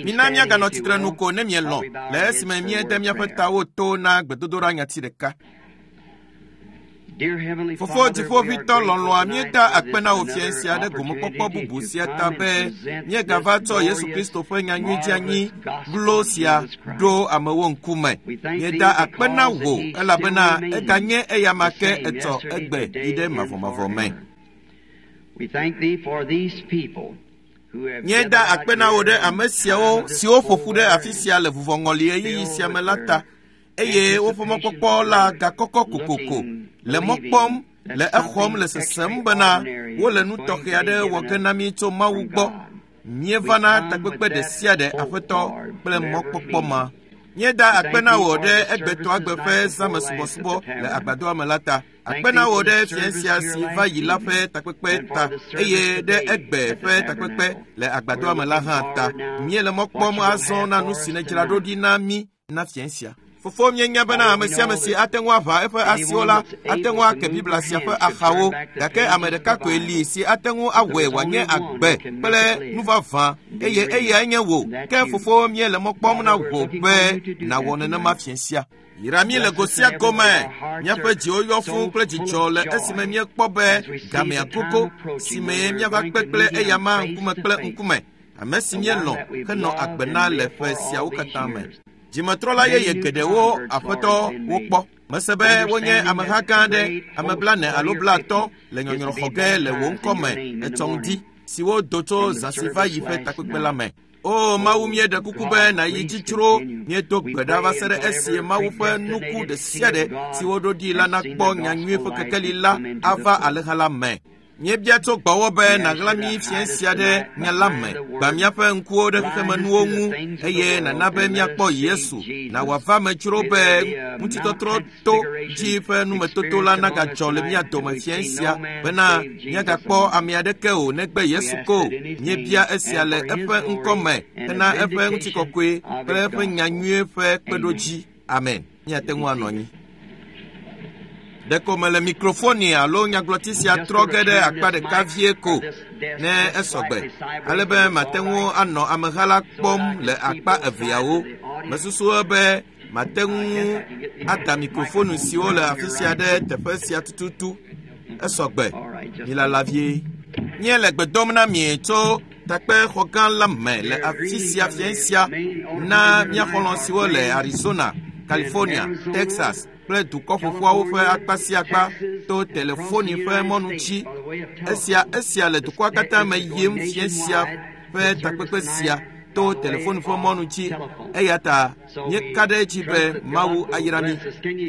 Mina míaganɔ tsitre nu ko ne mielɔ̃ le esime míede míaƒe tawo to na gbedodoɖa nyati ɖeka. Fofo Dziƒoʋĩtɔ lɔlɔ̃a, míeda akpe na wò fiẽ sia ɖe gomekpɔkpɔ bubu sia ta be míegava tsɔ Yesu Kristo ƒe nyanyui dzeanyi glo sia ɖo amewo ŋkume. Míeda akpe na wò elabena eganye eyama ke etsɔ egbe yi ɖe mavɔmavɔ me. Míeda akpe na wò ɖe ame siawo siwo ƒo ƒu ɖe afi sia le vuvɔŋɔli ɣeyiɣi sia me la ta eye woƒe mɔkpɔkpɔ la gakɔkɔ kokoko le mɔ kpɔm le exɔm le sesem bena wole nu tɔxɛ aɖe wɔ ge na mí tso Mawu gbɔ. Míevana takpekpe ɖe sia ɖe Aƒetɔ kple mɔkpɔkpɔ ma. Míeda akpe na wò ɖe egbetɔagbe ƒe zãmesubɔsubɔ le agbadɔa me la ta. Akpe na wò ɖe fiẽ sia si va yi la ƒe takpekpe ta eye ɖe egbe ƒe takpekpe le agbadɔa me la hã ta. Míele mɔ kpɔm azɔ na nu si nèdzra ɖo ɖi na mí na fiẽ sia. Fofo míenya bena ame sia ame si ate ŋu aʋã eƒe asiwo la ate ŋu ake Biblia sia ƒe axawo gake ame ɖeka koe li si ate ŋu awɔe wòanye agbe kple nu vavã eye eyae nye wò. Ke fofo míele mɔ kpɔm na wò be nàwɔ nenema fiẽ sia. Yra mí le go sia gome. Míaƒe dziwo yɔ fũu kple dzidzɔ le esime míekpɔ be gamea gogo si mee míava kpe kple eyama ŋkume kple ŋkume, ame si míelɔ̃ henɔ agbe na le ƒe siawo katã me. Dzimetrɔla yeye geɖewo Aƒetɔ wokpɔ. Mese be wonye ameha gã aɖe, ame 40 alo 50 le nyɔnyrɔ xɔ ge le wò ŋkɔ me etsɔ ŋdi siwo do tso zã si va yi ƒe takpekpe la me. O Mawu, míeɖe kuku be nàyi dzi tsro. Míedo gbe ɖa va se ɖe esi Mawu ƒe nuku ɖe sia ɖe si woɖo ɖi la nakpɔ nyanyui ƒe kekeli la ava alẽha la me. Míebia tso gbɔwò be nàɣla mí fiẽ sia ɖe nya la me, gbã míaƒe ŋkuwo ɖe xexemenuwo ŋu eye nàna be míakpɔ Yesu. Na wòava me dzro be ŋutitɔtrɔ to dzi ƒe numetoto la nagadzɔ le mía dome fiẽ sia bena míagakpɔ ame aɖeke o negbe Yesu ko. Míebia esia le eƒe ŋkɔ me hena eƒe ŋutikɔkɔe kple eƒe nyanyui ƒe kpeɖodzi. Amen. Míate ŋu anɔ anyi. Ɖeko mele mikrofoni alo nyagblɔti sia trɔ ge ɖe akpa ɖeka vie ko ne esɔgbe ale be mate ŋu anɔ ameha la kpɔm le akpa eveawo. Mesusu be mate ŋu ada mikrofonu siwo le afi sia ɖe teƒe sia tututu. Esɔgbe. Milala vie. Míele gbe dom na mi tso takpexɔ gã la me le afi sia fiẽ sia na mía xɔlɔ̃ siwo le Arizona, California, Texas kple dukɔ ƒoƒuawo ƒe akpa sia akpa to telefoni ƒe mɔnu dzi. Esia esia le dukɔa katã me yim fiẽ sia ƒe takpekpe sia to telefoni ƒe mɔnu dzi. Eya ta míeka ɖe edzi be Mawu ayra mí.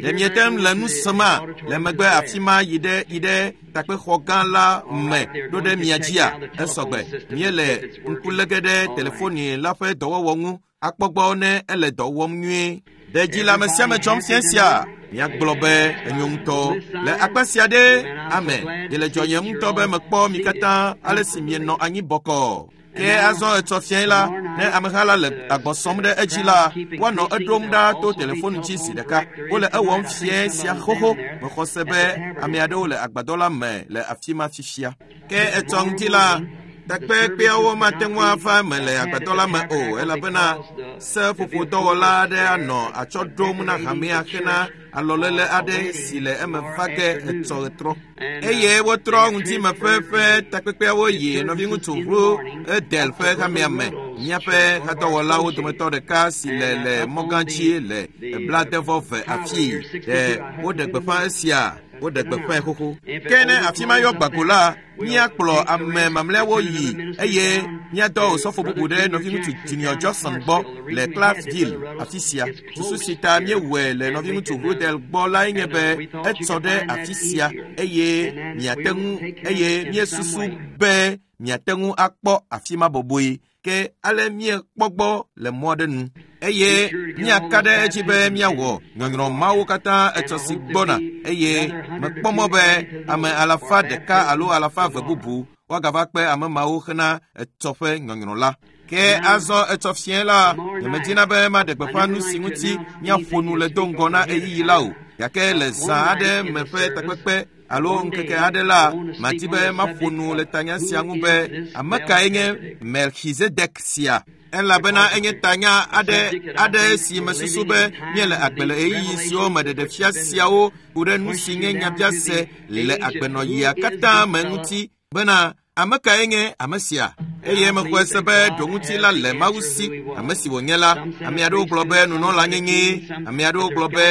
Ɖe miete ŋu le nu sema le megbe afi ma yi ɖe yi ɖe takpexɔ gã la me ɖo ɖe mia dzia? Esɔgbe. Míele ŋku lé ge ɖe telefoni la ƒe dɔwɔwɔ ŋu akpɔ gbɔ ne ele dɔ wɔm nyuie. Ɖe dzi le ame sia ame dzɔm fiẽ sia? Míagblɔ be enyo ŋutɔ. Le akpa sia ɖe, amen. Ɖe le dzɔnyem ŋutɔ be mekpɔ mi katã ale si mienɔ anyi bɔkɔɔ. Ke azɔ etsɔ fiẽ la, ne ameha la le agbɔ sɔm ɖe edzi la, woanɔ eɖom ɖa to telefoni dzi zi ɖeka. Wole ewɔm fiẽ sia xoxo. Mexɔ se be ame aɖewo le agbadɔ la me le afi ma fifia. Ke etsɔ ŋdi la, takpekpeawo mate ŋu ava eme le agbadɔ la me o elabena seƒoƒodɔwɔla aɖe anɔ atsɔ ɖom na hamea hena alɔlele aɖe si le eme va ge etsɔ ɣetrɔ. Eye wotrɔ ŋdime ƒe ƒe takpekpeawo yi nɔviŋutsu Ru Edel ƒe hamea me. Míaƒe hadɔwɔlawo dometɔ ɖeka si le le mɔgã dzi le 80 afii. Ɖe woɖe gbeƒã esia? Woɖe gbeƒãe xoxo. Ke ne afi ma yɔ gbago la, míakplɔ ame mamlɛawo yi eye míadɔ osɔfo bubu ɖe nɔviŋutsu Junior Jackson gbɔ le Clarksville afi sia. Susu si ta míewɔe le nɔviŋutsu Rudel gbɔ lae nye be etsɔ ɖe afi sia eye miate ŋu eye míesusu be miate ŋu akpɔ afi ma bɔbɔe. Ke ale míekpɔ gbɔ le mɔ aɖe nu eye míaka ɖe edzi be míawɔ nyɔnyrɔ mawo katã etsɔ si gbɔna eye mekpɔ mɔ be ame 100 alo 200 bubu woagava kpe ame mawo hena etsɔ ƒe nyɔnyrɔ la. Ke azɔ etsɔ fiẽ la, nyemedina be maɖe gbeƒã nu si ŋuti míaƒo nu le do ŋgɔ na ɣeyiɣi la o. Gake le zã aɖe me ƒe takpekpe alo ŋkeke aɖe la, madi be maƒo nu le tanya sia ŋu be ame kae nye Melchizedek sia? Elabena enye tanya aɖe si mesusu be míele agbe le ɣeyiɣi siwo me ɖeɖefia siawo ku ɖe nu si nye nyabiase le agbenɔɣia katã me ŋuti bena ame kae nye ame sia? Eye mexɔe se be ɖoŋuti la le Mawu si, ame si wònye la. Ame aɖewo gblɔ be nunɔla nyenyee, ame aɖewo gblɔ be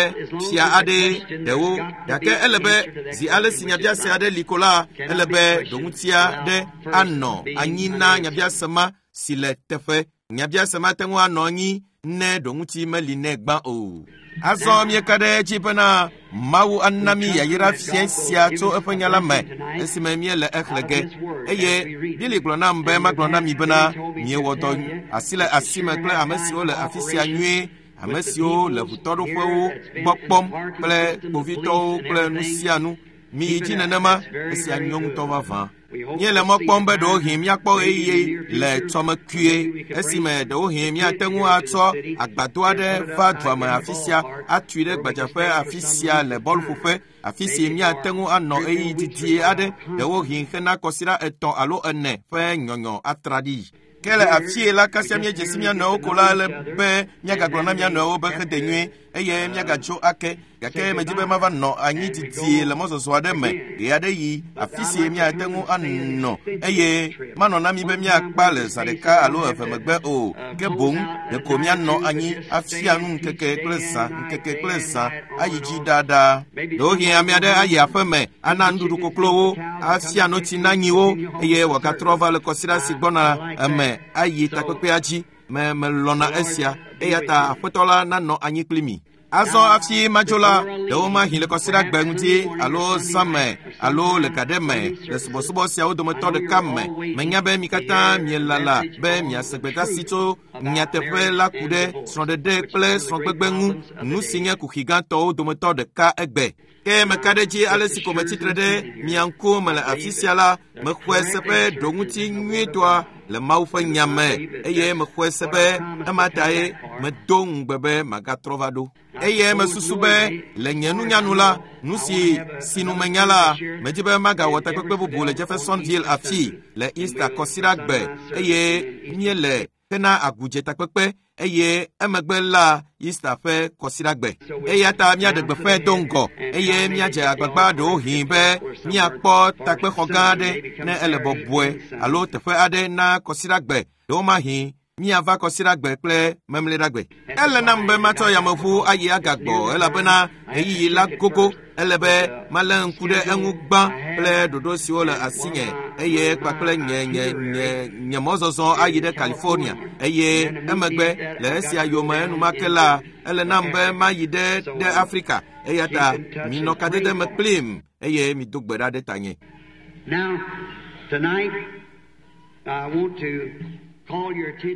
fia aɖee ɖewo. Gake ele be zi ale si nyabiase aɖe li ko la, ele be ɖoŋutia ɖe anɔ anyi na nyabiase ma si le teƒe. Nyabiase mate ŋu anɔ anyi ne ɖoŋuti meli nɛ gbã o. Azɔ míeka ɖe edzi bena Mawu ana mí yayra fia sia tso eƒe nya la me esime míele exlẽ ge. Eye Bili gblɔ nam be magblɔ na mi bena miewɔ dɔ asi le asi me kple ame siwo le afi sia nyuie, ame siwo le ʋutɔɖoƒewo gbɔ kpɔm kple kpovitɔwo kple nu sia nu. Miyi dzi nenema, esia nyo ŋutɔ vavã. Míele mɔ kpɔm be ɖewohĩ míakpɔ ɣeyiɣi le tsɔme kpuie esime ɖewohĩ míate ŋu atsɔ agbadɔ aɖe va dua me afi sia atui ɖe gbadzaƒe afi sia le bɔluƒoƒe, afi si míate ŋu anɔ ɣeyiɣi didi aɖe ɖewohĩ hena kɔsiɖa 3 alo 4 ƒe nyɔnyɔ atraɖii. Ke le afie la kasia míedze si mía nɔewo ko la ele be míagagblɔ na mía nɔewo be xede nyuie eye míagatso ake. Gake medzi be mava nɔ anyi didie le mɔzɔzɔ aɖe me ɣe aɖe yi afi si míate ŋu anɔ eye manɔ na mí be míakpa le zã ɖeka alo eve megbe o. Ke boŋ ɖeko míanɔ anyi afia nu ŋkeke kple zã, ŋkeke kple zã ayi dzi ɖaɖa. Ɖewohĩ ame aɖe ayi aƒe me ana nuɖuɖu koklowo, afia notsi na nyiwo eye wòagatrɔ va le kɔsiɖa si gbɔna eme ayi takpekpea dzi. Melɔ̃na esia eya ta aƒetɔ la nanɔ anyi kpli mi. Azɔ hafi madzo la, ɖewo mahi le kɔsiɖagbe ŋuti alo zã me alo le ga ɖe me le subɔsubɔ siawo dometɔ ɖeka me. Menya be mi katã mielala be miase gbedeasi tso nyateƒe la ku ɖe srɔ̃ɖeɖe kple srɔ̃gbegbe ŋu, nu si nye kuxi gãtɔwo dometɔ ɖeka egbe. Ke meka ɖe edzi ale si ko metsitre ɖe mia ŋkume le afi sia la, mexɔe se be ɖoŋuti nyuitɔa le Mawu ƒe nya me eye mexɔe se be ema tae medo ŋugbe be magatrɔ va ɖo. Eye mesusu be le nye nunyanu la, nu si sinu menya la, medzi be magawɔ takpekpe bubu le Jeffersonville afi le Easter kɔsiɖagbe eye míele hena agudze takpekpe eye emegbe la Easter ƒe kɔsiɖagbe. Eya ta míaɖe gbeƒãe do ŋgɔ eye míadze agbagba ɖewohĩ be míakpɔ takpexɔ gã aɖe ne ele bɔbɔe alo teƒe aɖe na kɔsiɖagbe ɖewomahi míava kɔsiɖagbe kple memleɖagbe. Ele nam be matsɔ yameʋu ayi agagbɔ elabena ɣeyiɣi la gogo. Ele be malé ŋku ɖe eŋu gbã kple ɖoɖo siwo le asinye eye kpakple nye mɔzɔzɔ ayi ɖe California eye emegbe le esia yome enumake la ele nam be mayi ɖe Afrika. Eya ta minɔ kadede me kplim eye mido gbe ɖa ɖe tanye.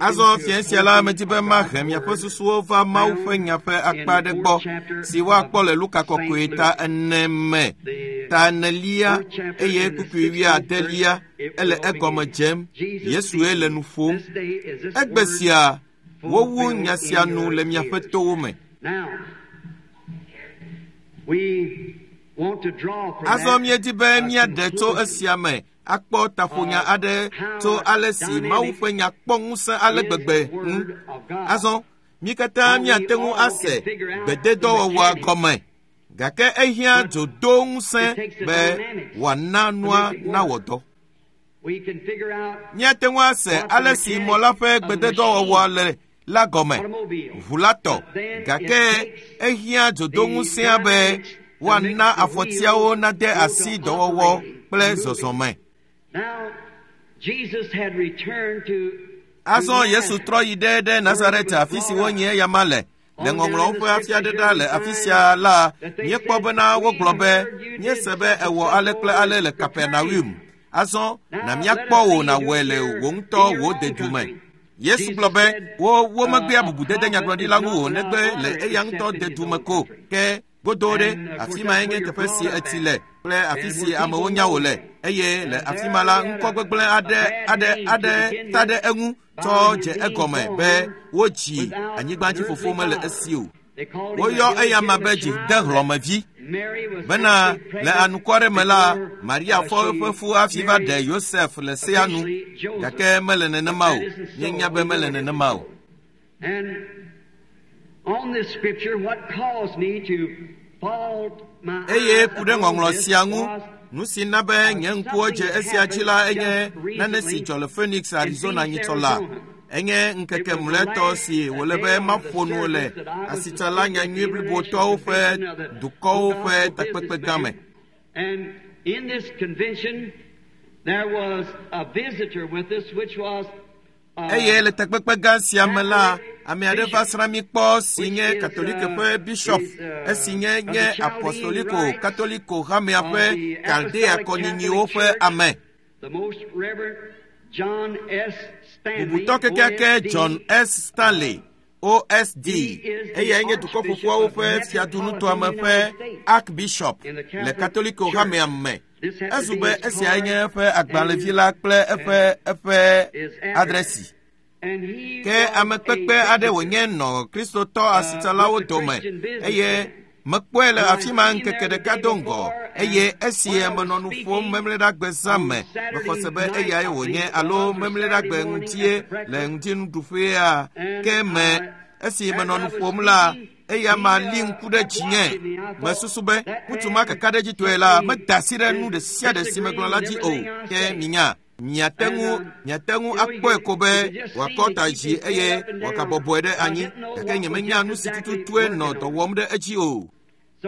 Azɔ fia sia la medzi be mahe miaƒe susuwo va Mawu ƒe nya ƒe akpa aɖe gbɔ si woakpɔ le Luka kɔkɔe ta 4 me, ta 4 eye kpukpui 8 ele egɔme dzem. Yesue le nu ƒom. Egbe sia wowu nya sia nu le miaƒe towo me. Azɔ míedi be míaɖe tso esia me akpɔ taƒonya aɖe tso ale si Mawu ƒe nya kpɔ ŋusẽ ale gbegbe ŋu. Azɔ mí katã míate ŋu ase gbededɔwɔwɔa gɔme, gake ehiã dzodo ŋusẽ be wòana nua nawɔ dɔ. Míate ŋu ase ale si mɔ la ƒe gbededɔwɔwɔa le la gɔme, ʋu la tɔ, gake ehiã dzodo ŋusẽa be woana afɔtiawo nade asi dɔwɔwɔ kple zɔzɔme. Azɔ Yesu trɔ yi ɖe Nazaret afi si wonyi eyama le. Le ŋɔŋlɔwo ƒe afia ɖe ɖa le afi sia la, míekpɔ bena wogblɔ be míese be ewɔ ale kple ale le Kapernaum. Azɔ na míakpɔ wò nàwɔe le wò ŋutɔ wò dedu me. Yesu gblɔ be womegbea bubudede nyagblɔɖila ŋu o negbe le eya ŋutɔ dedu me ko. Ke godo ɖe afi mae nye teƒe si etsi le kple afi si amewo nya wò le eye le afi ma la ŋkɔ gbegblẽ aɖe ta ɖe eŋu tsɔ dze egɔme be wodzi anyigbadzifofo mele esi o. Woyɔ eyama be dzidehlɔ̃mevi bena le anukware me la, Maria fɔ eƒe fu hafi va ɖe Yosef le sea nu, gake mele nenema o. Míenya be mele nenema o. Eye ku ɖe ŋɔŋlɔ sia ŋu, nu si na be nye ŋkuwo dze esia dzi la enye nane si dzɔ le Phoenix, Arizona nyitsɔ la. Enye ŋkeke mlɔetɔ si wòle be maƒo nu le asitsala nyanyui blibotɔwo ƒe dukɔwo ƒe takpekpe gã me. Eye le takpekpe gã sia me la, ame aɖe va srã mí kpɔ si nye Katolike ƒe bishop, esi nye nye Apostoliko Katoliko hamea ƒe Kaldea kɔnyinyiwo ƒe ame. Bubutɔ kekeake John S. Stanley, OSD, eyae nye Dukɔ Ƒoƒuawo ƒe fiadunutoame ƒe Archbishop le Katoliko hamea me. Ezu be esiae nye eƒe agbalẽvi la kple eƒe eƒe adresi. Ke ame kpekpe aɖe wònye nɔ Kristotɔ asitsalawo dome eye mekpɔe le afi ma ŋkeke ɖeka do ŋgɔ eye esi menɔ nu ƒom memleɖagbe zã me mexɔ se be eyae wònye alo memleɖagbe ŋutie le ŋutinuɖuƒea ke me esi menɔ nu ƒom la eya ma li ŋku ɖe dzinye mesusu be ŋutsu ma kakaɖedzitɔe la meda asi ɖe nu ɖe sia ɖe si megblɔ la dzi o ke minya miate ŋu miate ŋu akpɔe ko be wòakɔ ta dzi eye wòagabɔbɔe ɖe anyi gake nyemenya nu si tututue nɔ dɔ wɔm ɖe edzi o.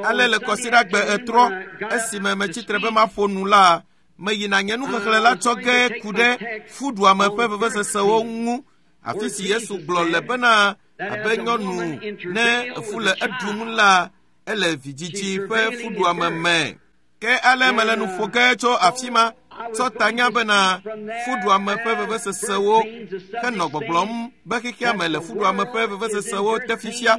Ale le kɔsiɖagbe etrɔ esime metsitre be maƒo nu la, meyina nye nuxexlẽ la tsɔ ge ku ɖe fuɖuame ƒe vevesesewo ŋu afi si Yesu gblɔ le bena abe nyɔnu ne efu le eɖum la, ele vidzidzi ƒe fuɖuame me. Ke ale mele nu ƒo ge tso afi ma tsɔ tanya bena fuɖuame ƒe vevesesewo henɔ gbɔgblɔm be xexea me le fuɖuame ƒe vevesesewo te fifia.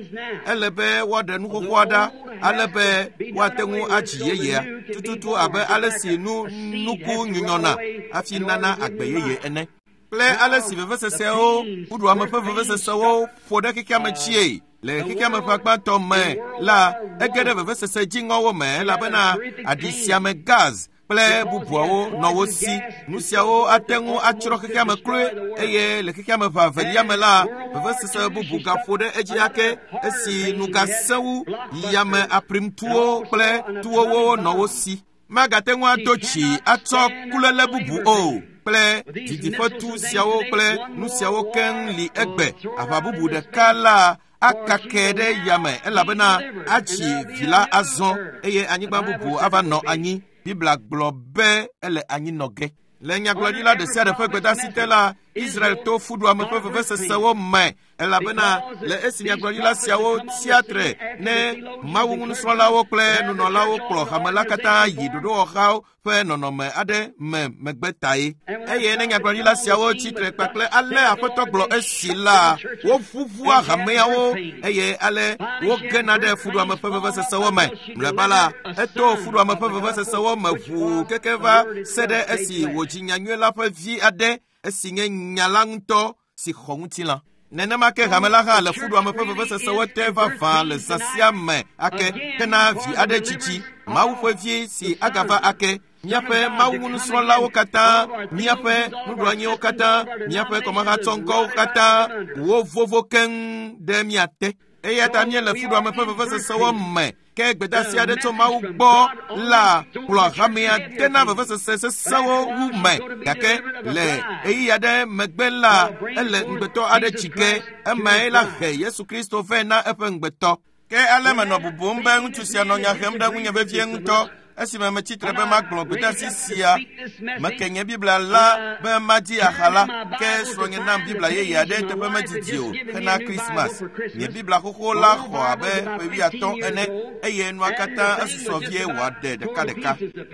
Ele be woaɖe nu xoxoa ɖa ale be woate ŋu adzi yeyea tututu abe ale si nu nuku nyunyɔna hafi nana agbe yeye ene. Kple ale si vevesesewo fuɖuame ƒe vevesesewo ƒo ɖe xexea me tsie le xexea me ƒe agbãtɔ me la, ege ɖe vevesese dziŋɔwo me elabena aɖi sia me gaz kple bubuawo nɔ wo si. Nu siawo ate ŋu atsrɔ̃ xexea me kloe eye le xexea me ƒe avelia me la, vevesese bubu gaƒo ɖe edzi ake esi nu gasẽ wu yame aprimtuwo kple tuwowo nɔ wo si. Magate ŋu ado tsi atsɔ kuléle bubu o kple didiƒetu siawo kple nu siawo keŋ li egbe. Aʋa bubu ɖeka la akake ɖe yame elabena atsi vi la azɔ eye anyigba bubu ava nɔ anyi. Biblia gblɔ be ele anyi nɔ ge. Le nyagblɔɖila ɖe sia ɖe ƒe gbedasi te la, Israel to fuɖuame ƒe vevesesewo me elabena le esi nyagblɔɖila siawo tsia tre ne Mawu nusrɔ̃lawo kple nunɔlawo kplɔ hame la katã yi ɖoɖowɔxawo ƒe nɔnɔme aɖe me megbe tae. Eye ne nyagblɔɖila siawo tsi tre kpakple ale Aƒetɔ gblɔ esi la, woʋuʋua hameawo eye ale wogena ɖe fuɖuame ƒe vevesesewo me. Mlɔeba la, eto fuɖuame ƒe vevesesewo me ʋuu keke va se ɖe esi wòdzi nyanyui la ƒe vi aɖe esi nye nya la ŋutɔ si xɔ ŋutilã. Nenema ke hame la hã le fuɖuame ƒe vevesesewo te vavã le zã sia me ake hena vi aɖe dzidzi, Mawu ƒe vi si agava ake. Míaƒe Mawu nusrɔ̃lawo katã, míaƒe nuɖoanyiwo katã, míaƒe kɔmahatsɔŋkɔwo katã, wo vovo keŋ ɖe mía te. Eya ta míele fuɖuame ƒe vevesesewo me ke gbedasi aɖe tso Mawu gbɔ la kplɔ hamea dena vevesese sesẽwo wu me gake le ɣeyiɣi aɖe megbe la ele ŋugbetɔ aɖe tsi ge emae la he Yesu Kristo vɛ na eƒe ŋugbetɔ. Ke ale menɔ bubum be ŋutsu sia nɔ nya hem ɖe ŋunye vevie ŋutɔ esime metsitre be magblɔ gbedasi sia. Meke nye Biblia la be madi aha la, ke srɔ̃nye nam Biblia yeye aɖe teƒe medidi o hena Krismas. Nye Biblia xoxo la xɔ abe ƒe wuiatɔ̃ ene eye nua katã esusɔ vie wòaɖe ɖekaɖeka.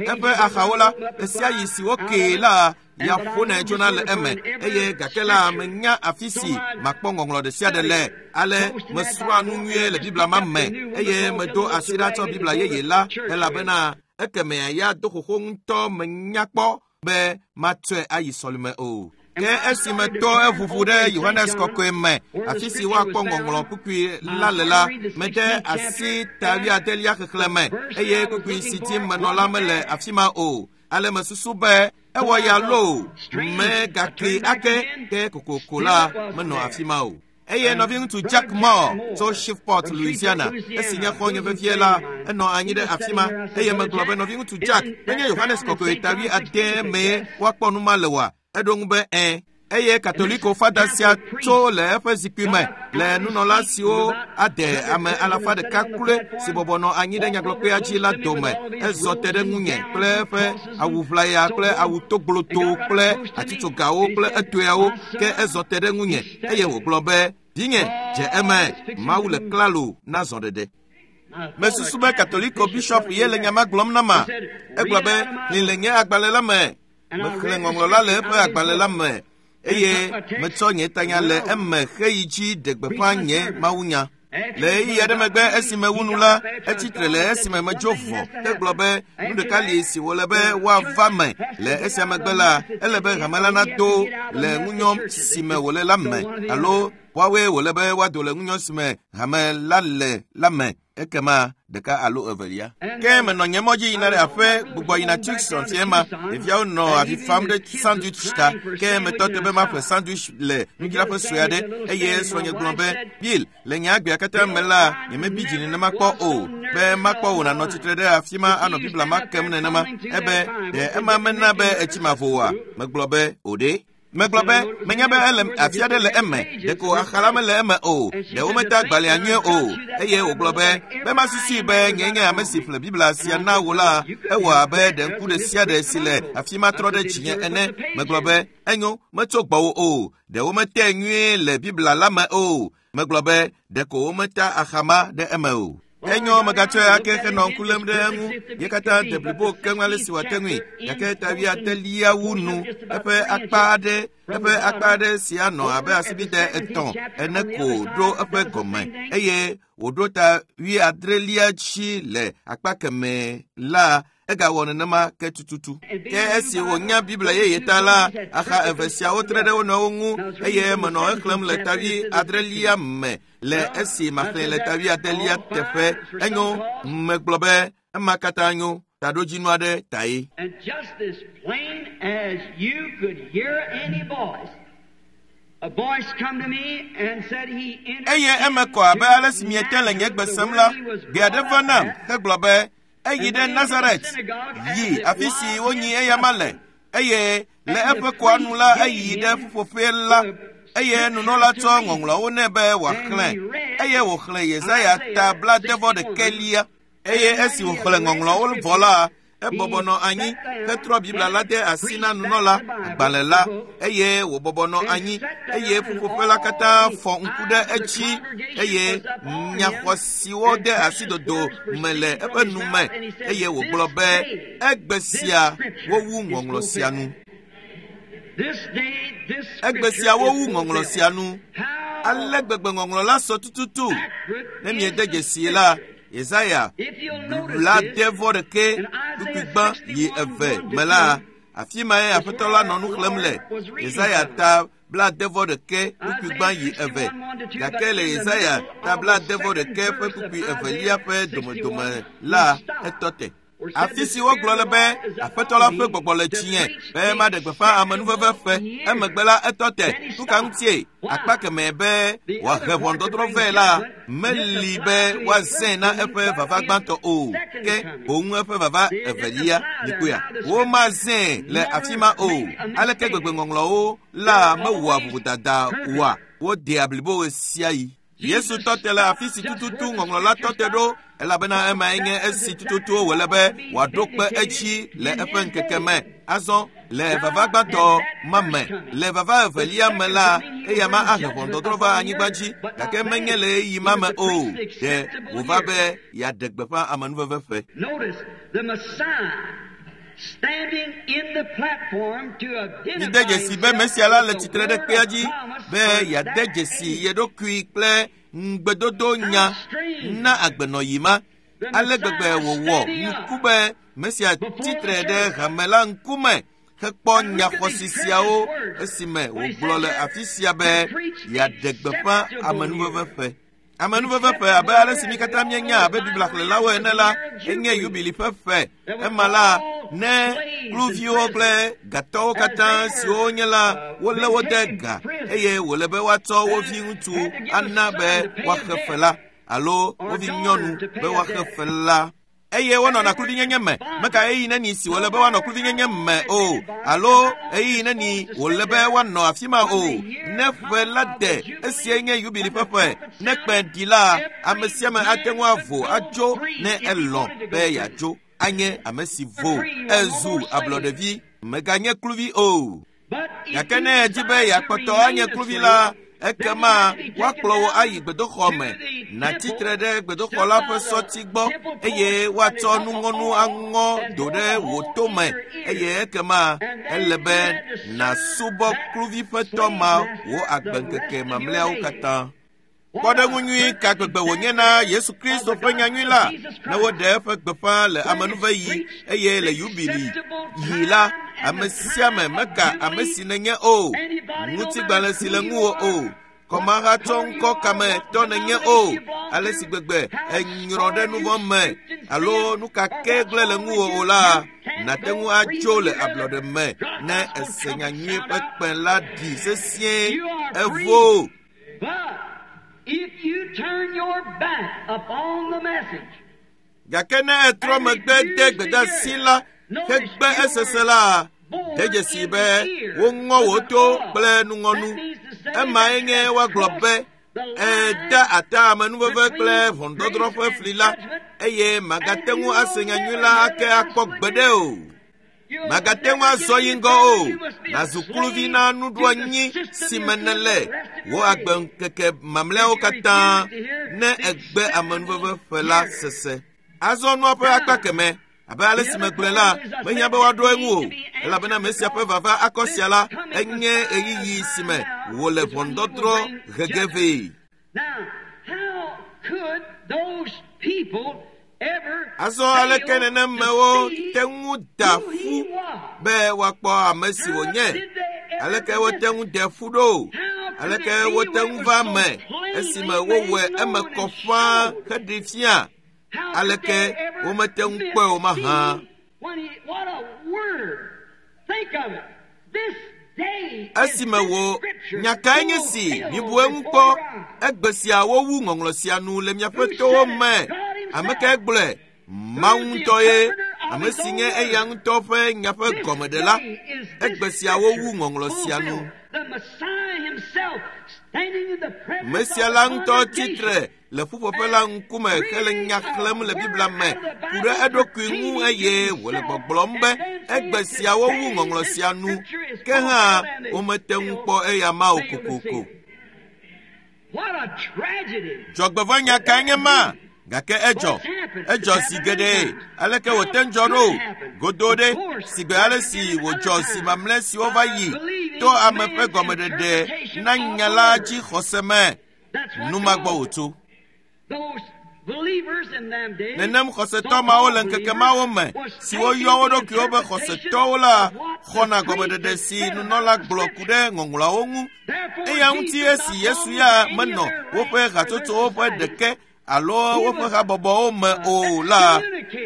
Eƒe axawo la, ɣesiaɣi si wokee la, ya ƒonɛ tsona le eme eye gake la menya afi si makpɔ ŋɔŋlɔ ɖe sia ɖe le. Ale mesrɔ̃a nu nyuie le Biblia ma me eye medo asi ɖa tsɔ Biblia yeye la elabena ekemea ya do xoxo ŋutɔ menya kpɔ be matsɔe ayi sɔlime o. Ke esime to eʋuʋu ɖe Yohanes kɔkɔe me, afi si woakpɔ ŋɔŋlɔ kpukpui la le la, mede asi ta wuiadelia xexlẽ me, eye kpukpui si dim menɔ la mele afi ma o. Ale mesusu be ewɔ ya loo, megakli ake, ke kokoko la menɔ afi ma o. Eye nɔviŋutsu Jack Moore tso Shreveport, Louisiana, esi nye xɔ̃nye vevie la, enɔ anyi ɖe afi ma, eye megblɔ be, nɔviŋutsu Jack, menye Yohanes kɔkɔe ta wuiade mee woakpɔ nu ma le oa? Eɖo ŋu be, ẽ. Eye Katoliko fada sia tso le eƒe zikpui me le nunɔla siwo ade ame 100 kloe si bɔbɔ nɔ anyi ɖe nyagblɔkpea dzi la dome. Ezɔ te ɖe ŋunye kple eƒe awu ʋlaya kple awu togbloto kple atitsogawo kple etoeawo, ke ezɔ te ɖe ŋunye eye wògblɔ be, vinye, dze eme, Mawu le klalo na zɔɖeɖe. Mesusu be Katoliko bishop ye le nya ma gblɔm na ma. Egblɔ be, xlẽ le nye agbalẽ la me. Mexlẽ ŋɔŋlɔ la le eƒe agbalẽ la me, eye metsɔ nye tanya le eme xeyi dzi ɖe gbeƒã nye mawunya. Le ɣeyiɣi aɖe megbe esime wu nu la, etsi tre le esime medzo vɔ. Egblɔ be nu ɖeka li si wòle be woava me. Le esia megbe la, ele be hame la nado le ŋunyɔ si me wòle la me, alo woawoe wòle be woado le ŋunyɔ si me hame la le la me. Ekema ɖeka alo evelia. Ke menɔ nye mɔ dzi yina ɖe aƒe gbugbɔ yina Tucson fia ma. Ɖeviawo nɔ avi fam ɖe sandwich ta. Ke metɔ te be maƒle sandwich le nudzraƒe sue aɖe, eye srɔ̃nye gblɔ be, Bill, le nye agbea katã me la, nyemebi dzi nenema kpɔ o, be makpɔ wò nànɔ tsitre ɖe afi ma anɔ Biblia ma kem nenema. Ebe, ɖe ema mena be etsi mavo oa? Megblɔ be, o ɖe. Megblɔ be, menya be ele afi aɖe le eme, ɖeko axa la mele eme o, ɖe wometa agbalẽa nyuie o. Eye wògblɔ be, be masusui be nye nye ame si ƒle Biblia sia na wò la, ewɔ abe ɖe ŋku ɖe sia ɖe si le afi ma trɔ ɖe dzinye ene. Megblɔ be, enyo, metso gbɔwò o, ɖe wometae nyuie le Biblia la me o. Megblɔ be, ɖeko wometa axa ma ɖe eme o. Enyo, megatsɔe ake henɔ ŋku lém ɖe eŋu. Ye katã de blibo keŋ ale si wòate ŋui, gake ta wuiadelia wu nu. Eƒe akpa aɖe, eƒe akpa aɖe si anɔ abe asibide 3 ene ko ɖo eƒe gɔme, eye wòɖo ta wuiadrelia dzi le akpa kemɛ la, egawɔ nenema ke tututu. Ke esi wònya Biblia yeye ta la, axa eve siawo tre ɖe wo nɔewo ŋu, eye menɔ exlẽm le ta wuiadrelia me le esi maxlẽ le ta wuiadelia teƒe. Enyo, megblɔ be ema katã nyo, taɖodzinu aɖe tae. And just as plain as you could hear any voice, a voice come to me and said he entered Eye eme kɔ abe ale si miete le nye gbe sem la, gbe aɖe va nam hegblɔ be eyi ɖe Nazaret, yi afi si wonyi eyama le, eye le eƒe kɔa nu la eyi ɖe ƒuƒoƒe la, eye nunɔla tsɔ ŋɔŋlɔawo nɛ be wòaxlẽ, eye wòxlẽ Yesaya ta 61. Eye esi wòxlẽ ŋɔŋlɔawo vɔ la, ebɔbɔ nɔ anyi hetrɔ Biblia la de asi na nunɔla agbalẽ la, eye wòbɔbɔ nɔ anyi, eye ƒuƒoƒe la katã fɔ ŋku ɖe edzi, eye nyaxɔsiwo de asi dodo me le eƒe nu me, eye wògblɔ be, egbe sia wowu ŋɔŋlɔ sia nu. Egbe sia wowu ŋɔŋlɔ sia nu. Ale gbegbe ŋɔŋlɔ la sɔ tututu. Ne miede dzesi la, Yesaya 61 kpukpui gbã yi eve me la, afi mae Aƒetɔ la nɔ nu xlẽm le. Yesaya ta 61 kpukpui gbã yi eve. Gake le Yesaya ta 61 ƒe kpukpui evelia ƒe domedome la, etɔ te. Afi si wogblɔ le be Aƒetɔ la ƒe gbɔgbɔ le dzinye be maɖe gbeƒã amenuveve ƒe. Emegbe la etɔ te. Nu ka ŋutie? Akpa kemɛ be wòahe ʋɔnudɔdrɔ̃ vɛ la, meli be woazãe na eƒe vava gbãtɔ o, ke boŋ eƒe vava evelia. Mikpɔea? Womazãe le afi ma o. Aleke gbegbe ŋɔŋlɔwo la mewɔa vovodada oa? Wodea blibo ɣe sia ɣi. Yesu tɔ te le afi si tututu ŋɔŋlɔ la tɔ te ɖo, elabena emae nye esi tututu wòle be wòaɖo kpe edzi le eƒe ŋkeke me. Azɔ le vava gbãtɔ ma me, le vava evelia me la, eya ma ahe ʋɔnudɔdrɔ̃ va anyigba dzi, gake menye le ɣeyiɣi ma me o. Ɖe wòva be yeaɖe gbeƒã amenuveve ƒe. Notice the Messiah standing in the platform to identify Mide dzesi be Mesia la le tsitre ɖe kpea dzi be yeade dzesi ye ɖokui kple ŋugbedodo nya na agbenɔyi ma. Ale gbegbe wòwɔ nuku be Mesia tsitre ɖe hame la ŋkume Hekpɔ nyaxɔsi siawo esime wògblɔ le afi sia be yeaɖe gbeƒã amenuveve ƒe. Amenuveve ƒe abe ale si mi katã míenya abe Biblia xlẽlawo ene la, enye yubili ƒe ƒe. Ema la, ne kluviwo kple gatɔwo katã siwo wonye la, wolé wo de ga eye wòle be woatsɔ wo viŋutsu ana be woaxe fe la alo wo vinyɔnu be woaxe fe la. Eye wonɔna kluvinyenye me. Meka ɣeyiɣi neni si wòle be woanɔ kluvinyenye me o, alo ɣeyiɣi neni wòle be woanɔ afi ma o. Ne ƒe la de, esiae nye yubili ƒe ƒe. Ne kpẽ ɖi la, ame sia ame ate ŋu avo atso ne elɔ̃ be yeatso. Anye ame si vo, ezu ablɔɖevi, meganye kluvi o. Gake ne èdi be yeakpɔtɔ anye kluvi la, ekema woakplɔ wò ayi gbedoxɔ me, nàtsi tre ɖe gbedoxɔ la ƒe sɔti gbɔ eye woatsɔ nuŋɔnu aŋɔ do ɖe wò to me eye ekema ele be nàsubɔ kluvi ƒe tɔ ma wò agbeŋkeke mamlɛawo katã. Kpɔɖeŋu nyui ka gbegbe wònye na Yesu Kristo ƒe nyanyui la ne woɖe eƒe gbeƒã le amenuveɣi eye le yubili yi la, ame sia ame meka ame si nènye o, ŋutigbalẽ si le ŋuwò o, kɔmahatsɔ ŋkɔ kame tɔ nènye o, ale si gbegbe ènyrɔ ɖe nu vɔ̃ me alo nu ka ke gblẽ le ŋuwò o la, nàte ŋu atso le ablɔɖe me ne èse nyanyui ƒe kpẽ la ɖi sesĩe evo. If you turn your back upon the message, Gake ne ètrɔ megbe de gbedeasi la hegbe esese la, de dzesi be woŋɔ wò to kple nuŋɔnu. Emae nye woagblɔ be èda ata amenuveve kple ʋɔnudɔdrɔ̃ ƒe fli la eye màgate ŋu ase nyanyui la ake akpɔ gbeɖe o. Màgate ŋu azɔ yi ŋgɔ o. Nàzu kluvi na nuɖoanyi si me nèle wò agbeŋkeke mamlɛawo katã ne ègbe amenuveve ƒe la sese. Azɔ nua ƒe akpa kemɛ abe ale si megblɔe la, mehiã be woaɖo eŋu o, elabena Mesia ƒe vava akɔ sia la enye ɣeyiɣi si me wòle ʋɔnudɔdrɔ̃ he ge vɛ. Now, how could those people ever Azɔ aleke fail to nenemewo see te ŋu da who he ƒu was? be woakpɔ ame si wònye? How did they ever Aleke wote miss ŋu it? de ƒu ɖo? How could Aleke it be wote when ŋu it was va so me plainly esime made wowɔe eme known kɔ and ƒãa showed? heɖee fia? How could Aleke they ever womete ŋu miss kpɔe o mahã? seeing when he, what a word! Think of it. This day is Esime this wò scripture nya kae nye si fulfilled mibu eŋu before kpɔ your eyes. egbe sia wowu ŋɔŋlɔ sia nu le miaƒe Who towo said it? me. God Ame himself. kae gblɔe? Mawu Who is the ŋutɔ ye, interpreter of ame his si own nye eya word? ŋutɔ ƒe nya ƒe This gɔmeɖela. day is this Egbe sia wowu scripture ŋɔŋlɔ sia nu. fulfilled. The Messiah himself standing in the presence Mesia of la the ŋutɔ congregation tsitre le ƒuƒoƒe la ŋkume hele nya xlẽm le Biblia me ku ɖe eɖokui ŋu eye wòle gbɔgblɔm be egbe sia wowu ŋɔŋlɔ sia nu. Ke hã womete ŋu kpɔ eya ma o kokoko. What a tragedy! Dzɔgbevɔ̃enya kae nye ma? Gake edzɔ. Edzɔ zi geɖe. Aleke wòte ŋu dzɔ ɖo? Godo ɖe, sigbe ale si wòdzɔ zi mamlɛ siwo va yi to ame ƒe gɔmeɖeɖe na nya la dzi xɔse me. That's what Nu ma gbɔ caused it. wòtso. Those believers in them days, Nenem xɔsetɔ mawo le ŋkeke mawo me siwo yɔ wo ɖokuiwo be xɔsetɔwo la xɔna gɔmeɖeɖe si nunɔla gblɔ ku ɖe ŋɔŋlɔawo ŋu. Eya ŋuti esi Yesu ya menɔ woƒe hatsotsowo ƒe ɖeke alo woƒe habɔbɔwo me o la,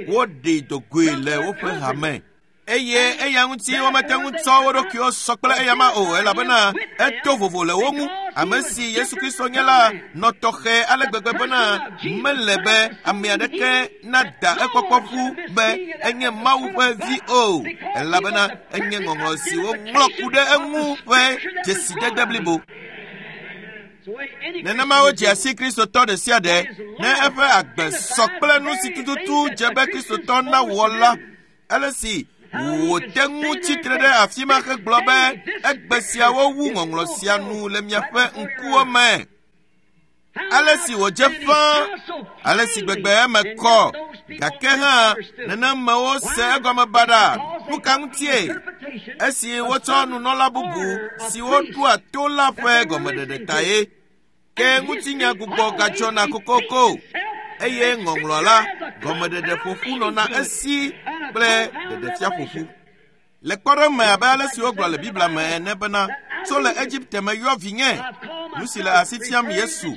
woɖee dogoe le woƒe hame. Eye eya ŋuti womete ŋu tsɔ wo ɖokuiwo sɔ kple eyama o elabena eto vovo le wo ŋu. Ame si Yesu Kristo nye la nɔ tɔxɛ ale gbegbe bena mele be ame aɖeke nada ekpɔkpɔ ƒu be enye Mawu ƒe vi o elabena enye ŋɔŋlɔ si woŋlɔ ku ɖe eŋu ƒe dzesidede blibo. Nenema wodzea si Kristotɔ ɖe sia ɖe ne eƒe agbe sɔ kple nu si tututu dze be Kristotɔ nawɔ la. Ale si wòte ŋu tsitre ɖe afi ma hegblɔ be egbe sia wowu ŋɔŋlɔ sia nu le miaƒe ŋkuwo me. Ale si wòdze ƒãa, ale si gbegbe eme kɔ, gake hã nenemewo se egɔme baɖa. Nu ka ŋutie? Esi wotsɔ nunɔla bubu siwo ɖoa to la ƒe gɔmeɖeɖe ta ye. Ke ŋutinya gbugbɔ gadzɔna kokoko eye ŋɔŋlɔ la gɔmeɖeɖe ƒoƒu nɔna esi kple ɖeɖefia ƒoƒu. Le kpɔɖeŋu me abe ale si wogblɔ le Biblia me ene bena, tso le Egipte me yɔ vinye, nu si le asi fiam Yesu.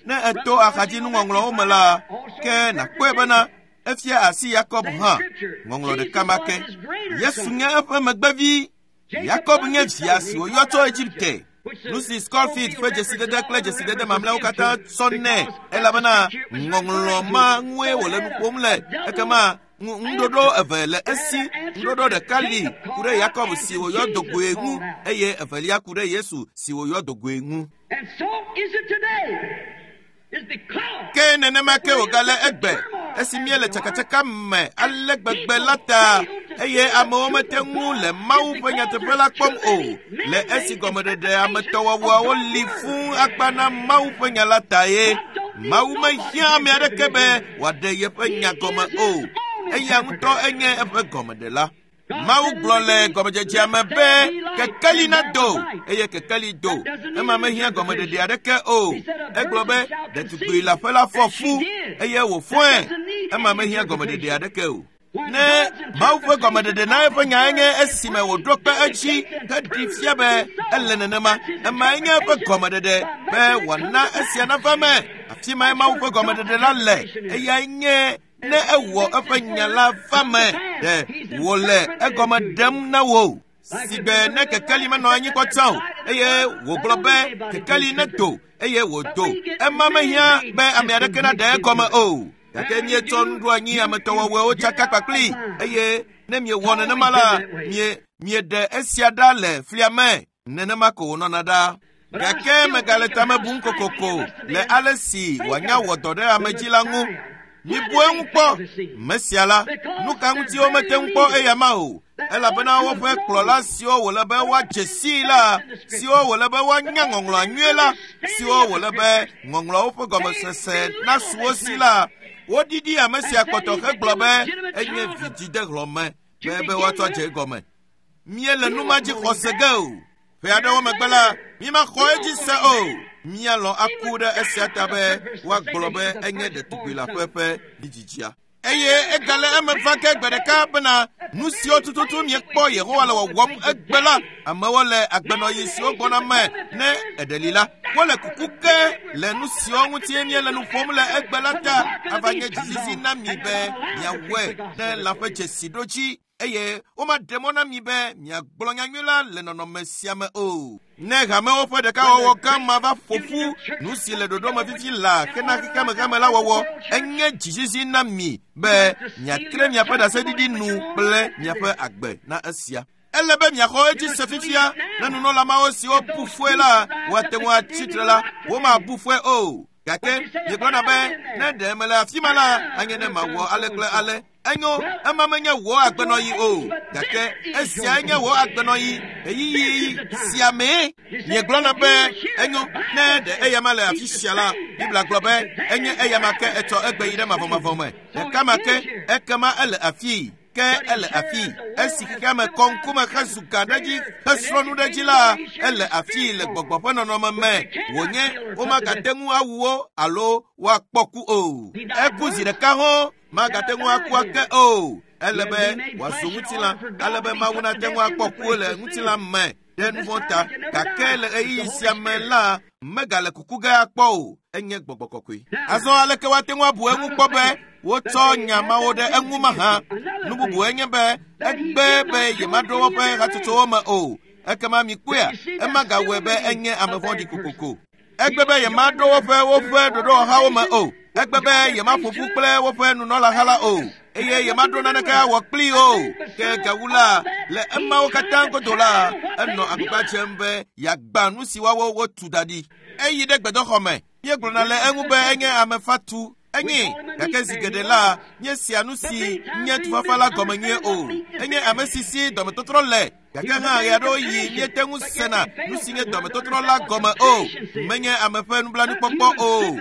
Ne eto axadzinuŋɔŋlɔwo me la, ke nàkpɔe bena efia asi Yakob hã. Ŋɔŋlɔ ɖeka ma ke. Yesu nye eƒe megbevi. Yakob nye via si wòyɔ tso Egipte. Nu si Scofield ƒe dzesidede kple dzesidede mamlɛawo katã sɔ nɛ elabena ŋɔŋlɔ ma ŋue wòle nu ƒom le. Ekema ŋuɖoɖo eve le esi. Ŋuɖoɖo ɖeka li ku ɖe Yakob si wòyɔ dogoe ŋu eye evelia ku ɖe Yesu si wòyɔ dogoe ŋu. And so is it today. It's because Ke nenema ke wògale egbe esi míele tsakatsaka me ale gbegbe la ta eye amewo mete ŋu le Mawu ƒe nyateƒe la kpɔm o le esi gɔmeɖeɖe ametɔwɔwɔawo li fũu akpa na Mawu ƒe nya la ta ye. Mawu mehiã ame aɖeke be wòaɖe yeƒe nya gɔme o. Eya ŋutɔ enye eƒe gɔmeɖela. Mawu gblɔ le gɔmedzedzea me be kekeli nado eye kekeli do. Ema mehiã gɔmeɖeɖe aɖeke o. Egblɔ be ɖetugbui leaƒe la fɔ fu eye wòfɔe. Ema mehiã gɔmeɖeɖe aɖeke o. Ne Mawu ƒe gɔmeɖeɖe na eƒe nya enye esime wòɖo kpe edzi heɖi fia be ele nenema. Emae nye eƒe gɔmeɖeɖe be wòana esia nava me. Afi mae Mawu ƒe gɔmeɖeɖe la le. Eyae nye ne ewɔ eƒe nya la va me ɖe wòle egɔme ɖem na wò. Sigbe ne kekeli menɔ anyi kpɔ tsã o eye wògblɔ be kekeli nedo eye wòdo. Ema mehiã be ame aɖeke naɖe egɔme o. Gake míetsɔ nuɖoanyi ametɔwɔwɔewo tsaka kpakpli eye ne miewɔ nenema la, mieɖe esia ɖa le flia me. Nenema ko wònɔna ɖa. Gake megale tame bum kokoko le ale si wòanya wɔ dɔ ɖe ame dzi la ŋu. Mibu eŋu kpɔ. Mesia la, nu ka ŋuti womete ŋu kpɔ eya ma o? Elabena woƒe kplɔla siwo wòle be woadze sii la, siwo wòle be woanya ŋɔŋlɔa nyuie la, siwo wòle be ŋɔŋlɔawo ƒe gɔmesese nasu wo si la, woɖiɖi ame sia kpɔtɔ hegblɔ be enye vidzidehlɔ̃me be woatsɔ dze egɔme. Míele nu ma dzi xɔ se ge o. Ƒe aɖewo megbe la, mímaxɔ edzi se o. Míalɔ̃ aku ɖe esia ta be woagblɔ be enye ɖetugbui leaƒe ƒe vidzidzia. Eye egale eme va ke gbe ɖeka bena nu siwo tututu miekpɔ Yehowa le wɔwɔm egbe la, amewo le agbenɔɣi siwo gbɔna me ne eɖe li la, wole kuku ke le nu siwo ŋuti míele nu ƒom le egbe la ta ava nye dzizizi na mi be miawɔe ne lã ƒe dzesi ɖo dzi eye womaɖe mɔ na mi be miagblɔ nyanyui la le nɔnɔme sia me o. Ne hamewo ƒe ɖekawɔwɔ gã ma va ƒo ƒu nu si le ɖoɖo me fifi la hena xexeame la wɔwɔ, enye dzizizi na mi be miatre miaƒe ɖaseɖiɖi nu kple miaƒe agbe na esia. Ele be miaxɔ edzi se fifia ne nunɔla mawo siwo bu fɔe la woate ŋu atsi tre la, womabu fɔe o. Gake miegblɔna be ne ɖe mele afi ma la, anye ne mawɔ ale kple ale. Enyo, ema menye wò agbenɔɣi o, gake esiae nye wò agbenɔɣi ɣeyiɣi sia mee. Miegblɔna be enyo, ne ɖe eyama le afi sia la, Biblia gblɔ be enye eyama ke etsɔ egbe yi ɖe mavɔmavɔ me. Ɖeka ma ke, ekema ele afii. Ke ele afii. Esi xexeame kɔ ŋkume hezu gã ɖe edzi hesrɔ̃ nu ɖe edzi la, ele afii le gbɔgbɔ ƒe nɔnɔme me wònye womagate ŋu awu wo alo woakpɔ ku o. Eku zi ɖeka hɔ̃ magate ŋu aku ake o. Ele be wòazu ŋutilã ale be Mawu nate ŋu akpɔ ku le ŋutilã me ɖe nu vɔ̃ ta. Gake le ɣeyiɣi sia me la, megale kuku ge akpɔ o. Enye gbɔgbɔ kɔkɔe. Azɔ aleke woate ŋu abu eŋu kpɔ be wotsɔ nya mawo ɖe eŋu mahã? Nu bubu enye be egbe be yemaɖo woƒe hatsotsowo me o. Ekema mikpɔea, ema gawɔe be enye ame vɔ̃ɖi kokoko. Egbe be yemaɖo woƒe ɖoɖowɔhawo me o. Egbe be yemaƒo ƒu kple woƒe nunɔlaha la o eye yemaɖo naneke awɔ kplii o. Ke gawu la, le emawo katã godo la, enɔ agbagba dzem be yeagbã nu si woawo wotu da ɖi. Eyi ɖe gbedoxɔ me. Míegblɔna le eŋu be enye ame fatu. Enye, gake zi geɖe la, míesea nu si nye tufafa la gɔme nyuie o. Enye ame si si dɔmetɔtrɔ le, gake hã ɣe aɖewo yi míete ŋu sena nu si nye dɔmetɔtrɔ la gɔme o. Menye ame ƒe nublanuikpɔkpɔ o.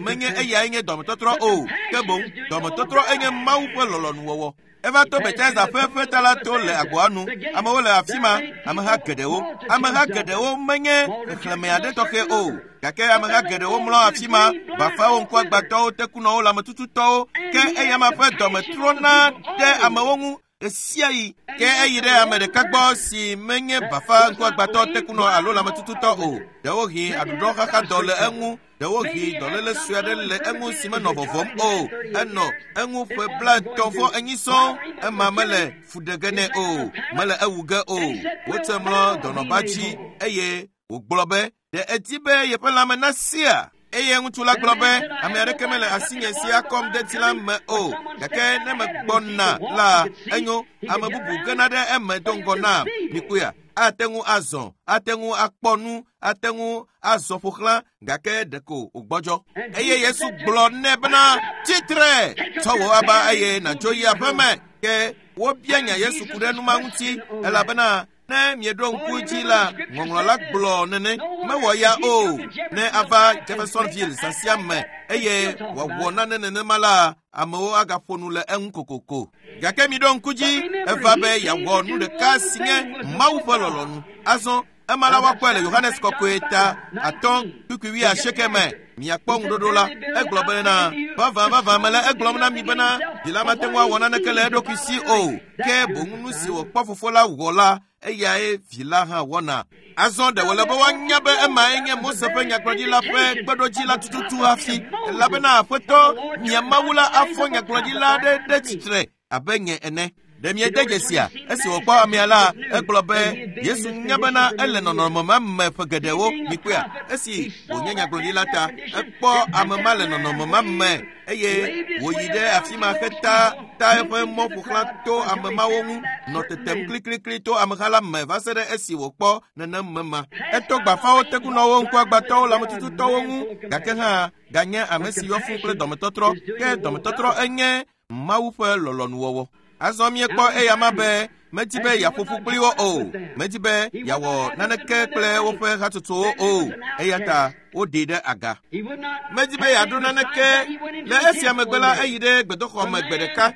Menye eyae nye dɔmetɔtrɔ o. Ke boŋ dɔmetɔtrɔ enye Mawu ƒe lɔlɔ̃nuwɔwɔ. Eva to Bethesda ƒe ƒeta la to le agboa nu. Amewo le afi ma, ameha geɖewo. Ameha geɖewo menye xexlẽme aɖe tɔxɛ o. Gake ameha geɖewo mlɔ afi ma, bafawo, ŋkuagbãtɔwo, tekunɔwo, lãmetututɔwo. Ke eyama ƒe dɔme trɔna ɖe amewo ŋu. Ɣesiaɣi. Ke eyi ɖe ame ɖeka gbɔ si menye bafa ŋkuagbãtɔ tekunɔ alo lãmetututɔ o. Ɖewohĩ aɖuɖɔxaxadɔ le eŋu. Ɖewohĩ dɔléle sue aɖe le eŋu si menɔ vɔvɔm o. Enɔ eŋu ƒe 34 sɔŋ. Ema mele fu ɖe ge nɛ o, mele ewu ge o. Wotsɔe mlɔ dɔnɔba dzi eye wògblɔ be, ɖe edi be yeƒe lãme nasia? Eye ŋutsu la gblɔ be, ame aɖeke mele asinye si akɔm de tsi la me o, gake ne megbɔna la, enyo, ame bubu gena ɖe eme do ŋgɔ nam. Mikpɔea? Ate ŋu azɔ, ate ŋu akpɔ nu, ate ŋu azɔ ƒo xlã, gake ɖeko wògbɔdzɔ. Eye Yesu gblɔ nɛ bena, tsitre, tsɔ wò aba eye nàdzo yi aƒeme. Ke wobia nya Yesu ku ɖe nu ma ŋuti, elabena ne mieɖo ŋku dzi la, ŋɔŋlɔ la gblɔ nene, mewɔ ya o. Ne ava Jeffersonville zã sia me eye wòawɔ nane nenema la, amewo agaƒo nu le eŋu kokoko. Gake miɖo ŋku dzi, eva be yeawɔ nu ɖeka si nye Mawu ƒe lɔlɔ̃nu. Azɔ ema la woakpɔe le Yohanes Kɔkɔe ta 5:80 me. Miakpɔ ŋuɖoɖo la. Egblɔ bena, vavã vavã mele egblɔm na mi bena, vi la mate ŋu awɔ naneke le eɖokui si o, ke boŋ nu si wòkpɔ fofo la wɔ la, eyae vi la hã wɔna. Azɔ ɖe wòle be woanya be emae nye Mose ƒe nyagblɔɖila ƒe kpeɖodzi la tututu hafi, elabena Aƒetɔ, mia Mawu la afɔ nyagblɔɖila aɖe ɖe tsitre abe nye ene. Ɖe miede dzesia? Esi wòkpɔ amea la, egblɔ be Yesu nya bena ele nɔnɔme ma me ƒe geɖewo. Mikpɔea? Esi wònye nyagblɔɖila ta, ekpɔ ame ma le nɔnɔme ma me eye wòyi ɖe afi ma heta ta eƒe mɔ ƒo xlã to ame mawo ŋu, nɔ tetem kliklikli to ameha la me va se ɖe esi wòkpɔ nenem me ma. Eto gbafawo, tekunɔwo, ŋkuagbãtɔwo, lãmetututɔwo ŋu, gake hã ganye ame si yɔ fũ kple dɔmetɔtrɔ. Ke dɔmetɔtrɔ enye Mawu ƒe lɔlɔ̃nuwɔwɔ. Azɔ miekpɔ eya ma be medi be yeaƒo ƒu kpli wo o, medi be yeawɔ naneke kple woƒe hatsotsowo o, eya ta woɖee ɖe aga. Medi be yeaɖo naneke. Le esia megbe la, eyi ɖe gbedoxɔ me gbe ɖeka.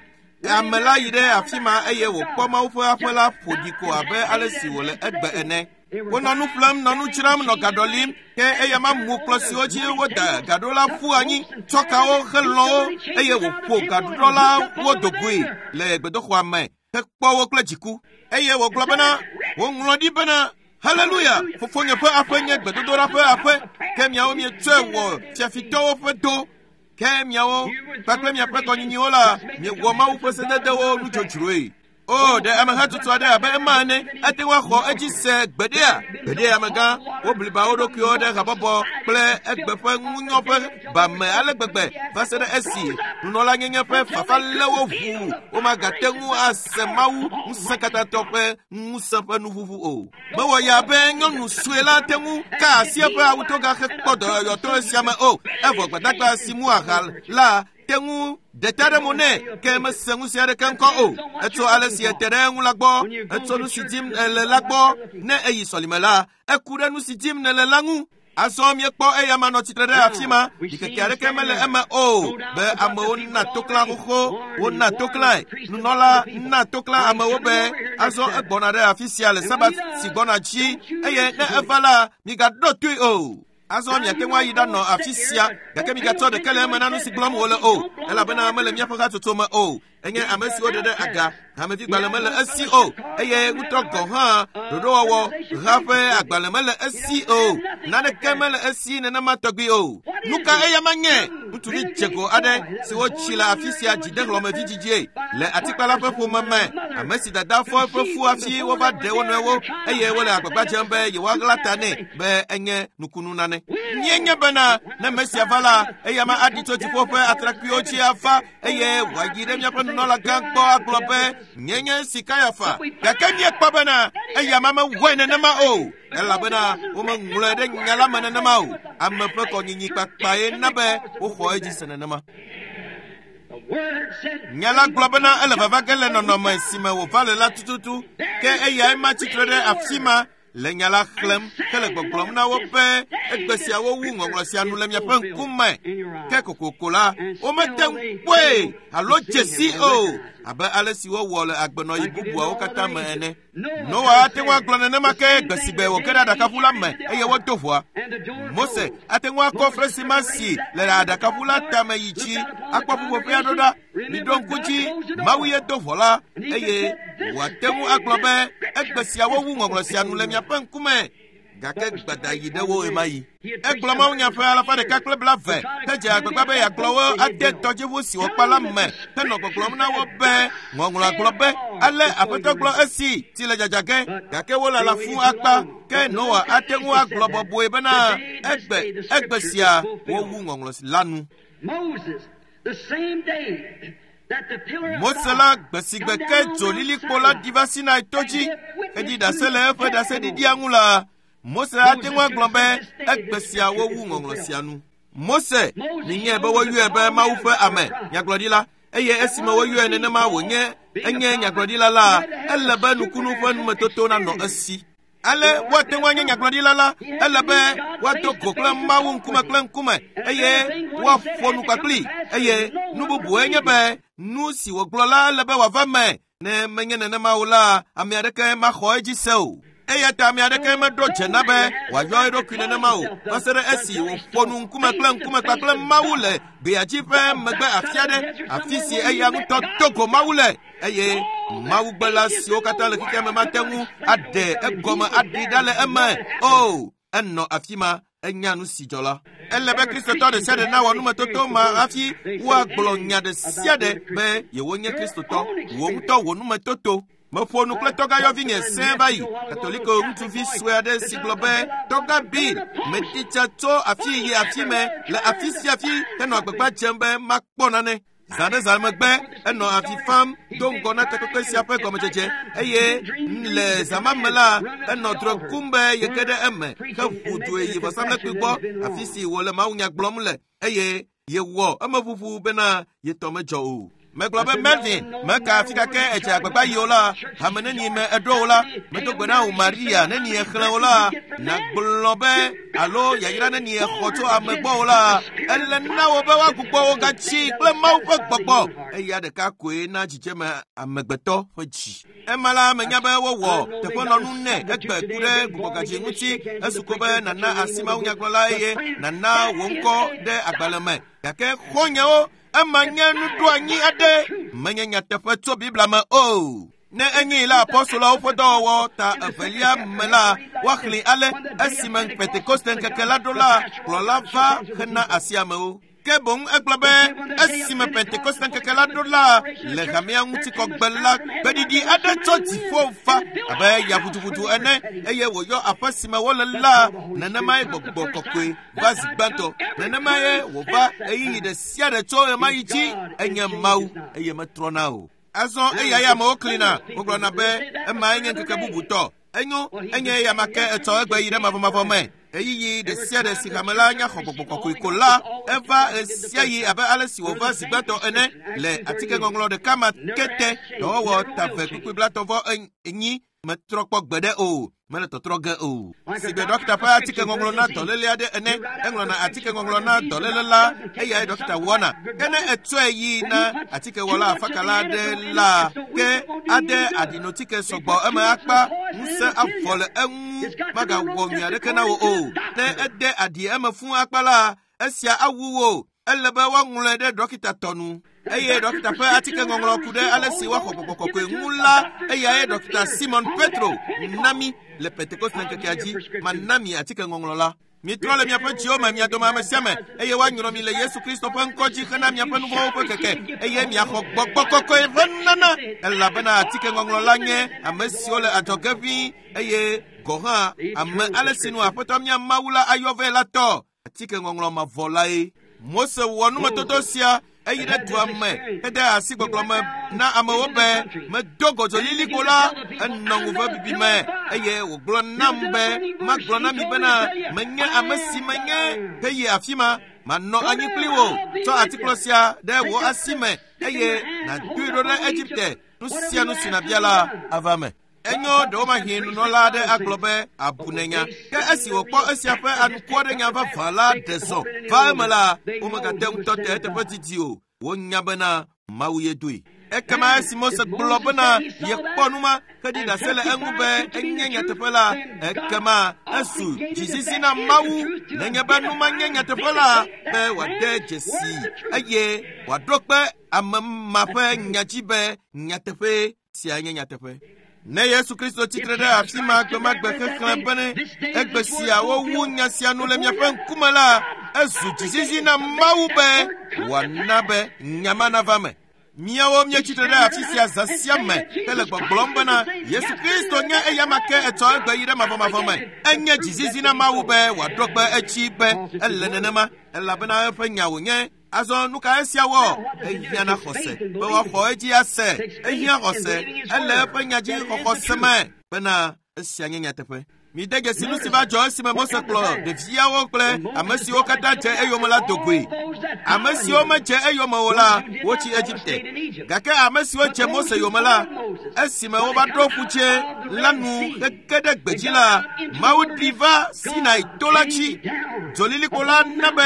Ame la yi ɖe afi ma eye wòkpɔ Mawu ƒe aƒe la ƒo ɖi ko abe ale si wòle egbe ene. Wonɔ nu ƒlem, nɔ nu dzram, nɔ gaɖɔ lim, ke eya ma mu kplɔ̃ siwo dzi woda gaɖo la ƒu anyi, tsɔ kawo helɔ̃ wo eye wòƒo gaɖuɖɔlawo do goe le gbedoxɔa me hekpɔ wo kple dziku. Eye wògblɔ bena, woŋlɔ ɖi bena, Haleluya! Fofonye ƒe aƒe nye gbedodoɖa ƒe aƒe, ke miawo mietsɔe wɔ fiafitɔwo ƒe do. Ke miawo kpakple miaƒe kɔnyinyiwo la, miewɔ Mawu ƒe sededewo nudzodzroe. O, ɖe amehatsotso aɖe abe ema ene ate ŋu axɔ edzi se gbeɖea? Gbeɖea amegã, wobliba wo ɖokuiwo ɖe habɔbɔ kple egbe ƒe ŋunyɔ ƒe ba me ale gbegbe va se ɖe esi nunɔlanyenye ƒe fafa lé wo ʋuu womagate ŋu ase Mawu ŋusẽkatãtɔ ƒe ŋusẽ ƒe nuʋuʋu o. Mewɔ ya be nyɔnu sue la te ŋu ka asi eƒe awutoga hekpɔ dɔyɔyɔ to esia me o, evɔ gbadagba si mu aha la te ŋu ɖe ta ɖe mo nɛ, ke mese ŋusẽ aɖeke ŋkɔ o. Etso ale si ete ɖe eŋu la gbɔ, etso nu si dim nèle la gbɔ. Ne eyi sɔlime la, eku ɖe nu si dim nèle la ŋu. Azɔ miekpɔ eya ma nɔ tsitre ɖe afi ma, ɖikeke aɖeke mele eme o be amewo na toklã xoxo, wona toklãe. Nunɔla na toklã amewo be azɔ egbɔna ɖe afi sia le Sabat si gbɔna dzi, eye ne eva la, migaɖo toe o. Azɔ miate ŋu ayi ɖanɔ afi sia, gake migatsɔ ɖeke le eme na nu si gblɔm wòle o, elabena mele míaƒe hatsotso me o. Enye ame siwo ɖe ɖe aga, hamevigbalẽ mele esi o, eye ŋutɔ gɔ̃ hã ɖoɖowɔwɔ ha ƒe agbalẽ mele esi o, naneke mele esi nenema tɔgbi o. Nu ka eya ma nye? Ŋutsuvi dzego aɖe si wotsi le afi sia dzidehlɔ̃mevidzidzie le atikpala ƒe ƒome me, ame si dada fɔ eƒe fu hafi wova ɖe wo nɔewo eye wole agbagba dzem be yewoaɣla ta nɛ be enye nukunu nane. Míenye bena ne Mesia va la, eya ma aɖi tso dziƒo ƒe atrakpuiwo dzi ava eye wòayi ɖe míaƒe nunɔlagã gbɔ agblɔ be nye nye si Kayafa. Gake míekpɔ bena eya ma mewɔe nenema o, elabena womeŋlɔe ɖe nya la me nenema o. Ame ƒe kɔnyinyi kpakpae na be woxɔ edzi se nenema. Nya la gblɔ bena ele vava ge le nɔnɔme si me wòva le la tututu, ke eyae ma tsitre ɖe afi ma le nya la xlẽm hele gbɔgblɔm na wo be egbe siawo wu ŋɔŋlɔ sia nu le miaƒe ŋkume. Ke kokoko la, womete ŋu kpɔe alo dze si o, abe ale si wowɔ le agbenɔɣi bubuawo katã me ene. Noa ate ŋu agblɔ nenema ke gbe si gbe wòge ɖe aɖakaʋu la me eye wodo ʋɔa. Mose ate ŋu akɔ fresima si le aɖakaʋu la tame yi dzi akpɔ ƒuƒoƒea ɖo ɖa. Miɖo ŋku dzi, Mawu ye do ʋɔ la eye wòate ŋu agblɔ be egbe sia wowu ŋɔŋlɔ sia nu le miaƒe ŋkume. Gake gbada yi ɖe wo ɣemaɣi. Egblɔ mawunya ƒe alafa ɖeka kple blaeve hedze agbagba be yeagblɔ wo ade tɔdziʋu si wòkpa la me henɔ gbɔgblɔm na wo be ŋɔŋlɔa gblɔ be ale aƒetɔ gblɔ esi tsi le dzadza ge gake wolala fũu akpa ke Noa ate ŋu agblɔ bɔbɔe bena egbe egbe sia wowu ŋɔŋlɔ la nu. Mose la gbe si gbe ke dzo lilikpo la ɖi va Sinai to dzi heɖi ɖase le eƒe ɖaseɖiɖia ŋu la, Mose ate ŋu agblɔ be egbe sia wowu ŋɔŋlɔ sia nu. Mose minyae be woyɔe be Mawu ƒe ame nyagblɔɖila eye esime woyɔe nenema wònye enye nyagblɔɖila la, ele be nukunu ƒe numetoto nanɔ esi. Ale woate ŋu anye nyagblɔɖila la, ele be woado go kple Mawu ŋkume kple ŋkume eye woaƒo nu kpakpli eye nu bubue nye be nu si wògblɔ la ele be wòava me. Ne menye nenema o la, ame aɖeke maxɔ edzi se o. Eya ta ame aɖeke meɖo dze na be wòayɔ eɖokui nenema o va se ɖe esi wòƒo nu ŋkume kple ŋkume kpakple Mawu le gbeadzi ƒe megbe afi aɖe, afi si eya ŋutɔ do go Mawu le eye Mawugbela siwo katã le xexea me mate ŋu aɖe egɔme aɖi ɖa le eme o. Enɔ afi ma enya nu si dzɔ la. Ele be Kristotɔ ɖe sia ɖe nawɔ numetoto ma hafi woagblɔ nya ɖe sia ɖe be yewonye Kristotɔ. Wò ŋutɔ wò numetoto. Meƒo nu kple tɔgãyɔvinye sẽe va yi, Katoliko ŋutsuvi sue aɖe si gblɔ be tɔgã Bill medi tsa tso afi yi afi me le afi sia afi henɔ agbagba dzem be makpɔ nane. Zã ɖe zã megbe enɔ avi fam do ŋgɔ na takpekpe sia ƒe gɔmedzedze eye le zã ma me la enɔ drɔ̃e kum be yege ɖe eme heʋu due yi vɔsamlekpui gbɔ afi si wòle mawunya gblɔm le eye yewɔ emeʋuʋu bena yetɔ medzɔ o. Megblɔ be Melvin, meka afi ka ke edze agbagba yi o la, hame neni me eɖo o la, medo gbe na wò Maria neni exlẽ o la, nàgblɔ be alo yayra neni exɔ tso ame gbɔ o la, ele na wò be woagbugbɔ wò gatsi kple Mawu ƒe gbɔgbɔ. Eya ɖeka koe na dzidzeme amegbetɔ ƒe dzi. Ema la menya be wowɔ teƒenɔnu nɛ egbe ku ɖe gbugbɔgadzi ŋuti esu ko be nàna asi mawunyagblɔla eye nàna wò ŋkɔ ɖe agbalẽ me. Gake xɔ̃nyewo ema nye nuɖoanyi aɖe menye nyateƒe tso Biblia me o. Ne enye la apɔstolawo ƒe dɔwɔwɔ ta evelia me la, woaxlẽ ale esime Pentekoste ŋkeke la ɖo la, kplɔla va hena asi amewo. Ke boŋ egblɔ be esime Pentekoste ŋkeke la ɖo la, le hamea ŋutikɔgbe la, gbeɖiɖi aɖe tso dziƒo va abe ya ʋuduʋudu ene eye wòyɔ aƒe si me wole la, nenemae gbɔgbɔ kɔkɔe va zi gbãtɔ. Nenemae wòva ɣeyiɣi ɖe sia ɖe tso ɣemaɣi dzi enye Mawu eye metrɔna o. Azɔ eya ya amewo klina, wogblɔna be emae nye ŋkeke bubutɔ. Enyo, enye eya ma ke etsɔ egbe yi ɖe mavɔmavɔ me. Ɣeyiɣi ɖe sia ɖe si hame la nya xɔ gbɔgbɔ kɔkɔe ko la, eva ɣesiaɣi abe ale si wòva zi gbãtɔ ene le atikeŋɔŋlɔ ɖeka ma ke te dɔwɔwɔ ta ve kpukpui blatɔ̃ vɔ enyi metrɔ kpɔ gbeɖe o, mele tɔtrɔ ge o. Si gbe ɖɔkita ƒe atikeŋɔŋlɔ na dɔléle aɖe ene, eŋlɔna atikeŋɔŋlɔ na dɔléle la, eyae ɖɔkita wɔna. Ke ne etsɔe yi na atikewɔla afakala aɖe la, ke ade aɖinotike sɔgbɔ eme akpa, ŋusẽ avɔ le eŋu magawɔ nyui aɖeke na wò o. Ne ede aɖi eme fũu akpa la, esia awu wò. Ele be woaŋlɔe ɖe ɖɔkita tɔ nu. Eye ɖɔkita ƒe atikeŋɔŋlɔ ku ɖe ale si woaxɔ gbɔgbɔ kɔkɔe ŋu la, eyae ɖɔkita Simon Petro na mí le Pentekoste ŋkekea dzi. Mana mi atikeŋɔŋlɔ la. Mitrɔ le miaƒe dziwo me, mia dome ame sia ame, eye woanyrɔ mi le Yesu Kristo ƒe ŋkɔ dzi hena miaƒe nu vɔ̃wo ƒe keke, eye miaxɔ gbɔgbɔ kɔkɔe ƒe nunana, elabena atikeŋɔŋlɔ la nye ame siwo le adzɔge ʋĩi eye gɔ̃ hã ame ale si nu Aƒetɔ mía Mawu la ayɔ vɛ la tɔ. Atikeŋɔŋlɔ mavɔ lae. Mose wɔ numetoto sia eyi ɖe dua me hede asi gbɔgblɔ me na amewo be medo go dzolilikpo la enɔ ŋuve bibi me eye wògblɔ nam be magblɔ na mi bena menye ame si menye heyi afi ma manɔ anyi kpli wò tsɔ atikplɔ sia ɖe wò asi me eye nàdoe ɖo ɖe Egipte nu sia nu si nàbia la ava me. Enyo ɖewomahi nunɔla aɖe agblɔ be abu nenya. Ke esi wòkpɔ esia ƒe anukware nya vavã la ɖe zɔ va eme la, womegate ŋu tɔ te eteƒe didi o. Wonya bena Mawu ye doe. Ekema esi Mose gblɔ bena yekpɔ nu ma heɖi ɖase le eŋu be enye nyateƒe la, ekema ezu dzizizi na Mawu nenye be nu ma nye nyateƒe la be wòade dzesi eye wòaɖo kpe ame ma ƒe nya dzi be nyateƒe sia nye nyateƒe. Ne Yesu Kristo tsitre ɖe afi ma gbemagbe xexlẽ bene egbe sia wowu nya sia nu le miaƒe ŋkume la, ezu dzizizi na Mawu be wòana be nya ma nava me. Míawo míetsitre ɖe afi sia zã sia me hele gbɔgblɔm bena Yesu Kristo nye eyama ke etsɔ egbe yi ɖe mavɔmavɔ me. Enye dzizizi na Mawu be wòaɖo kpe edzi be ele nenema elabena eƒe nya wònye. Azɔ nu ka esia wɔ? Ehiã na xɔse be woaxɔ edzi ase. Ehiã xɔse ele eƒe nya dzi xɔxɔ se me bena esia nye nyateƒe. Mide dzesi nu si va dzɔ esime Mose kplɔ ɖeviawo kple ame siwo katã dze eyome la do goe. Ame siwo medze eyome o la, wotsi Egipte. Gake ame siwo dze Mose yome la, esime wova ɖo ƒudze la nu hege ɖe gbedzi la, Mawu ɖi va Sinai to la dzi. Dzolilikpo la na be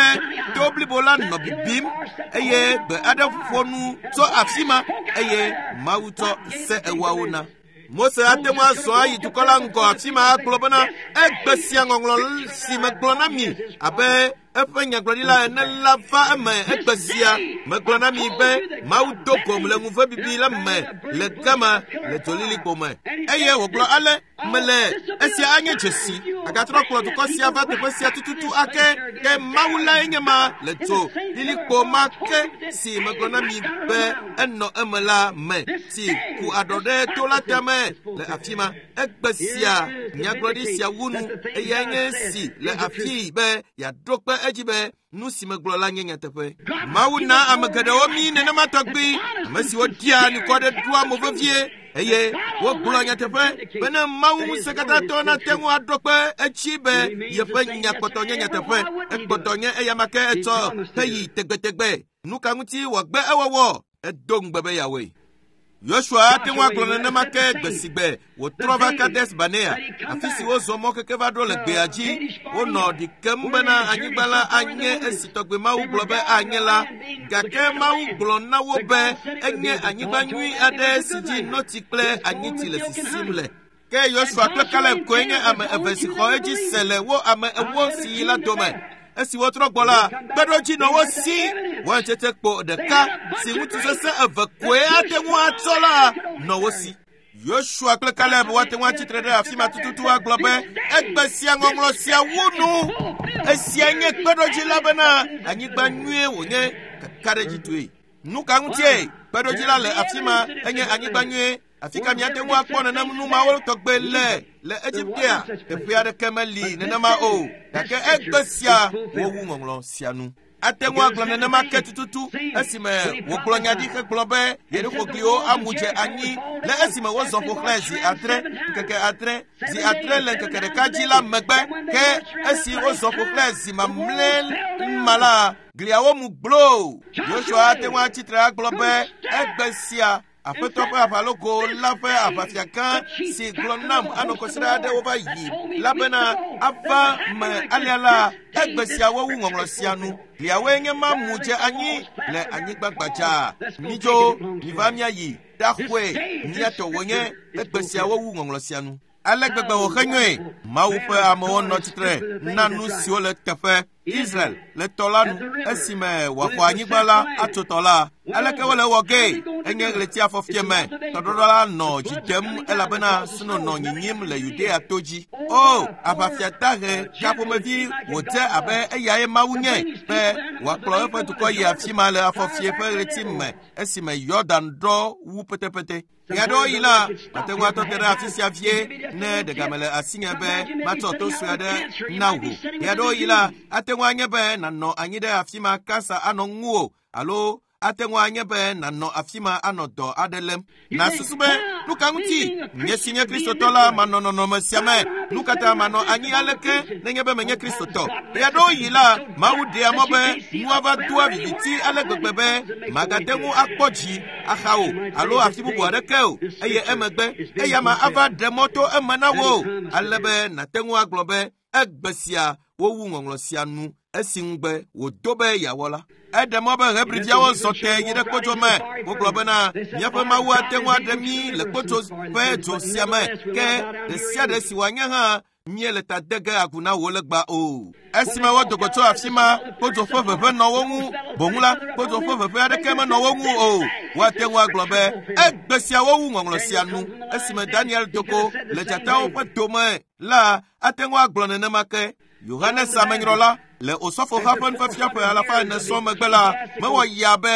to blibo la nɔ bibim eye gbe aɖe ƒo nu tso afi ma eye Mawu tsɔ se ewoawo na. Mose ate ŋu azɔ ayi dukɔ la ŋgɔ afi ma agblɔ bena egbe sia ŋɔŋlɔ si megblɔ na mi abe eƒe nyagblɔɖila ene la va eme egbe sia megblɔ na mi be Mawu do gom le ŋuve bibi la me le gama le dzolilikpo me eye wògblɔ ale mele esia anye dzesi agatrɔ kplɔ dukɔ sia va teƒe sia tututu ake ke Mawu lae nye ma le dzo lilikpo ma ke si megblɔ na mi be enɔ eme la me si ku aɖɔ ɖe to la tame le afi ma. Egbe sia nyagblɔɖi sia wu nu eyae nye si le afii be yeaɖo kpe edzi be nu si megblɔ la nye nyateƒe. Mawu na ame geɖewo mí nenema tɔgbi, ame siwo ɖia anukɔ ɖe ɖoa mo vevie eye wogblɔ nyateƒe bene Mawu ŋusẽkatãtɔ nate ŋu aɖo kpe edzi be yeƒe nya kpɔtɔ nye nyateƒe. Ekpɔtɔ nye eyama ke etsɔ heyi tegbetegbe. Nu ka ŋuti wòagbe ewɔwɔ? Edo ŋugbe be yeawɔe. Yosua ate ŋu agblɔ nenema ke gbe si gbe wòtrɔ va Kades Barnea, afi si wozɔ mɔ keke va ɖo le gbea dzi. Wonɔ ɖi kem bena anyigba la anye esi tɔgbe Mawu gblɔ be anye la, gake Mawu gblɔ na wo be enye anyigba nyui aɖe si dzi notsi kple anyitsi le sisim le. Ke Yosua kple Kaleb koe nye ame eve si xɔ edzi se le wo ame ewo si yi la dome. Esi wotrɔ gbɔ la, kpeɖodzi nɔ wo si. Waintsetse kpo ɖeka si ŋutsu sesẽ eve koe ate ŋu atsɔ la nɔ wo si. Yosua kple Kaleb woate ŋu atsitre ɖe afi ma tututu agblɔ be egbe sia ŋɔŋlɔ sia wu nu. Esia nye kpeɖodzi la bena anyigba nyuie wònye kakaɖedzitɔe. Nu ka ŋutie kpeɖodzi la le afi ma enye anyigba nyuie? Afi ka miate ŋu akpɔ nenem nu mawo tɔgbe le le Egiptea? Teƒe aɖeke meli nenema o. Gake egbe sia wowu ŋɔŋlɔ sia nu. Ate ŋu agblɔ nenema ke tututu esime wògblɔ nya ɖi hegblɔ be Yerixogliwo amu dze anyi le esime wozɔ ƒo xlãe zi adre ŋkeke adre zi adre le ŋkeke ɖeka dzi la megbe ke esi wozɔ ƒo xlãe zi mamlɛ ma la gliawo mu gbloo. Yosua ate ŋu atsitre agblɔ be egbe sia Aƒetɔ ƒe aʋalɔgo la ƒe aʋafia gã si gblɔ nam anɔ kɔsiɖa aɖewo va yi la bena ava me alea la egbe sia wowu ŋɔŋlɔ sia nu. Gliawoe nye ma mu dze anyi le anyigba gbadza. Midzo, miva míayi ɖaxɔe míatɔ wònye egbe sia wowu ŋɔŋlɔ sia nu. Ale gbegbe wòxe nyɔe. Mawu ƒe amewo nɔ tsitre na nu siwo le teƒe. Israel le tɔ la nu esime wòaxɔ anyigba la atso tɔ la. Aleke wole wɔ gee? Enye ɣleti afɔfie me. Tɔɖɔɖɔ la nɔ dzi dem elabena sno nɔ nyinyim le Yudea to dzi. O, aʋafia dahe ka ƒomevi wòdze abe eyae Mawu nye be wòakplɔ eƒe dukɔ yi afi ma le afɔfie ƒe ɣleti me esime Yɔdan ɖɔ wu petepete. Ɣeaɖewoɣi la, mate ŋu atɔ te ɖe afi sia vie ne ɖegame le asinye be matsɔ to sue aɖe na wò. Ɣeaɖewoɣi la, ate ŋu anye be nànɔ anyi ɖe afi ma kansa anɔ ŋuwò alo ate ŋu anye be nànɔ afi ma anɔ dɔ aɖe lém. Nàsusu be nu ka ŋuti nye si nye Kristotɔ la manɔ nɔnɔme sia me? Nu ka ta manɔ anyi aleke nenye be menye Kristotɔ? Ɣeaɖewoɣi la, Mawu ɖea mɔ be nua va doa viviti ale gbegbe be magate ŋu akpɔ dzi axa o alo afi bubu aɖeke o eye emegbe eya ma ava ɖe mɔ to eme na wo ale be nàte ŋu agblɔ be egbe sia wowu ŋɔŋlɔ sia nu. Esi ŋugbe wòdo be yeawɔ la. Eɖe mɔ be Hebriviawo zɔ te yi ɖe kpodzo me. Wogblɔ bena míaƒe Mawu ate ŋu aɖe mí le kpodzo ƒe dzo sia me. Ke ɖe sia ɖe si wòanye hã míele ta de ge agu na wò legba o. Esime wodo go tso afi ma, kpodzo ƒe ʋeʋẽ nɔ wo ŋu. Boŋ la, kpodzo ƒe ʋeʋẽ aɖeke menɔ wo ŋu o. Woate ŋu agblɔ be egbe sia wowu ŋɔŋlɔ sia nu. Esime Daniel do go le dzatawo ƒe dome la, ate ŋu agblɔ nenema ke. Yohanes Amenyrɔla le Osɔfoha ƒe nufiafia ƒe alafa ene sɔŋ megbe la, mewɔ ya be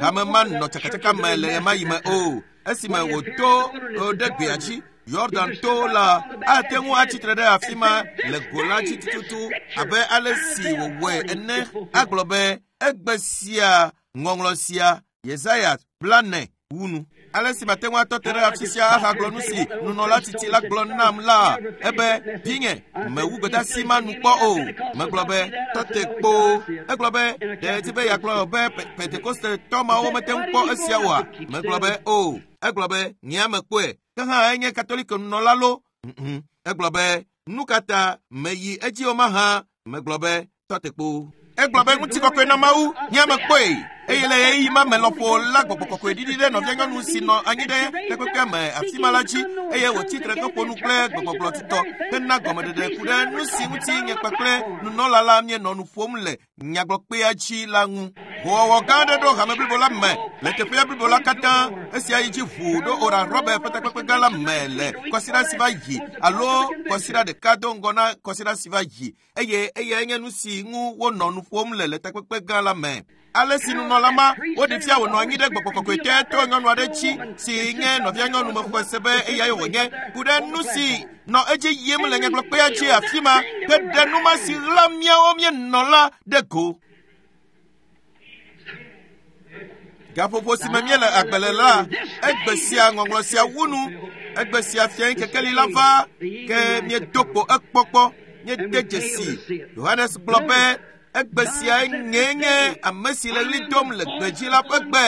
hame ma nɔ tsakatsaka me le ɣemaɣi me o. Esime wòdo ɖe gbea dzi Yordan to la, ate ŋu atsitre ɖe afi ma le go la dzi tututu abe ale si wòwɔe ene agblɔ be egbe sia ŋɔŋlɔ sia Yesaya 40 wu nu. Ale si mate ŋu atɔ te ɖe afi sia ahagblɔ nu si nunɔla tsitsi la gblɔ nam la, ebe vinye mewu gbedeasi ma nu kpɔ o. Megblɔ be tɔ te kpoo. Egblɔ be ɖe edi be yeagblɔ be Pentekostetɔ mawo mete ŋu kpɔ esia oa? Megblɔ be o. Egblɔ be nye mekpɔe. Ke hã enye Katoliko nunɔla lo. Egblɔ be nu ka ta meyi edzi o mahã? Megblɔ be tɔ te kpoo. Egblɔ be ŋutikɔkɔe na Mawu, nye mekpɔe. Eye le ɣeyiɣi ma me lɔƒo la gbɔgbɔ kɔkɔe ɖiɖi ɖe nɔvia nyɔnu si nɔ anyi ɖe takpekpea me afi ma la dzi eye wòtsi tre heƒo nu kple gbegbɔgblɔ tutɔ hena gɔmeɖeɖe ku ɖe nu si ŋuti nye kpakple nunɔla la míenɔ nu ƒom le nyagblɔkpea dzi la ŋu. Hoowɔwɔ gã aɖe ɖo hame blibo la me le teƒea blibo la katã. Esia yi dzi ʋuu ɖo Oral Robert ƒe takpekpe gã la me le kɔsiɖa si va yi alo kɔsiɖa ɖeka do ŋgɔ na kɔsiɖa si va yi eye eyae nye nu si ŋu wonɔ nu ƒom le le takpekpe gã la me. Ale si nunɔla ma woɖi fia wònɔ anyi ɖe gbɔgbɔ kɔkɔe te to nyɔnu aɖe dzi si nye nɔvia nyɔnu mexɔe se be eyae wònye ku ɖe nu si nɔ edzi yim le nyagblɔkpea dzi afi ma ke ɖe nu ma si ɣla míawo míenɔ la ɖe go. Gaƒoƒo si me míele agbe le la, egbe sia ŋɔŋlɔ sia wu nu. Egbe sia fiae kekeli la va ke míedo kpo ekpɔkpɔ míede dzesi. Yohanes gblɔ be egbe sia nyee nye ame si le ɣli dom le gbedzi la ƒe gbe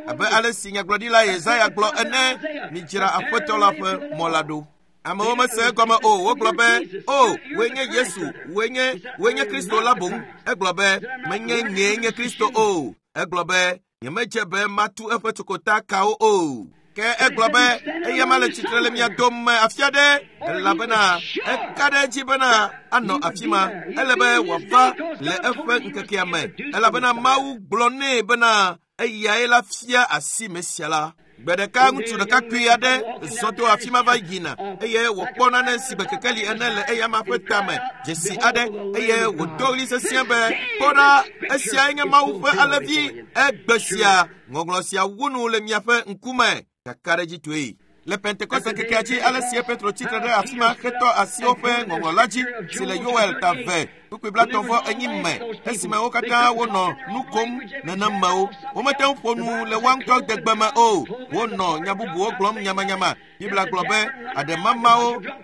abe ale si nyagblɔɖila Yesaya gblɔ ene, midzra Aƒetɔ la ƒe mɔ la ɖo. Amewo mese egɔme o. Wogblɔ be, o, wòe nye Yesu, wòe nye Kristo la boŋ. Egblɔ be, menye nyee nye Kristo o. Egblɔ be, nyemedze be matu eƒe tsokota kawo o. Ke egblɔ be, eya ma le tsitre le mia dome afi aɖe, elabena eka ɖe edzi bena anɔ afi ma. Ele be wòava le eƒe ŋkekea me, elabena Mawu gblɔ nɛ bena eyae la fia asi Mesia la. Gbe ɖeka ŋutsu ɖekakpui aɖe zɔ to afi ma va yina eye wòkpɔ nane si gbe kekeli ene le eyama ƒe tame, dzesi aɖe, eye wòdo ɣli sesĩe be, kpɔ ɖa, esiae nye Mawu ƒe alẽvi, egbe sia, ŋɔŋlɔ sia wu nu le miaƒe ŋkume. Kakaɖedzitɔe. Le Pentekoste ŋkekea dzi, ale si Petro tsi tre ɖe afi ma hetɔ asi woƒe ŋɔŋlɔ la dzi si le Yoel ta 2 kpukpui 34 me, esime wo katã wonɔ nu kom nenemewo. Womete ŋu ƒo nu le woa ŋutɔ degbe me o. Wonɔ nya bubuwo gblɔm nyamanyama. Biblia gblɔ be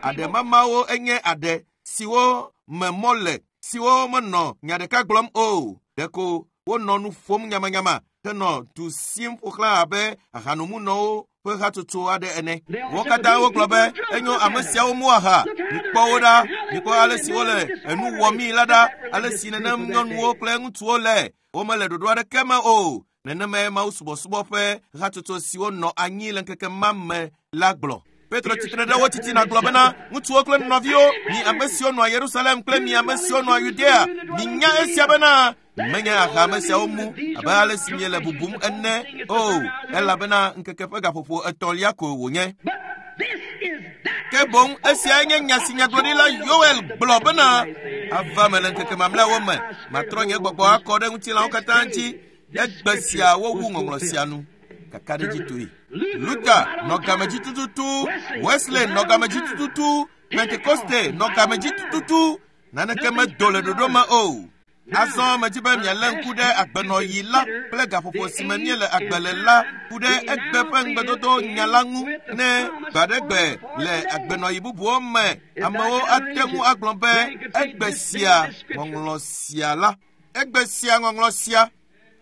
aɖemamawo enye aɖe siwo me mɔ le, siwo menɔ nya ɖeka gblɔm o. Ɖeko wonɔ nu ƒom nyamanyama henɔ du sim ƒo xlã abe ahanomunɔwo ƒe hatsotso aɖe ene. Wo katã wogblɔ be enyo ame siawo mu aha. Mikpɔ wo ɖa, mikpɔ ale si wole enu wɔmii la ɖa, ale si nenem nyɔnuwo kple ŋutsuwo le. Womele ɖoɖo aɖeke me o. Nenemae Mawu subɔsubɔ ƒe hatsotso siwo nɔ anyi le ŋkeke ma me la gblɔ. Petro tsitre ɖe wo titina gblɔ bena, ŋutsuwo kple nɔviwo, mi ame siwo nɔa Yerusalem kple mi ame siwo nɔa Yudea, minya esia bena menye aha ame siawo mu abe ale si miele bubum ene o, elabena ŋkeke ƒe gaƒoƒo etɔ̃lia ko wònye. Ke boŋ esiae nye nya si nyagblɔɖila Yoel gblɔ bena, ava me le ŋkeke mamlɛawo me, matrɔ nye gbɔgbɔ akɔ ɖe ŋutilãwo katã dzi. Egbe sia wowu ŋɔŋlɔ sia nu. Kakaɖedzitɔe. Luther nɔ game dzi tututu, Wesley nɔ game dzi tututu, Pentekoste nɔ game dzi tututu. Naneke medo le ɖoɖo me o. Azɔ medzi be mialé ŋku ɖe agbenɔɣi la kple gaƒoƒo si me míele agbe le la ku ɖe egbe ƒe ŋugbedodo nya la ŋu ne gbaɖegbe le agbenɔɣi bubuwo me amewo ate ŋu agblɔ be egbe sia ŋɔŋlɔ sia la. Egbe sia ŋɔŋlɔ sia.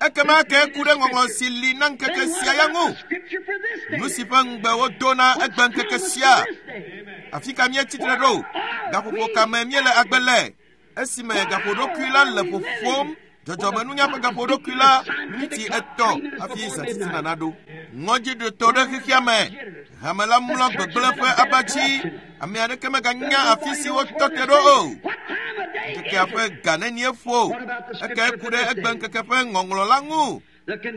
Ekema ke ku ɖe ŋɔŋlɔ si li na ŋkeke sia ya ŋu. Nu si ƒe ŋugbe wodo na egbe ŋkeke sia. Afi ka míetsi tre ɖo? Gaƒoƒo ka me míele agbe le? Esime gaƒoɖokui la le ƒoƒom, dzɔdzɔmenunya ƒe gaƒoɖokui la miniti 3 hafi zãtitina naɖo. Ŋɔdziɖoto ɖe xexea me. Hame la mlɔ gbegblẽ ƒe abatsi. Ame aɖeke meganya afi si wotɔ te ɖo o. Ŋkekea ƒe ga nenie ƒo. Eke ku ɖe egbe ŋkeke ƒe ŋɔŋlɔ la ŋu.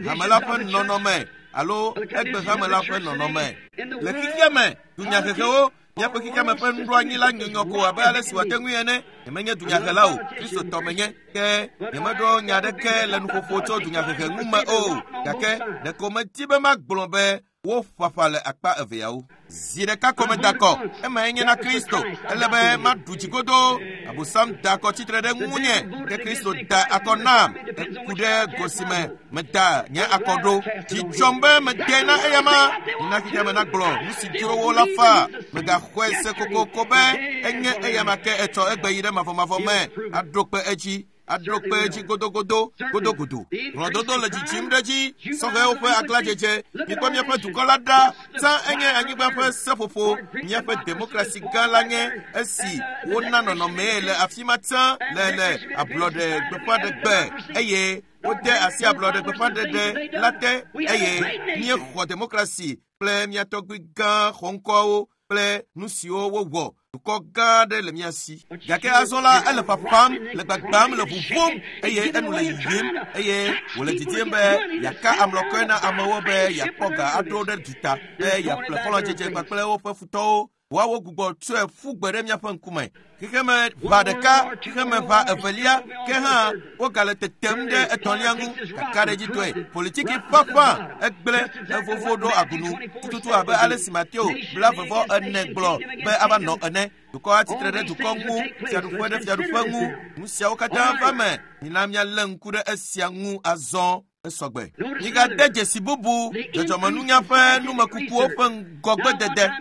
Hame la ƒe nɔnɔme alo egbe hame la ƒe nɔnɔme. Le xexea me, dunyahehewo, míaƒe xexea me ƒe nuɖoanyi la nyunyɔ ko abe ale si wòate ŋui ene. Nyemenye dunyahela o, Kristotɔ menye. Ke nyemeɖo nya aɖeke le nuƒoƒo tso dunyahehe ŋu me o. Gake ɖeko medi be magblɔ be woƒaƒã le akpa eveawo. Zi ɖeka ko meda akɔ, emae nye na Kristo. Ele be maɖu dzigodo. Abosam da akɔ tsitre ɖe ŋunye, ke Kristo da akɔ nam. Eku ɖe go si me meda nye akɔ ɖo. Dzi dzɔm be mede na eyama. Nina xexea me nagblɔ nu si dzro wo la faa. Megaxɔe se kokoko be enye eyama ke etsɔ egbe yi ɖe mavɔmavɔ me. Aɖo kpe edzi. Aɖo kpe edzi godogodo, godogodo. Hlɔ̃dodo le dzidzim ɖe edzi, sɔhɛwo ƒe aglãdzedze. Mikpɔ míaƒe dukɔ la ɖa. Tsã enye anyigba ƒe seƒoƒo. Míaƒe demokrasi gã la nye esi wona nɔnɔmee le afi ma tsã le le ablɔɖe gbeƒãɖegbe eye wode asi ablɔɖe gbeƒãɖeɖe la te eye míexɔ demokrasi kple mía tɔgbui gã xɔŋkɔwo kple nu siwo wowɔ. Dukɔ gã aɖe le mía si. Gake azɔ la, ele ƒaƒam, le gbagbam, le ʋuʋum eye enu le yiyim eye wòle didim be yeaka amlɔkɔe na amewo be yeakpɔ ga aɖo ɖe duta, be yeaƒle xɔlɔ̃dzedze kpakple woƒe futɔwo. Woawo gbugbɔ tsɔe ƒu gbe ɖe míaƒe ŋkume. Xexeme ʋa ɖeka, xexeme ʋa evelia, ke hã wogale tetem ɖe etɔ̃lia ŋu. Kakaɖedzitɔe, politiki ƒaƒã egblẽ evovo ɖo agunu tututu abe ale si Mateo 24 gblɔ be ava nɔ ene. Dukɔ atsitre ɖe dukɔ ŋu, fiaɖuƒe ɖe fiaɖuƒe ŋu. Nu siawo katã va me. Mina míalé ŋku ɖe esia ŋu azɔ. Esɔgbe. Migade dzesi bubu dzɔdzɔmenunya ƒe numekukuwo ƒe ŋgɔgbedede.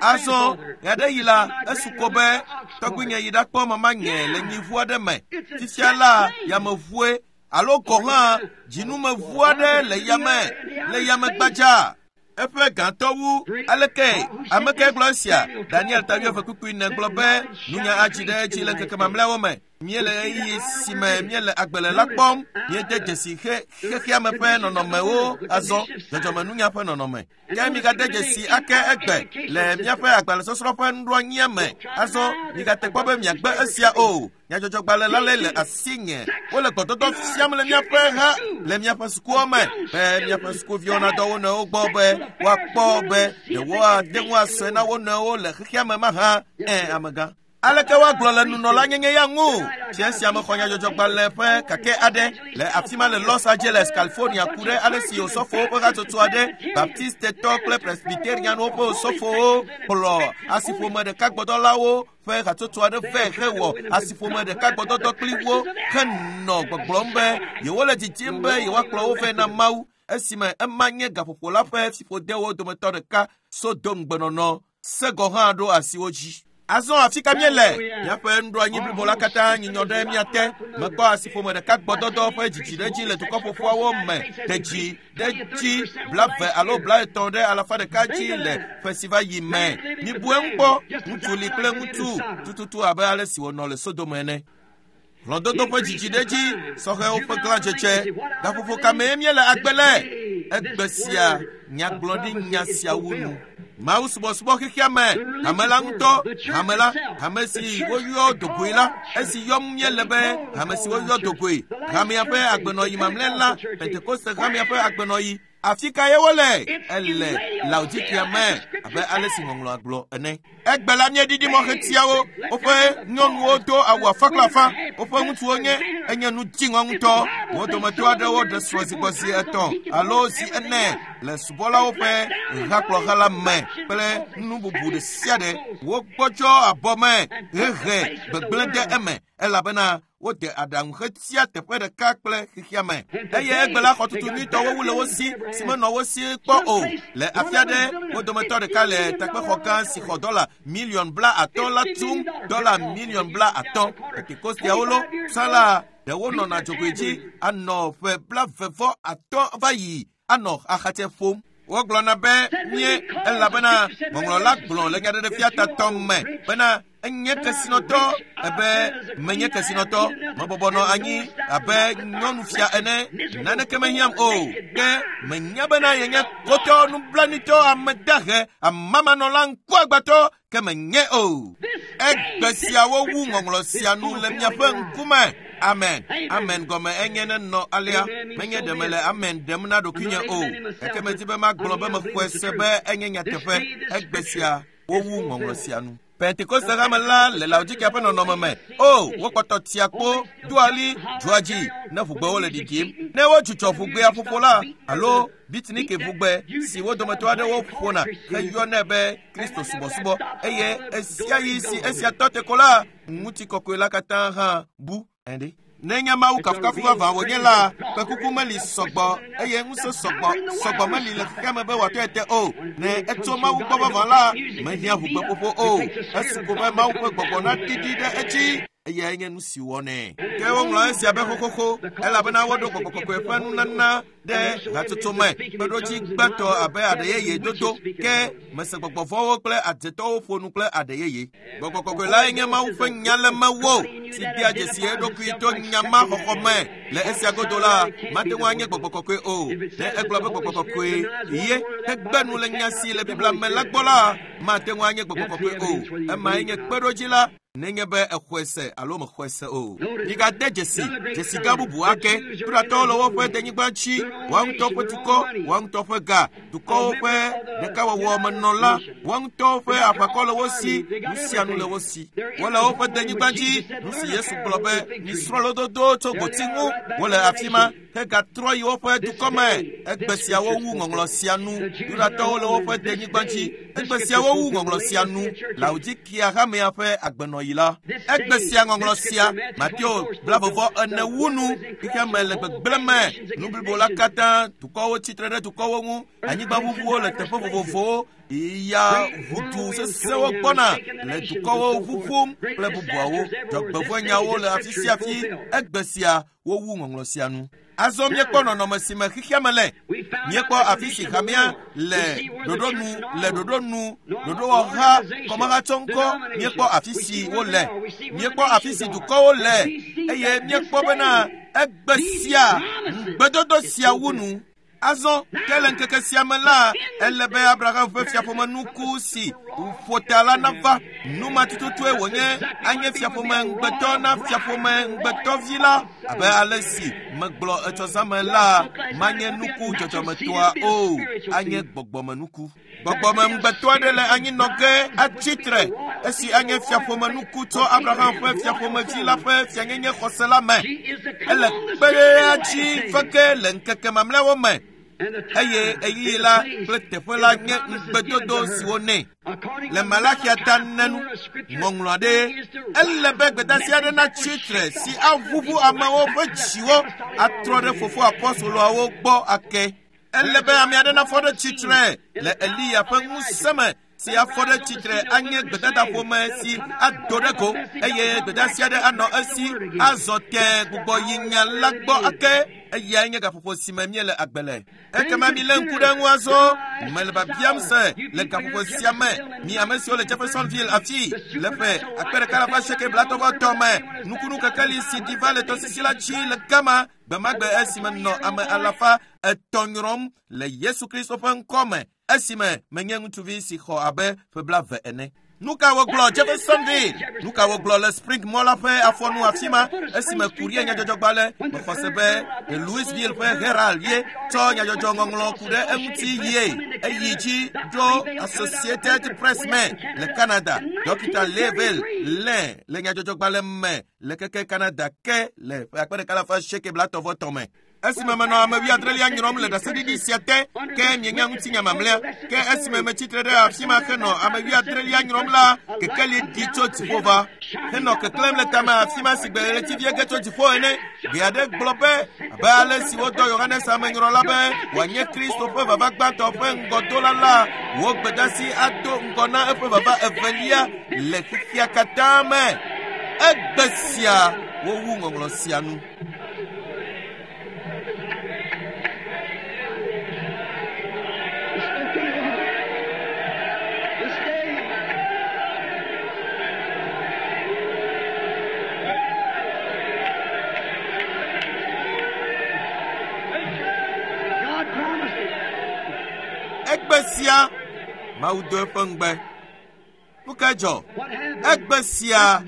Azɔ ɣeaɖeɣi la, esu ko be tɔgbuinye yi ɖakpɔ mamanye le nyiʋu aɖe me. Fifia la, yameʋue alo gɔ̃ hã dzinumeʋu aɖe le yame le yame gbadza. Eƒe gãtɔ wu aleke ame kae gblɔ esia? Daniel ta 24 gblɔ be nunya adzi ɖe edzi le ŋkeke mamlɛawo me. Míele ɣeyiɣi si me míele agbe le la kpɔm. Míede dzesi xexea me ƒe nɔnɔmewo azɔ, dzɔdzɔmenunya ƒe nɔnɔme. Ke migade dzesi ake egbe le míaƒe agbalẽsɔsrɔ̃ ƒe nuɖoanyia me. Azɔ migate kpɔ be miagbe esia o. Nyadzɔdzɔgbalẽ la le le asinye. Wole gbɔdɔdɔ fiam le míaƒe ha le míaƒe sukuwo me be míaƒe sukuviwo nadɔ wo nɔewo gbɔ be woakpɔ be ɖe woate ŋu asɔe na wo nɔewo le xexea me mahã. Ẽ, amegã. Aleke woagblɔ le nunɔlanyenye ya ŋu? Fia sia mexɔ nyadzɔdzɔgbalẽ ƒe kake aɖe le afi ma le Los Angeles, California ku ɖe ale si osɔfowo ƒe hatsotso aɖe, Baptistetɔ kple Presbyterianwo ƒe osɔfowo kplɔ asiƒome ɖeka gbɔdɔlawo ƒe hatsotso aɖe vɛ hewɔ asiƒome ɖeka gbɔdɔdɔ kpli wo henɔ gbɔgblɔm be yewole didim be yewoakplɔ wo vɛ na Mawu esime ema nye gaƒoƒo la ƒe fiƒodewo dometɔ ɖeka Sodom gbenɔnɔ se gɔ̃ hã ɖo asi wo dzi. Azɔ afi ka míele? Míaƒe nuɖoanyi blibo la katã nyinyɔ ɖe mía te. Mekpɔ asiƒome ɖeka gbɔdɔdɔ ƒe dzidziɖedzi le dukɔ ƒoƒoawo me de dzi ɖe dzi 20 alo 30 ɖe alafa ɖeka dzi le ƒe si va yi me. Mibu eŋu kpɔ, ŋutsu li kple ŋutsu tututu abe ale si wònɔ le Sodom ene. Hlɔ̃dodo ƒe dzidziɖedzi, sɔhɛwo ƒe glãdzedze, gaƒoƒo ka mee míele agbe le? Egbe sia nyagblɔɖi nya sia wu nu. Mawu subɔsubɔ xexea me, hame la ŋutɔ, hame la, hame si woyɔ dogoe la, esi yɔm míele be hame si woyɔ dogoe, hamea ƒe agbenɔyi mamlɛ la, Pentekoste hamea ƒe agbenɔyi, afi ka ye wole? Ele Laodikea me abe ale si ŋɔŋlɔa gblɔ ene. Egbe la míeɖiɖi mɔxetiawo, woƒe nyɔnuwo do awu afã kple afã, woƒe ŋutsuwo nye enye nu dziŋɔ ŋutɔ. Wo dometɔ aɖewo ɖe srɔ̃ zi gbɔ zi 3 alo zi 4 le subɔlawo ƒe hakplɔha la me kple nu bubu ɖe sia ɖe. Wogbɔdzɔ abɔ me hehe gbegblẽ ɖe eme elabena wode aɖaŋu xetia teƒe ɖeka kple xexea me. Eye egbe la xɔtutu nyuitɔwo wu le wo si si menɔ wo si kpɔ o. Le afi aɖe, wo dometɔ ɖeka le takpexɔ gã si xɔ $50 million la tum, $50 million. Pentekosteawo lo, tsã la, ɖewo nɔna dzogoe dzi anɔ ƒe 35 va yi anɔ axatsɛ ƒom. Wogblɔna be mie elabena ŋɔŋlɔ la gblɔ le nyaɖeɖefia tatɔ me bena Enye kesinɔtɔ ebe menye kesinɔtɔ. Mebɔbɔ nɔ anyi abe nyɔnufia ene. Naneke mehiãm o. Ke menya bena yenye kotɔ, nublanuitɔ, ame dahe, amamanɔla, ŋkuagbãtɔ, ke menye o. Egbe siawo wu ŋɔŋlɔ sia nu le miaƒe ŋkume. Amen. Amen gɔme enye nenɔ alea. Menye ɖe mele amen ɖem na ɖokuinye o. Gake medi be magblɔ be mexɔe se be enye nyateƒe. Egbe sia wowu ŋɔŋlɔ sia nu. Pentekoste hame la le Laodikea ƒe nɔnɔme me. O, wokpɔtɔ tia kpo, doa ɣli, dzɔa dzi ne ʋugbewo le ɖiɖim. Ne wodzudzɔ ʋugbea ƒoƒo la, alo bitniki ʋugbe si wo dometɔ aɖewo ƒona heyɔnɛ be Kristo subɔsubɔ, eye ɣesiaɣi si esia tɔ te ko la, ŋutikɔkɔe la katã hã bu. Ɛnde. Nenye Mawu kafukafu vavã wònye la, kpẽkuku meli sɔgbɔ eye ŋusẽ sɔgbɔ sɔgbɔ meli le xexea me be wòatɔe te o. Ne etso Mawu gbɔ vavã la, mehiã ʋugbeƒoƒo o. Esu ko be Mawu ƒe gbɔgbɔ naɖiɖi ɖe edzi. Eyae nye nu si wɔnɛ. Ke woŋlɔ esia be xoxoxo elabena woɖo gbɔgbɔ kɔkɔe ƒe nunana ɖe hatsotso me kpeɖodzi gbãtɔ abe aɖe yeye dodo ke mese gbɔgbɔ vɔ̃wo kple adzetɔwo ƒo nu kple aɖe yeye. Gbɔgbɔ kɔkɔe lae nye Mawu ƒe nya le mewò si dea dzesi eɖokui to nya ma xɔxɔ me. Le esia godo la, mate ŋu anye gbɔgbɔ kɔkɔe o. Ne egblɔ be gbɔgbɔ kɔkɔe ye hegbe nu le nya si le Biblia me la gbɔ la, mate ŋu anye gbɔgbɔ kɔkɔe o. Emae nye kpeɖodzi la nenye be exɔe se alo mexɔe se o. Migade dzesi dzesi gã bubu ake. Yudatɔwo le woƒe denyigba dzi, woa ŋutɔ ƒe dukɔ, woa ŋutɔ ƒe ga, dukɔwo ƒe ɖekawɔwɔ menɔla, woa ŋutɔwo ƒe aʋakɔ le wo si, nu sia nu le wo si. Wole woƒe denyigba dzi, nu si Yesu gblɔ be, misrɔ̃ lododo tso gboti ŋu. Wole afi ma hegatrɔ yi woƒe dukɔ me. Egbe siawo wu ŋɔŋlɔ sia nu. Yudatɔwo le woƒe denyigba dzi. Egbe siawo wu ŋɔŋlɔ sia nu. Laodikia hamea ƒe agbenɔɣi la. Egbe sia ŋɔŋlɔ sia, Mateo 24 wu nu. Xexea me le gbegblẽ me. Nu blibo la katã, dukɔwo tsitre ɖe dukɔwo ŋu, anyigbaʋuʋuwo le teƒe vovovowo, ya ʋudu sesẽwo gbɔna le dukɔwo ʋuʋum kple bubuawo. Dzɔgbevɔ̃enyawo le afi sia afi. Egbe sia wowu ŋɔŋlɔ sia nu. Azɔ míekpɔ nɔnɔme si me xexea me le. Míekpɔ afi si hamea le ɖoɖo nu, le ɖoɖo nu, ɖoɖowɔha, kɔmahatsɔŋkɔ. Míekpɔ afi si wole. Míekpɔ afi si dukɔwo le eye míekpɔ bena egbe sia, ŋugbedodo sia wu nu. Azɔ ke le ŋkeke sia me la, ele be Abraham ƒe fiaƒomenuku si ƒo ta la nava. Nu ma tututue wònye anye fiaƒome ŋugbetɔ na fiaƒome ŋugbetɔvi la. Abe ale si megblɔ etsɔzãme la, manye nuku dzɔdzɔmetɔa o, anye gbɔgbɔmenuku. Gbɔgbɔme ŋugbetɔ aɖe le anyinɔ ge atsi tre esi anye fiaƒomenuku tso Abraham ƒe fiaƒomevi la ƒe fianyenye xɔse la me. Ele kpe ɖe dzi va ge le ŋkeke mamlɛawo me eye ɣeyiɣi la kple teƒe la nye ŋugbedodo siwo nɛ. Le Malakia ta nenu ŋɔŋlɔ aɖe, ele be gbedeasi aɖe natsi tre si aʋuʋu amewo ƒe dziwo atrɔ ɖe fofo apɔstoloawo gbɔ ake. Ele be ame aɖe nafɔ ɖe tsitre le Eliya ƒe ŋusẽ me si afɔ ɖe tsitre anye gbedadaƒome si ado ɖe go eye gbedeasi aɖe anɔ esi azɔ tẽ gbugbɔ yi nya la gbɔ ake. Eyae nye gaƒoƒo si me míele agbe le. Ekema milé ŋku ɖe eŋu azɔ. Mele biabiam se le gaƒoƒo sia me, mi ame siwo le Jeffersonville afi le ƒe 1883 me, nukunu kekeli si ɖi va le tɔsisi la dzi le gama gbemagbe esime nɔ ame 300 nyrɔm le Yesu Kristo ƒe ŋkɔ me esime menye ŋutsuvi si xɔ abe ƒe 20 ene. Nu ka wogblɔ Jeffersonville? Nu ka wogblɔ le Spring Mall la ƒe afɔnu afi ma esime kurie nyadzɔdzɔgbalẽ mexɔ se be The Louisville ƒe Herald ye tsɔ nyadzɔdzɔ ŋɔŋlɔ ku ɖe eŋuti yie eyi dzi ɖo Associated Press me le Canada. Dɔkita Level lé le nyadzɔdzɔgbalẽ me le keke Canada ke le ƒe 1883 me. Esime menɔ ame wuiadrelia nyrɔm le ɖaseɖiɖi sia te, ke mienya ŋutinya mamlɛa. Ke esime metsitre ɖe afi ma henɔ ame wuiadrelia nyrɔm la, kekeli ɖi tso dziƒo va henɔ keklẽm le tame afi ma si gbe ɣletivie ge tso dziƒo ene. Gbe aɖe gblɔ be, abe ale si wodɔ Yohanes amenyrɔla be wòanye Kristo ƒe vava gbãtɔ ƒe ŋgɔdola la, wò gbedeasi ado ŋgɔ na eƒe vava evelia le xexea katã me. Egbe sia wowu ŋɔŋlɔ sia nu. Egbe sia Mawu do eƒe ŋugbe. Nu ka dzɔ? Egbe sia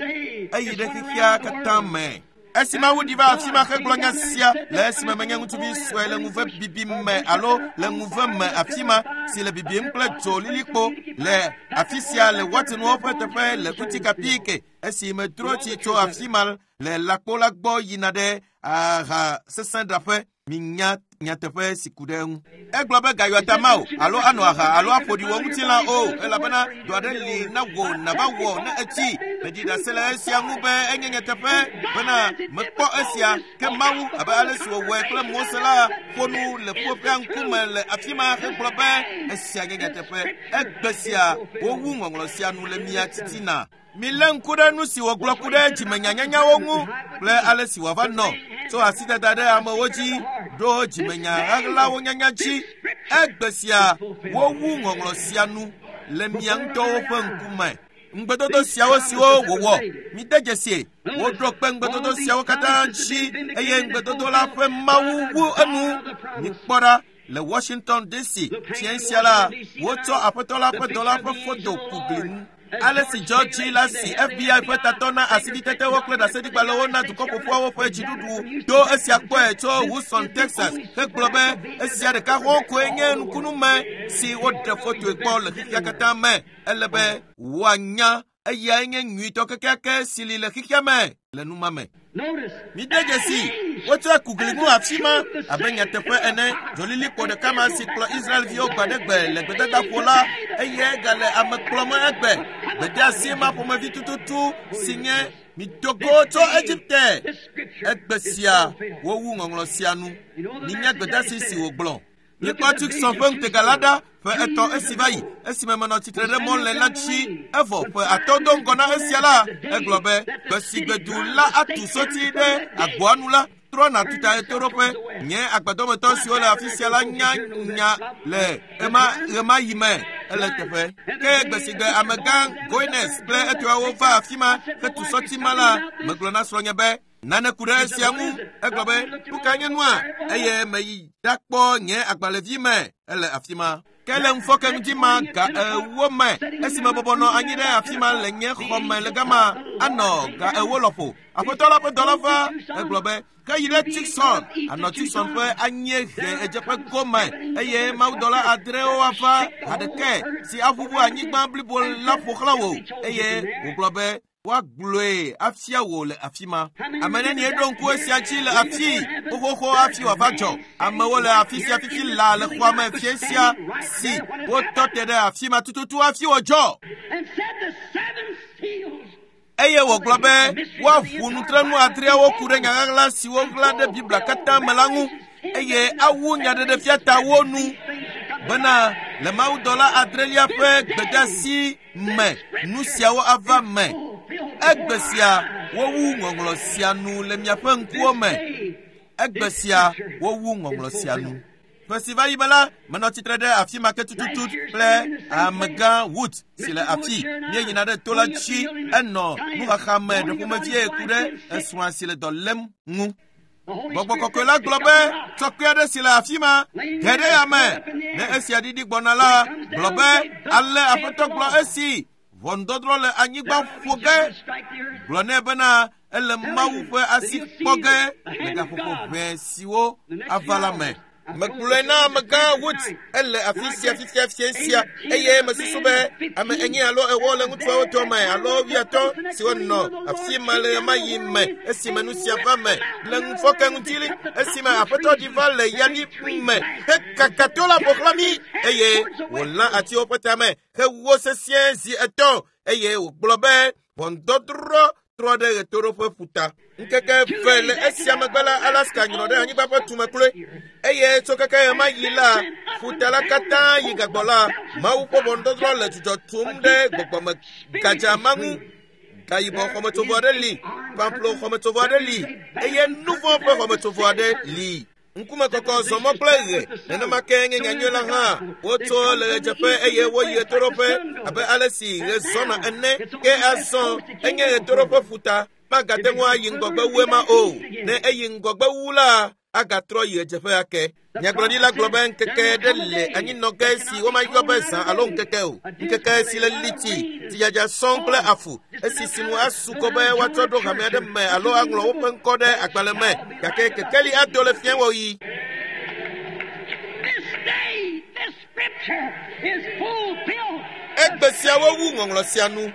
eyi ɖe xexea katã me. Esi Mawu ɖi va afi ma hegblɔ nya sia le esime menye ŋutsuvi sue le ŋuve bibi me alo le ŋuve me afi ma si le bibim kple dzo lilikpo le afi sia le Watson-wo ƒe teƒe le Utica Peak esi medro tsi tso afi ma le lãkpo la gbɔ yina ɖe aha sesẽ ɖaƒe. Minya nyateƒe si ku ɖe eŋu. Egblɔ be gayɔ ta ma o alo anɔ aha alo aƒo ɖi wò ŋutilã o elabena dɔ aɖe li na wò nava wɔ ne etsi. Meɖi ɖase le esia ŋu be enye nyateƒe bena mekpɔ esia ke Mawu abe ale si wòwɔe kple Mose la ƒo nu le ƒuƒoƒea ŋkume le afi ma hegblɔ be esia nye nyateƒe. Egbe sia wowu ŋɔŋlɔ sia nu le mia titina. Milé ŋku ɖe nu si wògblɔ ku ɖe dzimenyanyanyawo ŋu kple ale si wòava nɔ tso asidada ɖe amewo dzi ɖo dzimenya ɣaɣlawo nyanya dzi. Egbe sia wowu ŋɔŋlɔ sia nu le mia ŋutɔwo ƒe ŋkume. Ŋugbedodo siawo siwo wòwɔ, mide dzesie, woɖo kpe ŋugbedodo siawo katã dzi eye ŋugbedodo la ƒe Mawu wu enu. Mikpɔ ɖa le Washington DC fiẽ sia la, wotsɔ aƒetɔ la ƒe dɔla ƒe foto ku gli ŋu. Ale si George la si FBI ƒe tatɔ na asibitetewo kple ɖaseɖigbalẽwo na dukɔ ƒoƒuawo ƒe dziɖuɖu do esia kpɔe tso Houston, Texas hegblɔ be esia ɖeka xoxo koe nye nukunume si woɖe fotoe kpɔ le xexea katã me. Ele be woanya eyae nye nyuitɔ kekeake si li le xexea me le numa me. Mide dzesi, wotsɔe ku gli ŋu afi ma abe nyateƒe ene. Dzolilikpo ɖeka ma si kplɔ Israelviwo gbe aɖe gbe le gbedadaƒo la, eye gale ame kplɔm egbe. Gbedeasi ma ƒomevi tututu si nye mido go tso Egipte. Egbe sia wowu ŋɔŋlɔ sia nu. Minya gbedeasi si wògblɔ. Mikpɔ Tucson ƒe ŋutega la ɖa ƒe etɔ̃ esi va yi esime menɔ tsitre ɖe mɔ le la dzi evɔ ƒe atɔ̃ do ŋgɔ na esia la egblɔ be gbe si gbe du la atu soti ɖe agboa nu la trɔ nàtu ta ɣetoɖoƒe. Nye agbadɔmetɔ siwo le afi sia la nya nya le ɣemaɣi me ele teƒe. Ke gbe si gbe amegã Goines kple etɔawo va afi ma hetu sɔti ma la, megblɔ na srɔ̃nye be nane ku ɖe esia ŋu. Egblɔ be nu ka nye nua eye meyi ɖakpɔ nye agbalẽvi me ele afi ma. Ke le ŋufɔke ŋdi ma ga 4 me esime bɔbɔ nɔ anyi ɖe afi ma le nye xɔ me le gama anɔ ga 4 lɔƒo. Aƒetɔ la ƒe dɔla va egblɔ be ke yi ɖe Tucson anɔ Tucson ƒe anyiehe ɣedzeƒe gome eye mawudɔla 6 ava haɖeke si aʋuʋu anyigba blibo la ƒo xlã wò eye wògblɔ be woagblɔe afia wò le afi ma. Ame nenie ɖo ŋku esia dzi le afi xoxoxo hafi wòava dzɔ. Amewo le afi sia fifi laa le xɔa me fiẽ sia si wotɔ te ɖe afi ma tututu hafi wòdzɔ. Eye wògblɔ be woaʋu nutrenu 6 ku ɖe nya ɣaɣla siwo ɣla ɖe Biblia katã me la ŋu eye awu nyaɖeɖefia ta wo nu bena le mawudɔla 6 ƒe gbedeasi me nu siawo ava me. Egbe sia wowu ŋɔŋlɔ sia nu le miaƒe ŋkuwo me. Egbe sia wowu ŋɔŋlɔ sia nu. Ƒe si va yi me la, menɔ tsitre ɖe afi ma ke tututu kple amegã Wood si le afi. Míeyina ɖe to la dzi enɔ nuxaxa me ɖe ƒomevie ku ɖe esrɔ̃a si le dɔ lém ŋu. Gbɔgbɔ kɔkɔe la gblɔ be tsɔkpe aɖe si le afi ma ge ɖe yame. Ne esia ɖiɖi gbɔna la, gblɔ be ale aƒetɔ gblɔ esi ʋɔnudɔdrɔ̃ le anyigba ƒo ge. Gblɔ nɛ bena ele Mawu ƒe asi kpɔ ge le gaƒoƒo ʋɛ siwo ava la me. Megblɔe na amegã Wood ele afi sia fifia fiẽ sia eye mesusu be ame 4 alo 4 le ŋutsuawo dome alo 50 siwo nɔ afi ma le ɣemaɣi me esime nu sia va me le ŋufɔke ŋuti esime aƒetɔ ɖi va le yali me hekaka to la ƒo xlã mí eye wòlã atiwo ƒe tame hewo sesĩe zi 3 eye wògblɔ be ʋɔnudɔdrɔ̃ trɔ ɖe ɣetoɖoƒe ƒuta. Ŋkeke 2 le esia megbe la, Alaska nyrɔ ɖe anyigba ƒe tume kloe eye tso keke ɣemaɣi la, ƒuta la katã yi gagbɔ la, Mawu ƒe ʋɔnudɔdrɔ̃ le dzudzɔ tum ɖe gbɔgbɔme gadza ma ŋu. Gayibɔ xɔmetsovɔ aɖe li, pamplo xɔmetsovɔ aɖe li eye nuvɔ̃ ƒe xɔmetsovɔ aɖe li. Ŋkume kɔkɔ zɔmɔ kple ɣe nenema ke nye nyanyui la hã. Wotso le ɣedzeƒe eye woyi ɣetoɖoƒe abe ale si ɣe zɔna ene. Ke azɔ enye ɣetoɖoƒe ƒuta. Magate ŋu ayi ŋgɔgbe wu ema o. Ne eyi ŋgɔgbe wu la, agatrɔ yi ɣedzeƒe ake. Nyagblɔɖila gblɔ be ŋkeke ɖe le anyinɔge si womayɔ be zã alo ŋkeke o. Ŋkeke si le liti, tsidzadza sɔŋ kple afu, esi sinu asu kɔ be woatsɔ ɖo hame aɖe me alo aŋlɔ woƒe ŋkɔ ɖe agbalẽ me, gake kekeli ado le fiẽwɔɣi. This day, this scripture is fulfilled. Egbe siawo wu ŋɔŋlɔ sia nu.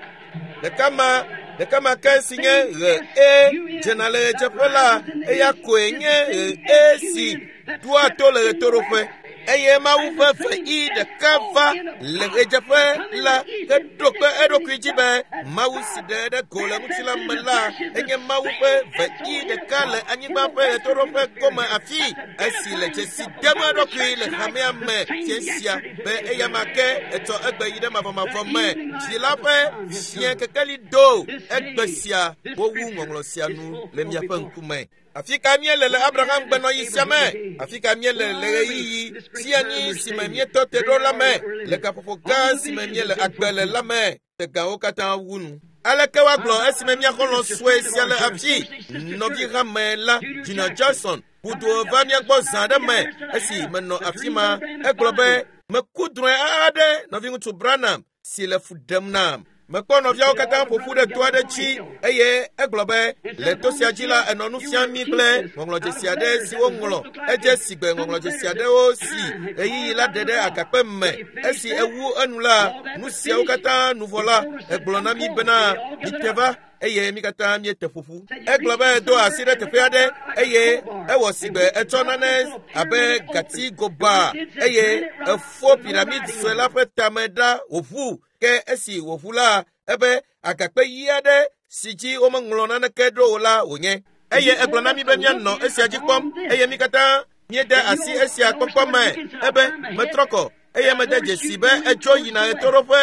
Ɖeka ma ɖeka ma ke si nye ɣe e dzena le ɣedzeƒe la, eya koe nye ɣe e si ɖoa to le ɣetoɖoƒe. Eye Mawu ƒe ve i ɖeka va le ɣedzeƒe la heɖo kpe eɖokui dzi be Mawu si ɖe ɖe go le ŋutilã me la enye Mawu ƒe ve i ɖeka le anyigba ƒe ɣetoɖoƒe gome afi esi le dzesi dem eɖokui le hamea me fia sia be eya ma ke etsɔ egbe yi ɖe mavɔmavɔ me. Dzi la ƒe fiẽ kekeli do egbe sia wowu ŋɔŋlɔ sia nu le miaƒe ŋkume. Afi ka míele le Abraham gbenɔɣi sia me? Afi ka míele le ɣeyiɣi sia anyi si me míetɔ te ɖo la me? Le gaƒoƒo gã si me míele agbe le la me, tegawo katã wu nu. Aleke woagblɔ esime mía xɔlɔ̃ sue sia le afi? Nɔvi hame la, Junior Jackson, ʋudo va mía gbɔ zã aɖe me esi menɔ afi ma. Egblɔ be, meku drɔ̃e aɖe nɔviŋutsu Branham si le fu ɖem nam. Mekpɔ nɔviawo katã ƒo ƒu ɖe to aɖe dzi eye egblɔ be le to sia dzi la enɔ nu fiam mí kple ŋɔŋlɔdzesi aɖe si woŋlɔ. Edze si gbe ŋɔŋlɔdzesi aɖewo si ɣeyiɣi la ɖe ɖe agakpe me. Esi ewu enu la, nu siawo katã nu vɔ la, egblɔ na mí bena mite va eye mí katã míete ƒoƒu. Egblɔ be do asi ɖe teƒe aɖe eye ewɔ si gbe etsɔ nane abe gati goba eye efo piramid sue la ƒe tame ɖa wòʋu. Ke esi wòʋu la, ebe agakpe ɣi aɖe si dzi womeŋlɔ naneke ɖo o la wònye. Eye egblɔ na mí be míanɔ esia dzi kpɔm eye mí katã míede asi esia kpɔkpɔ me. Ebe metrɔ kɔ eye mede dzesi be etso yina ɣetoɖoƒe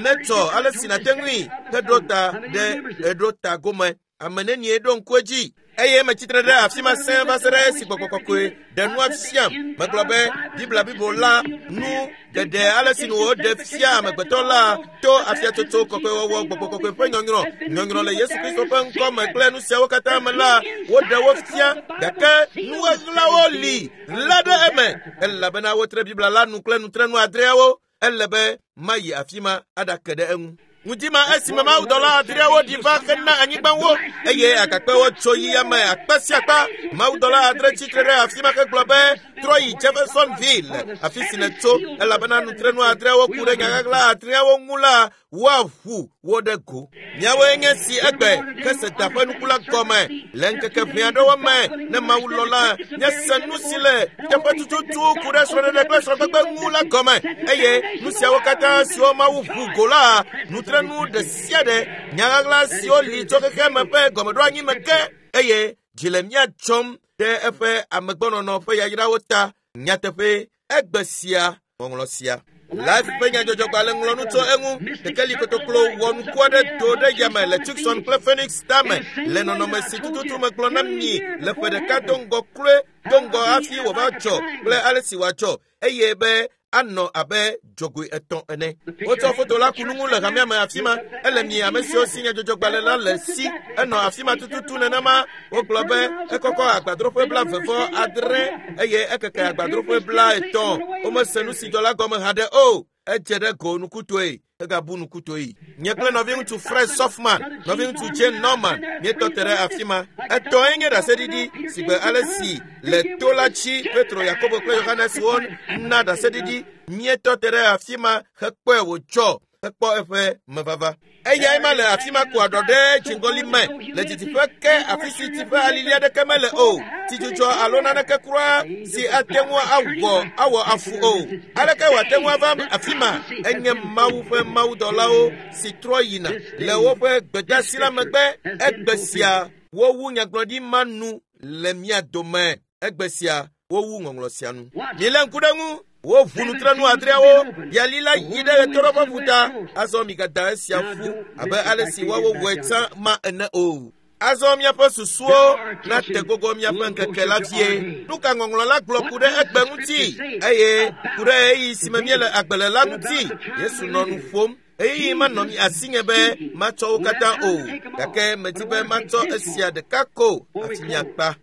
netsɔ ale si nàte ŋui heɖo ta ɖe eɖo ta gome. Ame nenie ɖo ŋku edzi eye metsitre ɖe afi ma sẽe va se ɖe esi gbɔgbɔ kɔkɔe ɖe nua fiam. Megblɔ be Biblia blibo la nu geɖe ale si nu woɖe fia amegbetɔ la to afiatsotso kɔkɔewɔwɔ gbɔgbɔ kɔkɔe ƒe nyɔnyrɔ nyɔnyrɔ le Yesu Kristo ƒe ŋkɔ me kple nu siawo katã me la woɖe wo fia gake nuɣeɣlawo li la ɖe eme elabena wotre Biblia la nu kple nutrenu adreawo. Ele be mayi afi ma aɖake ɖe eŋu. Ŋdi ma esime mawudɔla adreawo ɖi va hena anyigbawo eye agakpewo tso yi yame akpe sia akpa. Mawudɔla adre tsitre ɖe afi ma hegblɔ be trɔ yi Jeffersonville, afi si nètso, elabena nutrenu adreawo ku ɖe nyaɣaɣla adreawo ŋu la, woaʋu wo ɖe go. Miawoe nye si egbe kese da ƒe nuku la gɔme le ŋkeke ʋɛ aɖewo me ne Mawu lɔ̃ la, míase nu si le teƒe tututu ku ɖe srɔ̃ɖeɖe kple srɔ̃gbegbe ŋu la gɔme eye nu siawo katã siwo Mawu ʋu go la, nutrenu ɖe sia ɖe, nyaɣaɣla siwo li tso xexea me ƒe gɔmeɖoanyi me ke eye dzi le mía dzɔm ɖe eƒe amegbɔnɔnɔ ƒe yayrawo ta. Nyateƒe, egbe sia ŋɔŋlɔ sia. Life ƒe nyadzɔdzɔgbalẽ ŋlɔ nu tso eŋu. Kekeli kotoklo wɔ nuku aɖe do ɖe yame le Tucson kple Phoenix tame le nɔnɔme si tututu megblɔ na mi le ƒe ɖeka do ŋgɔ kloe do ŋgɔ hafi wòva dzɔ kple ale si wòadzɔ eye be anɔ abe dzogoe etɔ̃ ene. Wotsɔ foto la ku nu ŋu le hamea me afi ma. Ele mi ame siwo si nyadzɔdzɔgbalẽ la le si. Enɔ afi ma tututu nenema. Wogblɔ be ekɔkɔ agbadroƒe 26 eye ekeke agbadroƒe 50. Womese nu si dzɔ la gɔme haɖe o. Edze ɖe go nukutɔe hegabu nukutɔe. Nye kple nɔviŋutsu Fred Sothmann, nɔviŋutsu Jane Norman míetɔ te ɖe afi ma. Etɔ̃e nye ɖaseɖiɖi si gbe ale si le to la dzi Petro, Yakobo kple Yohanes wo na ɖaseɖiɖi. Míetɔ te ɖe afi ma hekpɔe wòdzɔ hekpɔ eƒe mevava. Eyae ma le afi ma ko aɖɔ ɖe dziŋgɔli me le didiƒe ke afi si tsi ƒe alili aɖeke mele o. Tsidzudzɔ alo naneke kura si ate ŋu awɔ awɔ afu o. Aleke wòate ŋu ava afi ma? Enye Mawu ƒe mawudɔlawo si trɔ yina le woƒe gbedeasi la megbe. Egbe sia wowu nyagblɔɖi ma nu le mía dome. Egbe sia wowu ŋɔŋlɔ sia nu. Milé ŋku ɖe ŋu. Woʋu nutrenu adreawo, yali la yi ɖe ɣetoɖoƒe ƒuta. Azɔ migada esia ƒu abe ale si woawo wɔe tsã ma ene o. Azɔ míaƒe susuwo nate gogo míaƒe ŋkeke la vie. Nu ka ŋɔŋlɔ la gblɔ ku ɖe egbe ŋuti eye ku ɖe ɣeyiɣi si me míele agbe le la ŋuti? Yesu nɔ nu ƒom. Ɣeyiɣi manɔ mi asinye be matsɔ wo katã o, gake medi be matsɔ esia ɖeka ko hafi miakpa.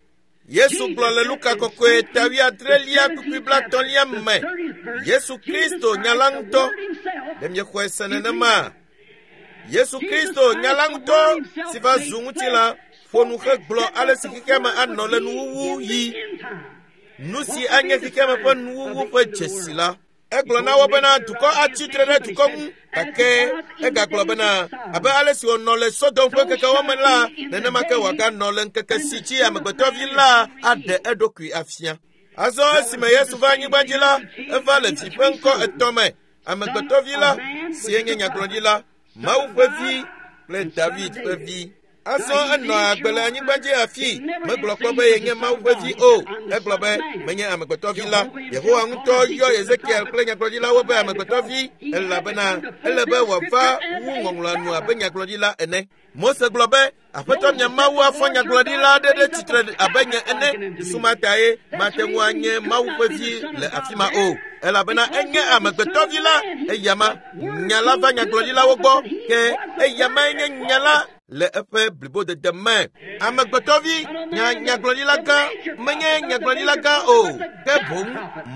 Yesu gblɔ le Luka kɔkɔe ta wuiadrelia kpukpui blaetɔ̃lia me. Yesu Kristo nya la ŋutɔ. Ɖe miexɔe se nenema? Yesu Kristo nya la ŋutɔ si va zu ŋutilã ƒo nu hegblɔ ale si xexea me anɔ le nuwuwu yi. Nu si anye xexea me ƒe nuwuwu ƒe dzesi la. Egblɔ na wo bena dukɔ atsi tre ɖe dukɔ ŋu gake egagblɔ bena abe ale si wònɔ le Sodom ƒe ŋkekewo me la, nenema ke wòaganɔ le ŋkeke si dzi amegbetɔvi la aɖe eɖokui afia. Azɔ esime Yesu va anyigba dzi la, eva le vi ƒe ŋkɔ etɔ̃ me. Amegbetɔvi la, si nye nyagblɔɖila, Mawu ƒe vi kple David ƒe vi. Azɔ enɔ agbe le anyigba dzi afi. Megblɔ kpɔ be yenye Mawu ƒe vi o. Egblɔ be menye amegbetɔvi la. Yehowa ŋutɔ yɔ Ezekiel kple nyagblɔɖilawo be amegbetɔvi elabena ele be wòava wu ŋɔŋlɔa nu abe nyagblɔɖila ene. Mose gblɔ be Aƒetɔ mia Mawu afɔ nyagblɔɖila aɖe ɖe tsitre abe nye ene. Susu ma tae mate ŋu anye Mawu ƒe vi le afi ma o, elabena enye amegbetɔvi la. Eyama nya la va nyagblɔɖilawo gbɔ, ke eyamae nye nya la le eƒe blibodede me. Amegbetɔvi nya nyagblɔɖila gã menye nyagblɔɖila gã o, ke boŋ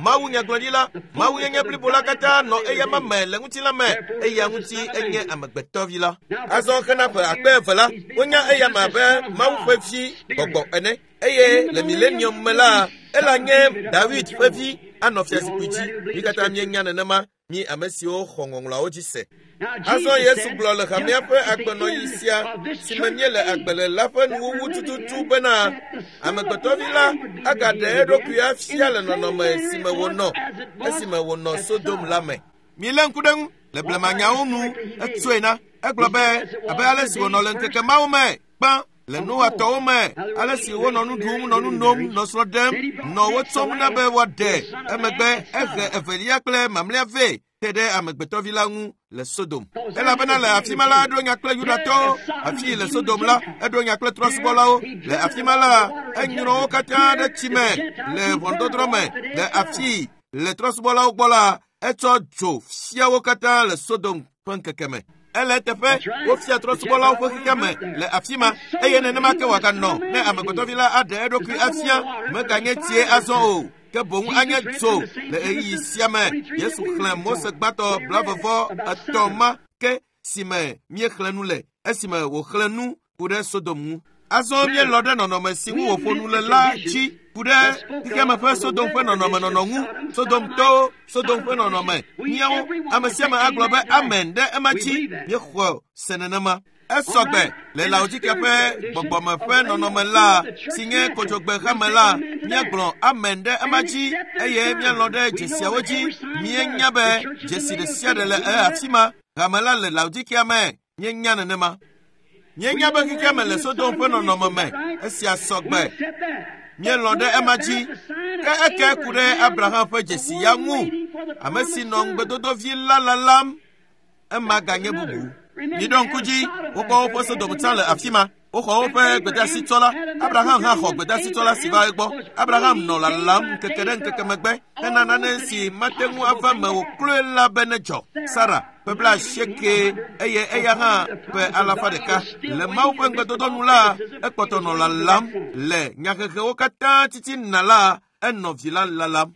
Mawu nyagblɔɖila, Mawu yenye blibo la katã nɔ eyama me le ŋutilã me, eya ŋuti enye amegbetɔvi la. Azɔ hena ƒe akpe eve la, wonya eyama abe Mawu ƒe vi gbɔgbɔ ene eye le milenium me la, ela nye David ƒe vi anɔ fiazikpui dzi. Mi katã mienya nenema, mi ame siwo xɔ ŋɔŋlɔawo dzi se. Azɔ Yesu gblɔ le hamea ƒe agbenɔɣi sia si me míele agbe le la ƒe nuwuwu tututu bena amegbetɔvi la agaɖe eɖokui afia le nɔnɔme si me wònɔ esime wònɔ Sodom la me. Milé ŋku ɖe ŋu le blemanyawo nu etsɔe na. Egblɔ be abe ale si wònɔ le ŋkeke mawo me gbã le Noa tɔwo me, ale si wonɔ nu ɖum, nɔ nu nom, nɔ srɔ̃ ɖem, nɔ wo tsɔm na be woaɖe. Emegbe ehe evelia kple mamlɛa vɛ te ɖe amegbetɔvi la ŋu le Sodom. Elabena le afi ma la, eɖo nya kple Yudatɔwo. Afi le Sodom la, eɖo nya kple trɔ̃subɔlawo. Le afi ma la, enyrɔ wo katã ɖe tsi me le ʋɔnudɔdrɔ̃ me. Le afi le trɔ̃subɔlawo gbɔ la, etsɔ dzo fia wo katã le Sodom ƒe ŋkeke me. Ele eteƒe wofia trɔ̃subɔlawo ƒe xexea me le afi ma eye nenema ke wòaganɔ ne amegbetɔvi la aɖe eɖokui afia meganye tsie azɔ o ke boŋ anye dzo le ɣeyiɣi sia me. Yesu xlẽ Mose gbãtɔ 33 ma ke si me míexlẽ nu le esime wòxlẽ nu ku ɖe Sodom ŋu. Azɔ míelɔ̃ ɖe nɔnɔme si ŋu wòƒo nu le la dzi ku ɖe xexeame ƒe Sodom ƒe nɔnɔmenɔnɔ ŋu. Sodomtɔwo, Sodom ƒe nɔnɔme, míawo, ame sia ame agblɔ be amen ɖe ema dzi. Míexɔ se nenema. Esɔgbe le Laodikea ƒe gbɔgbɔme ƒe nɔnɔme la si nye kodzogbe hame la, míagblɔ amen ɖe ema dzi eye míalɔ̃ ɖe dzesiawo dzi. Míenya be dzesi ɖe sia ɖe le afi ma. Hame la le Laodikea me. Míenya nenema. Míenya be xexea me le Sodom ƒe nɔnɔme me. Esia sɔgbe. Míelɔ̃ ɖe ema dzi. Ke eke ku ɖe Abraham ƒe dzesi ya ŋu. Ame si nɔ ŋugbedodovi la lalam, ema ganye bubu. Miɖo ŋku dzi, wokpɔ woƒe Sodom tsã le afi ma. Woxɔ woƒe gbedeasitsɔla. Abraham hã xɔ gbedeasitsɔla si va egbɔ. Abraham nɔ lalam ŋkeke ɖe ŋkeke megbe hena nane si mate ŋu ava me o kloe la be nedzɔ. Sara ƒe 80 eye eya hã ƒe 100. Le Mawu ƒe ŋugbedodo nu la, ekpɔtɔ nɔ lalam le nyahehewo katã titina la, enɔ vi la lalam.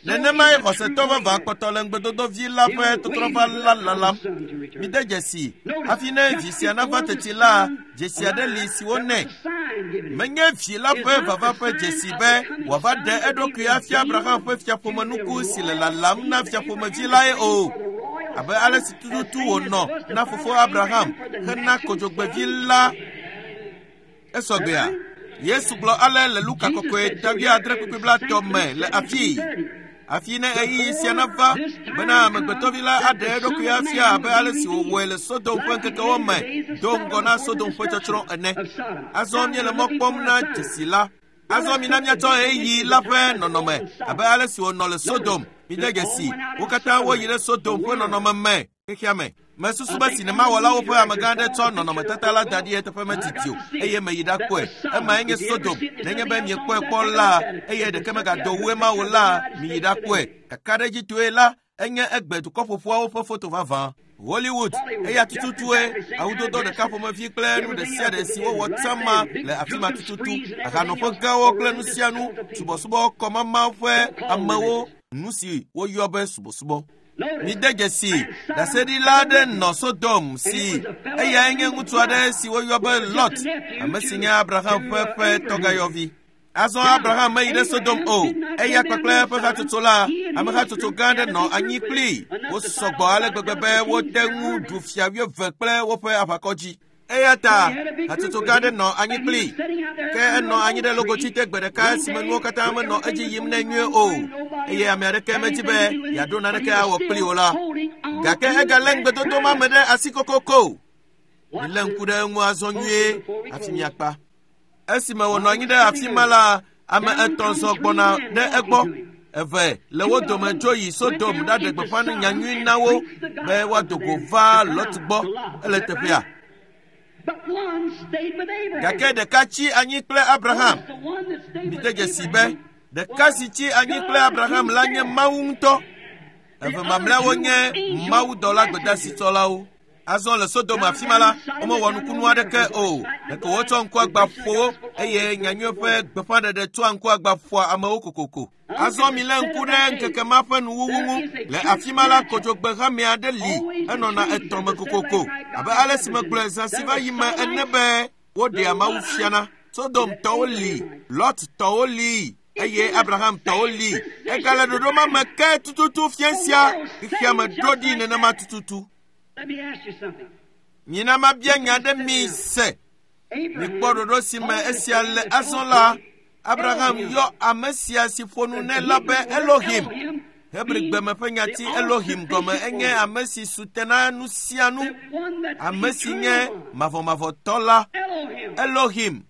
Nenemae xɔsetɔ vavã kpɔtɔ le ŋugbedodovi la ƒe tɔtrɔva la lalam. Mide dzesi hafi ne vi sia nava teti la, dzesi aɖe li si wonɛ. Menye vi la ƒe vava ƒe dzesi be wòava ɖe eɖokui afia Abraham ƒe fiaƒomenuku si le lalam na fiaƒomevi lae o. Abe ale si tututu wònɔ na fofo Abraham hena kodzogbevi la esɔgbea. Yesu gblɔ ale le Luka kɔkɔe ta 7:30 me le afii. Afi ne ɣeyiɣi sia nava bena amegbetɔvi la aɖe eɖokui afia abe ale si wòwɔe le Sodom ƒe ŋkekewo me do ŋgɔ na Sodom ƒe tsɔtsrɔ̃ ene. Azɔ míele mɔ kpɔm na dzesi la. Azɔ mina míatsɔ ɣeyiɣi la ƒe nɔnɔme abe ale si wònɔ le Sodom. Mide dzesi, wo katã woyi ɖe Sodom ƒe nɔnɔme me xexea me. Mesusu be sinemawɔlawo ƒe amegã aɖe tsɔ nɔnɔmetata la da ɖi eteƒe metiti o eye meyi ɖakpɔe. Emae nye Sodom. Nenye be miekpɔe kpɔ la eye ɖeke megado wu ema o la, miyi ɖakpɔe. Kakaɖedzitɔe la, enye egbe dukɔƒoƒoawo ƒe foto vavã. Hollywood eya tututue awudodo ɖeka ƒomevi kple nu ɖe sia ɖe si wowɔ tsã ma le afi ma tututu. Ahanɔƒe gãwo kple nu sia nu, subɔsubɔ kɔmama ƒe amewo, nu si woyɔ be subɔsubɔ. Mide dzesi, ɖaseɖila aɖe nɔ Sodom si eyae nye ŋutsu aɖe si woyɔ be Lot, ame si nye Abraham ƒe tɔgayɔvi. Azɔ Abraham meyi ɖe Sodom o, eya kpakple eƒe hatsotso la, ame hatsotso gã aɖe nɔ anyi kplii. Wosɔ gbɔ ale gbegbe be wote ŋu ɖu fia wuieve kple woƒe aʋakɔ dzi. Eya ta hatsotso gã aɖe nɔ anyi kplii. Ke enɔ anyi ɖe logotsi te gbe ɖeka esime nuwo katã menɔ edzi yim nɛ nyuie o, eye ame aɖeke medzi be yeaɖo naneke awɔ kplii o la. Gake egalé ŋugbedodo ma me ɖe asi kokoko. Milé ŋku ɖe eŋu azɔ nyuie hafi miakpa. Esime wònɔ anyi ɖe afi ma la, ame etɔ̃ zɔ gbɔna ɖe egbɔ. Eve le wo dome dzo yi Sodom ɖaɖe gbeƒã nyanyui na wo be woado go va Lot gbɔ. Ele teƒea. Gake ɖeka tsi anyi kple Abraham. Mide dzesi be ɖeka si tsi anyi kple Abraham la nye Mawu ŋutɔ. Eve mamlɛawo nye mawudɔla gbedasitsɔlawo. Azɔ le Sodom afi ma la, womewɔ nukunu aɖeke o. Ɖeko wotsɔ ŋkuagba ƒo wo eye nyanyui ƒe gbeƒãɖeɖe tsɔa ŋkuagba ƒoa amewo kokoko. Azɔ milé ŋku ɖe ŋkeke ma ƒe nuwuwu ŋu. Le afi ma la, kodzogbe hame aɖe li, enɔna etɔ̃ me kokoko. Abe ale si megblɔe zã si va yi me ene be woɖea Mawu fiana. Sodom tɔwo li, Lot tɔwo li, eye Abraham tɔwo li. Egale ɖoɖo ma me ke tututu fia sia xexea me ɖo ɖi nenema tututu. Mina mabia nya ɖe mi se. Mikpɔ ɖoɖo si me esia le azɔ la, Abraham yɔ ame sia si ƒo nu nɛ la be Elohim. Hebrigbe me ƒe nyati Elohim gɔme enye ame si su te na nu sia nu, ame si nye mavɔmavɔtɔ la. Elohim,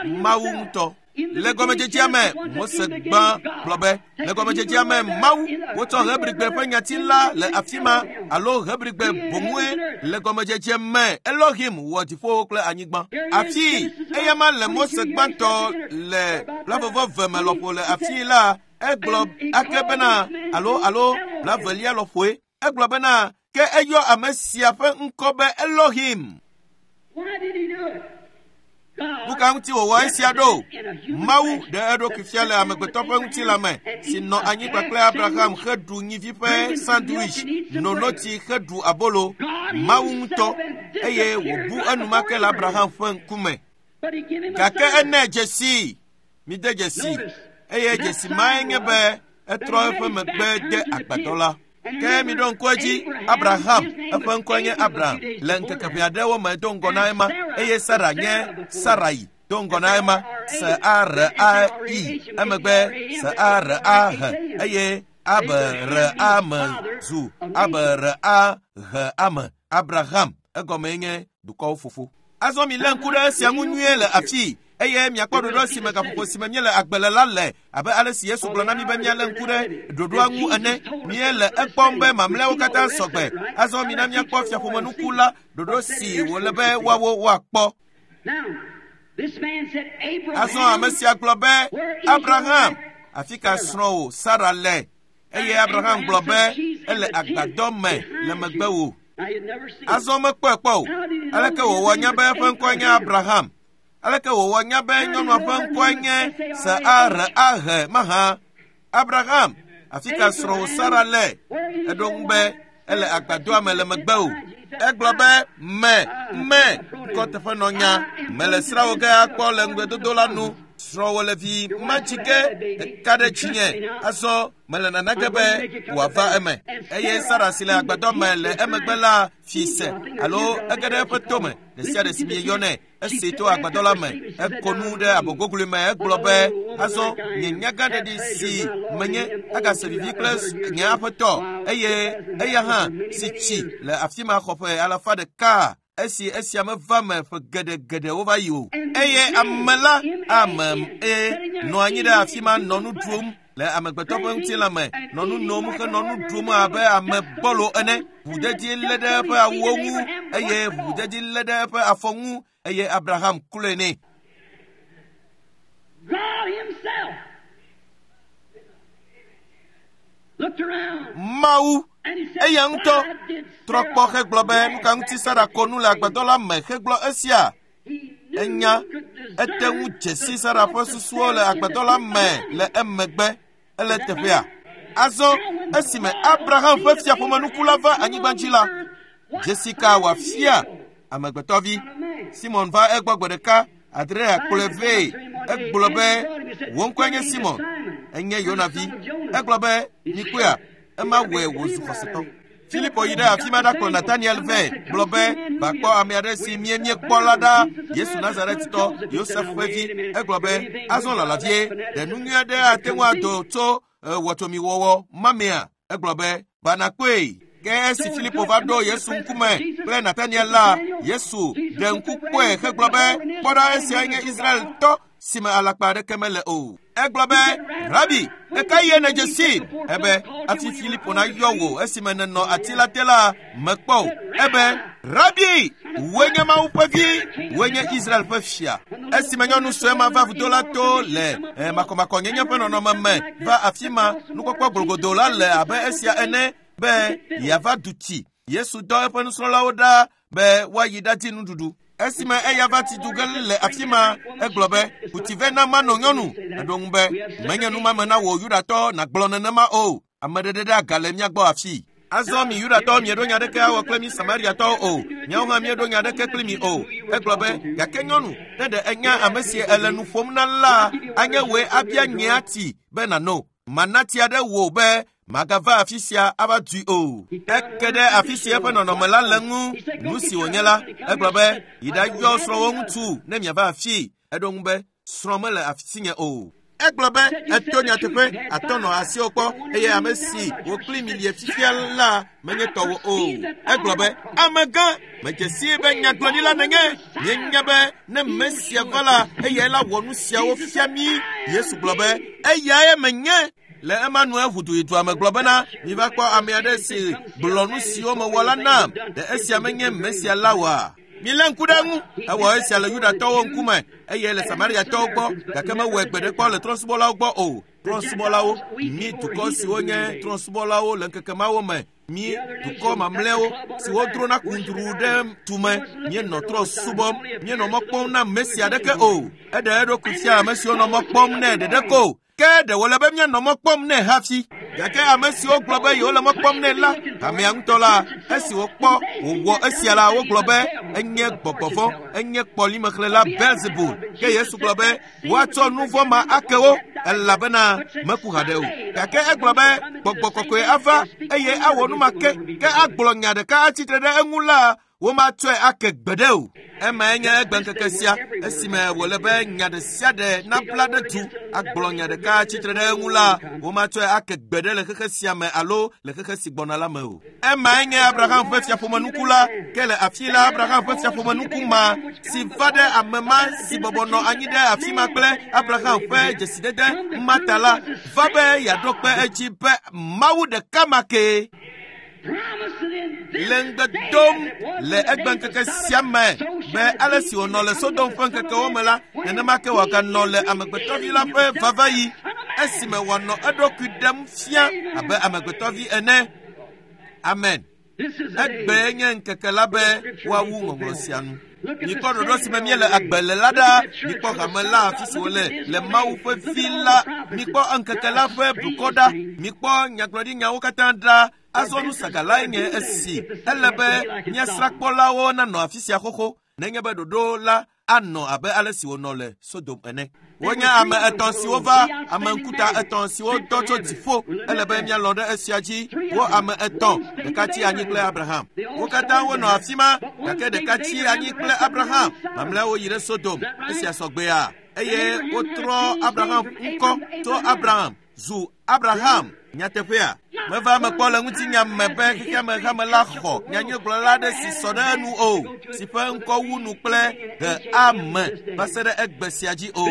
Mawu ŋutɔ. Le gɔmedzedzea me, Mose gbã gblɔ be, le gɔmedzedzea me Mawu, wotsɔ Hebrigbe ƒe nyati la le afi ma alo Hebrigbe boŋue le gɔmedzedze me Elohim wɔ dziƒowo kple anyigba. Afi eya ma le Mose gbãtɔ le blaeve-vɔ-eve me lɔƒo le afi la, egblɔ ake bena alo blaevelia lɔƒoe. Egblɔ bena ke eyɔ ame sia ƒe ŋkɔ be Elohim. Nu ka ŋuti wòwɔ esia ɖo? Mawu ɖe eɖokui fia le amegbetɔ ƒe ŋutilã me si nɔ anyi kpakple Abraham heɖu nyivi ƒe sandwich, no notsi heɖu abolo. Mawu ŋutɔ eye wòbu enumake le Abraham ƒe ŋkume. Gake ene dzesi, mide dzesi, eye dzesi mae nye be etrɔ eƒe megbe de agbadɔ la. Ke miɖo ŋku edzi, Abraham, eƒe ŋkɔe nye Abraham, le ŋkeke ʋɛ aɖewo me do ŋgɔ na ema, eye Sara nye Sarai do ŋgɔ na ema, S-A-R-A-I, emegbe S-A-R-A-H, eye A-B-R-A-M zu A-B-R-A-H-A-M, Abraham, egɔmee nye dukɔwo fofo. Azɔ milé ŋku ɖe esia ŋu nyuie le afii, eye miakpɔ ɖoɖo si me gaƒoƒo si me míele agbe le la le, abe ale si Yesu gblɔ na mi be míalé ŋku ɖe ɖoɖoa ŋu ene. Míele ekpɔm be mamlɛawo katã sɔgbe. Azɔ mina míakpɔ fiaƒomenuku la, ɖoɖo si wòle be woawo woakpɔ. Azɔ ame sia gblɔ be, Abraham, afi ka srɔ̃wò Sara le? Eye Abraham gblɔ be, ele agbadɔ me le megbewò. Azɔ mekpɔe kpɔ o. Aleke wòwɔ nya be eƒe ŋkɔe nye Abraham? Aleke wòwɔ nya be nyɔnua ƒe ŋkɔe nye S-A-R-A-H mahã? Abraham, afi ka srɔ̃wò Sara le? Eɖo ŋu be, ele agbadɔa me le megbewò. Egblɔ be, me, ŋkɔ teƒe nɔ nya. Mele srãwò ge akpɔ le ŋugbedodo la nu. Srɔ̃wò le vi matsi ge, eka ɖe dzinye. Azɔ mele nana ge be wòava eme. Eye Sara si le agbadɔ me le emegbe la fi se alo ege ɖe eƒe tome ɖe sia ɖe si mieyɔnɛ. Esi to agbadɔ la me, eko nu ɖe abɔgoglui me, egblɔ be, azɔ nye nyagãɖeɖi si menye agase vivi kple nye aƒetɔ, eye eya hã si tsi le afi ma xɔ ƒe alafa ɖeka esi esia meva me ƒe geɖegeɖe wova yi o. Eye ame la ame nɔ anyi ɖe afi ma nɔ nu ɖum le amegbetɔ ƒe ŋutilã me, nɔ nu nom henɔ nu ɖum abe ame gbɔlo ene. Ʋudzedzi lé ɖe eƒe awuwo ŋu eye ʋudzedzi lé ɖe eƒe afɔ ŋu eye Abraham kloe nɛ. God himself looked around Mawu Eya ŋutɔ trɔ kpɔ hegblɔ be nu ka ŋuti Sara ko nu le agbadɔ la me hegblɔ esia. Enya ete ŋu dze si Sara ƒe susuwo le agbadɔ la me le emegbe ele teƒea. Azɔ esime Abraham ƒe fiaƒomenuku la va anyigba dzi la, dzesi ka wòafia amegbetɔvi? Simon va egbɔ gbe ɖeka, Andrea kplɔe vɛ. Egblɔ be, wò ŋkɔe nye Simon, enye Yona vi. Egblɔ be, mikpɔea, ema wɔe wòzu xɔsetɔ. Filipo yi ɖe afi ma ɖakplɔ Nataniel vɛ, gblɔ be, va kpɔ ame aɖe si míekpɔ la ɖa, Yesu Nazaretitɔ, Yosef ƒe vi. Egblɔ be, azɔ lala vie, ɖe nu nyui aɖe ate ŋu ado tso wɔtsomiwɔwɔ ma mea? Egblɔ be, va nakpɔe. Ke esi Filipo va ɖo Yesu ŋkume kple Nataniel la, Yesu ɖe ŋku kpɔe hegblɔ be, kpɔ ɖa, esiae nye Israeltɔ si me alakpa aɖeke mele o. Egblɔ be, Rabi, ɣeka ɣie nèdze sii? Ebe, hafi Filipo nayɔ wò esime nènɔ ati la te la, mekpɔ o. Ebe, Rabi, wòe nye Mawu ƒe vi, wòe nye Israel ƒe fia. Esime nyɔnu sue ma va vudo la to le makɔmakɔnyenye ƒe nɔnɔme me va afi ma, nukpɔkpɔ glogodo la le abe esia ene be yeava du tsi. Yesu dɔ eƒe nusrɔ̃lawo ɖa be woayi ɖadi nuɖuɖu. Esime eya va tsi du ge le afi ma, egblɔ be, ku tsi vɛ na mano nyɔnu. Eɖo ŋu be, menye numame na wò Yudatɔ nàgblɔ nenema o. Ame ɖeɖe ɖe aga le mía gbɔ afii. Azɔ mi Yudatɔwo mieɖo nya ɖeke awɔ kple mi Samariatɔwo o. Miawo hã mieɖo nya ɖeke kpli mi o. Egblɔ be, gake nyɔnu, ne ɖe enya ame si ele nu ƒom na la, anye wòe abia nyea tsi be nàno. Mana tsi aɖe wò be magava afi sia ava dui o. Eke ɖe afi si eƒe nɔnɔme la le ŋu, nu si wònye la. Egblɔ be, yi ɖayɔ srɔ̃wò ŋutsu ne miava afii. Eɖo ŋu be, srɔ̃ mele afi o. Egblɔ be, eto nyateƒe, atɔ nɔ asiwò kpɔ, eye ame si wò kpli mi lie fifia la menye tɔwò o. Egblɔ be, amegã, medze sii be nyagblɔɖila nènye. Míenya be ne Mesia va la, eyae la wɔ nu siawo fia mí. Yesu gblɔ be, eyae menye. Le ema nu eʋu du yi dua me gblɔ bena, miva kpɔ ame aɖe si gblɔ nu siwo mewɔ la nam. Ɖe esia menye Mesia la oa? Milé ŋku ɖe eŋu. Ewɔ esia le Yudatɔwo ŋkume eye le Samariatɔwo gbɔ, gake mewɔe gbe ɖe kpɔ le trɔ̃subɔlawo gbɔ o. Trɔ̃subɔlawo, mi dukɔ siwo nye trɔ̃subɔlawo le ŋkeke mawo me, mi dukɔ mamlɛawo siwo drona kundru ɖe tume, míenɔ trɔ̃ subɔm, míenɔ mɔ kpɔm na Mesia aɖeke o. Eɖe eɖokui fia ame siwo nɔ mɔ kpɔm nɛ ɖeɖe ko. Ke ɖe wòle be míanɔ mɔ kpɔm nɛ hafi. Gake ame siwo gblɔ be yewole mɔ kpɔm nɛ la, hamea ŋutɔ la, esi wokpɔ wòwɔ esia la, wogblɔ be enye gbɔgbɔ vɔ̃, enye kpɔlimexlẽla Beelzebul. Ke Yesu gblɔ be woatsɔ nu vɔ̃ ma ake wo, elabena meku haɖe o. Gake egblɔ be gbɔgbɔ kɔkɔe ava eye awɔ nu ma ke, ke agblɔ nya ɖeka atsitre ɖe eŋu la, womatsɔe ake gbeɖe o. Emae nye egbeŋkeke sia, esime wòle be nya ɖe sia ɖe nabla ɖe du, agblɔ nya ɖeka atsitre ɖe eŋu la, womatsɔe ake gbeɖe le xexe sia me alo le xexe si gbɔna la me o. Emae nye Abraham ƒe fiaƒomenuku la, ke le afi la Abraham ƒe fiaƒomenuku ma si va ɖe ame ma si bɔbɔ nɔ anyi ɖe afi ma kple Abraham ƒe dzesidede ma ta la, va be yeaɖo kpe edzi be Mawu ɖeka ma kee le ŋugbe dom le egbeŋkeke sia me be ale si wònɔ le Sodom ƒe ŋkekewo me la, nenema ke wòaganɔ le amegbetɔvi la ƒe vavaɣi, esime wòanɔ eɖokui ɖem fia abe amegbetɔvi ene. Amen. Egbee nye ŋkeke la be woawu ŋɔŋlɔ sia nu. Mikpɔ ɖoɖo si me míele agbe le la ɖa. Mikpɔ hame la afi si wòle le Mawu ƒe vi la. Mikpɔ ŋkeke la ƒe blukɔ ɖa. Mikpɔ nyagblɔɖinyawo katã ɖa. Azɔ nu sagalae nye esi. Ele be míasrãkpɔlawo nanɔ afi sia xoxo nenye be ɖoɖo la anɔ abe ale si wònɔ le Sodom ene. Wonye ame etɔ̃ siwo va, ame ŋkuta etɔ̃ siwo dɔ tso dziƒo. Ele be míalɔ̃ ɖe esia dzi. Wo ame etɔ̃, ɖeka tsi anyi kple Abraham. Wo katã wonɔ afi ma, gake ɖeka tsi anyi kple Abraham. Mamlɛawo yi ɖe Sodom. Esia sɔgbea. Eye wotrɔ Abraham ŋkɔ tso Abraham zu Abraham. Nyateƒea, meva eme kpɔ le ŋutinya me be xexeame hame la xɔ nyanyuigblɔla aɖe si sɔ ɖe enu o, si ƒe ŋkɔ wu nu kple he ame va se ɖe egbe sia dzi o.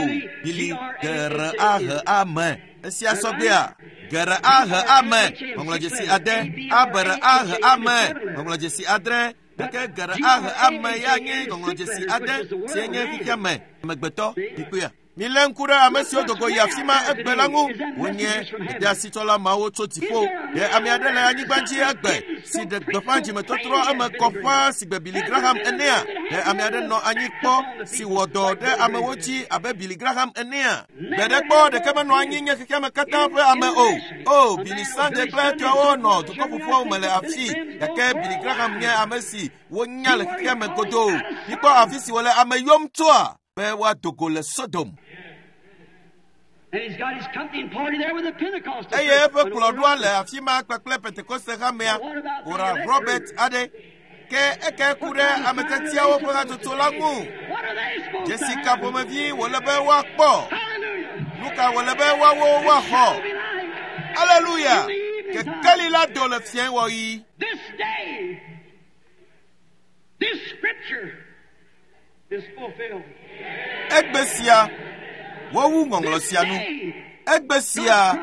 Bili gere ahe ame. Esia sɔgbea, gere ahe ame, ŋɔŋlɔdzesi ade, abere ahe ame, ŋɔŋlɔdzesi adre, gake gere ahe ame ya nye ŋɔŋlɔdzesi ade si nye xexeame amegbetɔ. Mikpɔea? Milé ŋku ɖe ame siwo dogo yi afi ma egbe la ŋu. Wonye gbedeasitsɔla mawo tso dziƒo. Ɖe ame aɖe le anyigba dzi egbe si ɖe gbeƒã dzimetɔtrɔ eme kɔ ƒãa si gbe Billy Graham enea? Ɖe ame aɖe nɔ anyi kpɔ si wɔ dɔ ɖe amewo dzi abe Billy Graham enea? Gbe ɖe kpɔ ɖeke menɔ anyi nye xexeame katã ƒe ame o. O, Billy Sunday kple etɔawo nɔ dukɔ ƒoƒuawo me le afii gake Billy Graham nye ame si wonya le xexeame godoo. Mikpɔ afi si wòle ame yɔm tsoa be woado go le Sodom. And he's got his company and party there with the Pentecostal Eye church. eƒe kplɔɖoa le afi ma kpakple Pentekoste hamea Ora Robert aɖe ke eke ku ɖe ametetiawo ƒe hatsotso la ŋu. What are they supposed to Dzesi have? ka ƒomevi wòle be woakpɔ? Hallelujah. Nu ka wòle be woawo woaxɔ? Be light. Aleluya! Kekeli la do le fiẽ wɔɣi. This day, this scripture is fulfilled. Egbe sia, wowu ŋɔŋlɔ sia nu. Day, Egbe sia,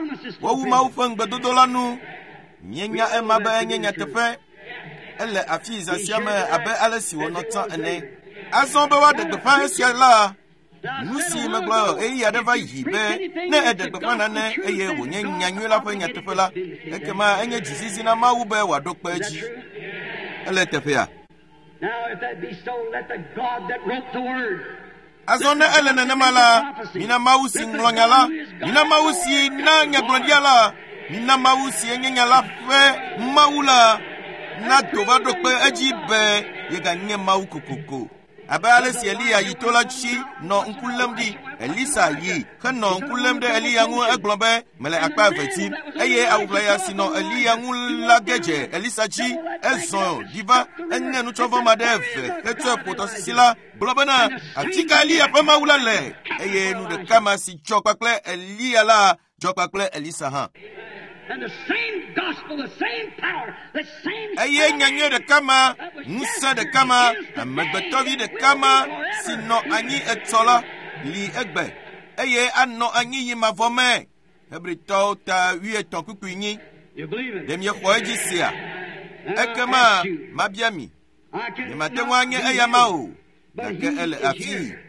wowu Mawu ƒe ŋugbedodo la nu. Míenya ema be enye nyateƒe. Ele afi zã sia me abe ale si wònɔ tsã ene. Azɔ be woaɖe gbeƒã esia la, nu si megblɔ ɣeyiɣi aɖe va yi be ne eɖe gbeƒã nane eye wònye nyanyui la ƒe nyateƒe la, ekema enye dzizizi na Mawu be wòaɖo kpe edzi. Ele teƒea. Now, if that be so, let the God that wrote the word Azɔ ne ele nenema la, mina Mawu si ŋlɔ nya la, mina Mawu si na nyagblɔɖia la, mina Mawu si enye nya la ƒe Mawu la, na do va ɖo kpe edzi be yeganye Mawu kokoko. Abe ale si Eliya yi to la dzi nɔ ŋku lém ɖi, Elisa yi henɔ ŋku lém ɖe Eliya ŋu egblɔ be mele akpa eve tim eye awuʋlaya si nɔ Eliya ŋu la ge dze Elisa dzi ezɔ ɖi va eŋe nutsɔvɔ ma ɖe eve hetsɔe ƒo tɔsisi la gblɔ bena afi ka Eliya ƒe Mawu la le eye nu ɖeka ma si dzɔ kpakple Eliya la dzɔ kpakple Elisa hã. and the same gospel, the same power, the same Eye nyanyui ɖeka ma, ŋusẽ ɖeka ma, amegbetɔvi ɖeka ma si nɔ anyi etsɔ la li egbe eye anɔ anyi yi mavɔ me. Hebritɔwo ta wuietɔ̃ kpukpui nyi. You believe it? Ɖe miexɔ edzi sia? Now, I Ekema ask you, mabia mi. I cannot Nyemate ŋu anye be eyama you, o. but Gake he ele is afii. here.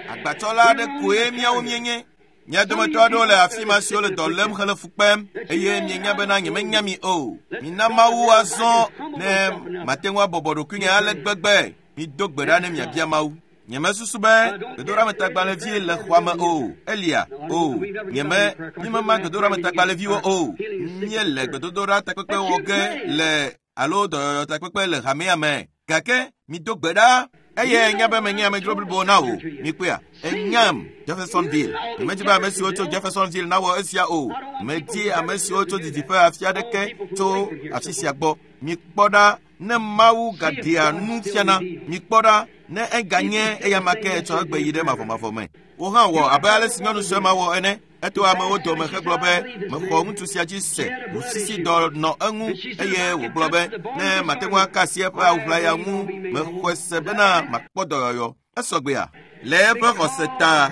Agbatsɔla aɖe koe míawo míenye. Mia dometɔ aɖewo le afi ma siwo le dɔ lém hele fu kpem eye mienya bena nyemenya mi o. Mina Mawu azɔ ne mate ŋu abɔbɔ ɖokuinye ale gbegbe. Mido gbe ɖa ne miabia Mawu. Nyemesusu be gbedoɖametagbalẽvi le xɔa me o. Elia, o. Nyeme, mímema gbedoɖametagbalẽviwo o. Míele gbedodoɖa takpekpe wɔ ge le alo dɔyɔyɔ takpekpe le hamea me. Gake mido gbe ɖa eye enya be menye amedzro blibo na wò. Mikpɔea, enyam Jeffersonville. Nyemedi be ame siwo tso Jeffersonville nawɔ esia o. Medi ame siwo tso didiƒe afi aɖeke tso afi sia gbɔ. Mikpɔ ɖa ne Mawu gaɖea nu fiana. Mikpɔ ɖa ne eganye eyama ke etsɔ egbe yi ɖe mavɔmavɔ me. Wò hã wɔ abe ale si nyɔnu sue ma wɔ ene. Eto amewo dome hegblɔ be mexɔ ŋutsu sia dzi se ʋusisi dɔ nɔ eŋu eye wògblɔ be ne mate ŋu aka asi eƒe awuʋlaya ŋu mexɔe se bena makpɔ dɔyɔyɔ. Esɔgbea le eƒe xɔse ta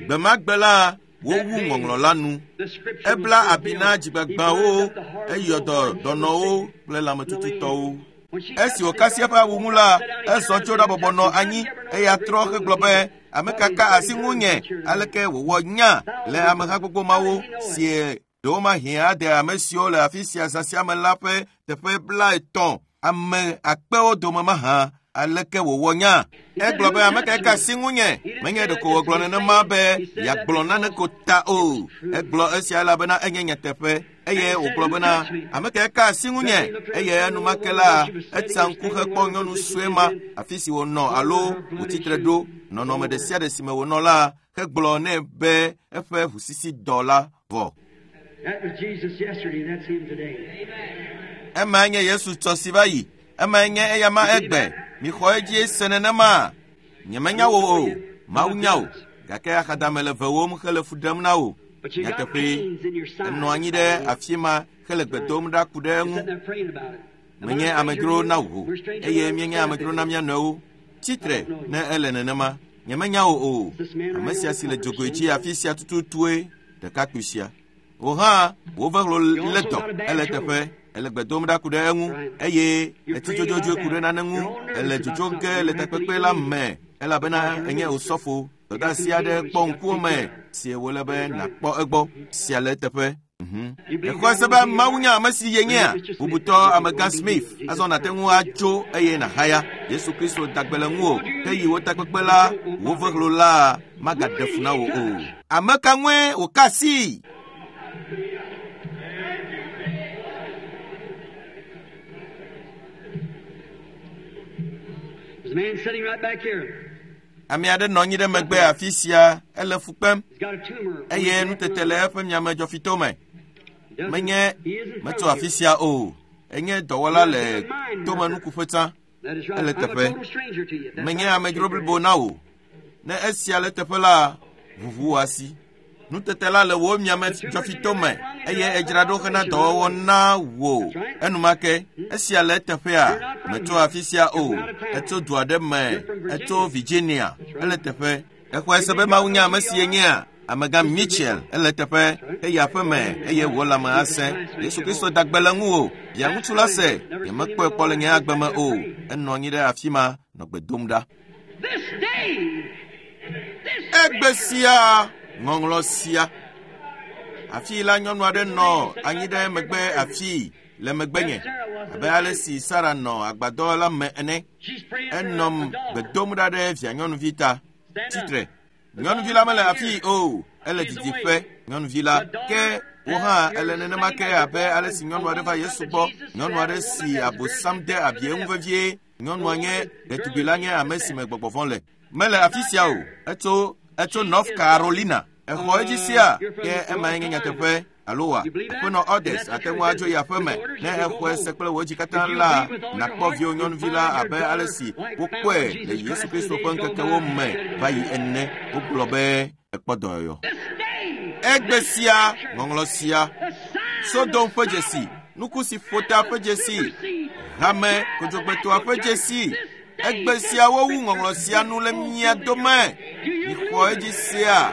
gbe ma gbe la wowu ŋɔŋlɔ la nu. The scripture Ebla was abi na fulfilled. dzigbagbawo, He burned up the heart eyɔ dɔ of the dɔnɔwo kple lãmetututɔwo. When she Esi wòka asi eƒe awu ŋu la, ezɔ tso ɖabɔbɔ nɔ anyi eya trɔ hegblɔ be ame ka ka asi ŋunye aleke wòwɔ nya le ameha gbogbo mawo sie ɖewomahi ade ame siwo le afi sia zã sia me la ƒe teƒe 50 ame akpewo dome mahã aleke wòwɔ nya. Egblɔ be ame kae ka asi ŋunye menye ɖeko wògblɔ nenema be yeagblɔ nane ko ta o. Egblɔ esia elabena enye nyateƒe eye wògblɔ bena ame kae ka asi ŋunye eye enumake la etsa ŋku hekpɔ nyɔnu sue ma afi si wònɔ alo wòtsitre ɖo nɔnɔme ɖe sia ɖe si me wònɔ la hegblɔ nɛ be eƒe ʋusisi dɔ la vɔ. That was Jesus yesterday, and that's him today. Emae nye Yesu tsɔ si va yi. Emae nye eyama egbe. Mixɔ edzi se nenema. Nyemenya wò o. Mawu nya wò. Gake axadame le vewòm hele fu ɖem na wò. But you got Nyateƒee, pains in your side. enɔ anyi ɖe afi ma hele gbe dom ɖa ku ɖe You're eŋu. sitting there praying about it. Menye amedzro na wò eye míenye amedzro na mía nɔewo. Tsitre ne ele nenema. Nyemenya wò o. Ame sia si le dzogoe dzi afi sia tututue ɖekakpui sia. Wò hã wò vehlo lé dɔ ele teƒe ele gbe dom ɖa ku ɖe eŋu eye etsi dzodzodzoe ku ɖe nane ŋu ele dzodzo ge le takpekpe la me elabena enye osɔfo. Dɔdeasi aɖe kpɔ ŋkuwò me si wòle be nàkpɔ egbɔ sia le eteƒe. Exɔe se be Mawu nye ame si yenyea? Bubutɔ amegã Smith, azɔ nàte ŋu atso eye nàhaya. Yesu Kristo da gbe le ŋuwò, ke yi wò takpekpe la, wò vehlo la magaɖe fu na wò o. Ame ka ŋue wòka asii? There's a man sitting right back here. Ame aɖe nɔ anyi ɖe megbe afi sia, ele fu kpem He's got a tumor. on eye his left nutete le lung. eƒe miamedzɔfito me. He doesn't- Menye he isn't metso from afi here. sia o. Enye dɔwɔla le tomenukuƒe tsã. That is right. Ele I'm a teƒe. total stranger to you. That's Menye right. amedzro blibo na wò. Ne esia le teƒe la, ʋuʋu wò asi. Nutete la le wò miamedzɔfito me eye edzra ɖo hena dɔwɔwɔ na wò. Enumake esia le eteƒea, metso afi sia o. Etso du aɖe me, etso Virginia. Ele teƒe. Exɔe se be Mawu nye ame si yenyea? Amegã Mitchell ele teƒe eye aƒe me eye wò lãme asẽ. Yesu Kristo da gbe le ŋuwò. Via ŋutsu la se, nyemekpɔe kpɔ le nye agbe me o. Enɔ anyi ɖe afi ma nɔ gbe dom ɖa. This day, this Egbe sia, ŋɔŋlɔ sia. Afii la nyɔnu aɖe nɔ anyi ɖe megbe afii le megbenye abe ale si Sara nɔ agbadɔ la me ene. she's praying for Enɔ a gbe daughter. dom ɖa ɖe via nyɔnuvi ta. Stand Tsitre. up. Nyɔnuvi la mele afii o, ele didiƒe. Nyɔnuvi la ke wò hã ele nenema ke abe ale si nyɔnu aɖe va Yesu gbɔ. Nyɔnu aɖe si abosam de abi eŋu vevie. Nyɔnua nye ɖetugbi la nye ame si me gbɔgbɔ vɔ̃ le. Mele afi sia o. Etso etso North Carolina. Exɔ edzi sia ke emae nye nyateƒe alo wa. Aƒenɔ Odes ate ŋu adzo yi aƒe me ne exɔe se kple wò dzi katã la nàkpɔ viwò nyɔnuvi la abe ale si wokpɔe le Yesu Kristo ƒe ŋkekewo me va yi ene. Wogblɔ be ekpɔ dɔyɔyɔ. This day, Egbe sia, ŋɔŋlɔ sia, the sign Sodom ƒe dzesi, nuku si ƒo ta ƒe dzesi, hame kodzogbetɔa ƒe dzesi. Egbe sia wowu ŋɔŋlɔ sia nu le mia dome. Mixɔ edzi sia.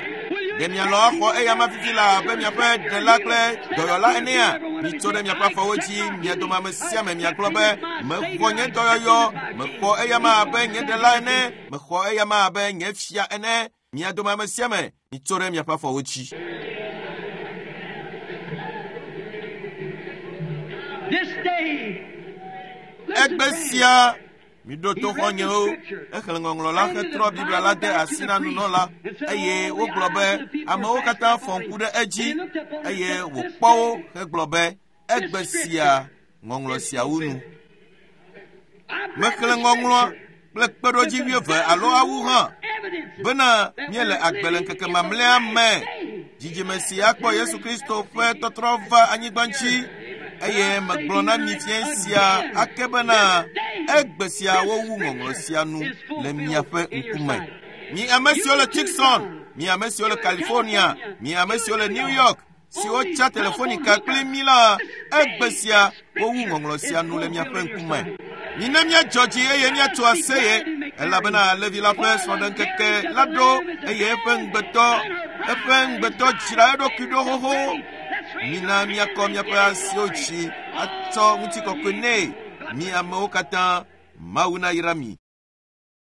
Ɖe mialɔ axɔ eya ma fifi la abe miaƒe ɖela kple dɔyɔla enea? Mitso ɖe miaƒe afɔwo dzi, mia dome ame sia ame miagblɔ be, mexɔ nye dɔyɔyɔ, mexɔ eya ma abe nye ɖela ene, mexɔ eya ma abe nye fia ene. Mia dome ame sia ame, mitso ɖe miaƒe afɔwo dzi. This day, listen, Egbe friends. sia miɖo to xɔnyewo exlẽ ŋɔŋlɔ la hetrɔ Biblia la de asi na nunɔla eye wogblɔ be amewo katã fɔ ŋku ɖe edzi eye wòkpɔ wo hegblɔ be egbe sia ŋɔŋlɔ siawo nu. I've read Mexlẽ the ŋɔŋlɔa scripture. kple kpeɖodzi wuieve alo awu hã Evidence bena míele agbe le ŋkeke mamlɛa me. Dzidzime si akpɔ Yesu Kristo ƒe tɔtrɔ va anyigba dzi eye megblɔ na mi fiẽ sia ake bena egbe sia wowu ŋɔŋlɔ sia nu le miaƒe ŋkume. Mi ame siwo le Tucson, mi ame siwo le California, mi ame siwo le New York, siwo tsa telefonika kpli mí la, egbe sia wowu ŋɔŋlɔ sia nu le miaƒe ŋkume. Mina míadzɔ dzi eye míatso aseye elabena Levi la ƒe srɔ̃ɖeŋkeke la ɖo eye eƒe ŋugbetɔ eƒe ŋugbetɔ dzra eɖokui ɖo xoxo. Mina míakɔ míaƒe asiwo dzi atsɔ ŋutikɔkɔe nɛ. Mi amewo katã, Mawu nayra mi.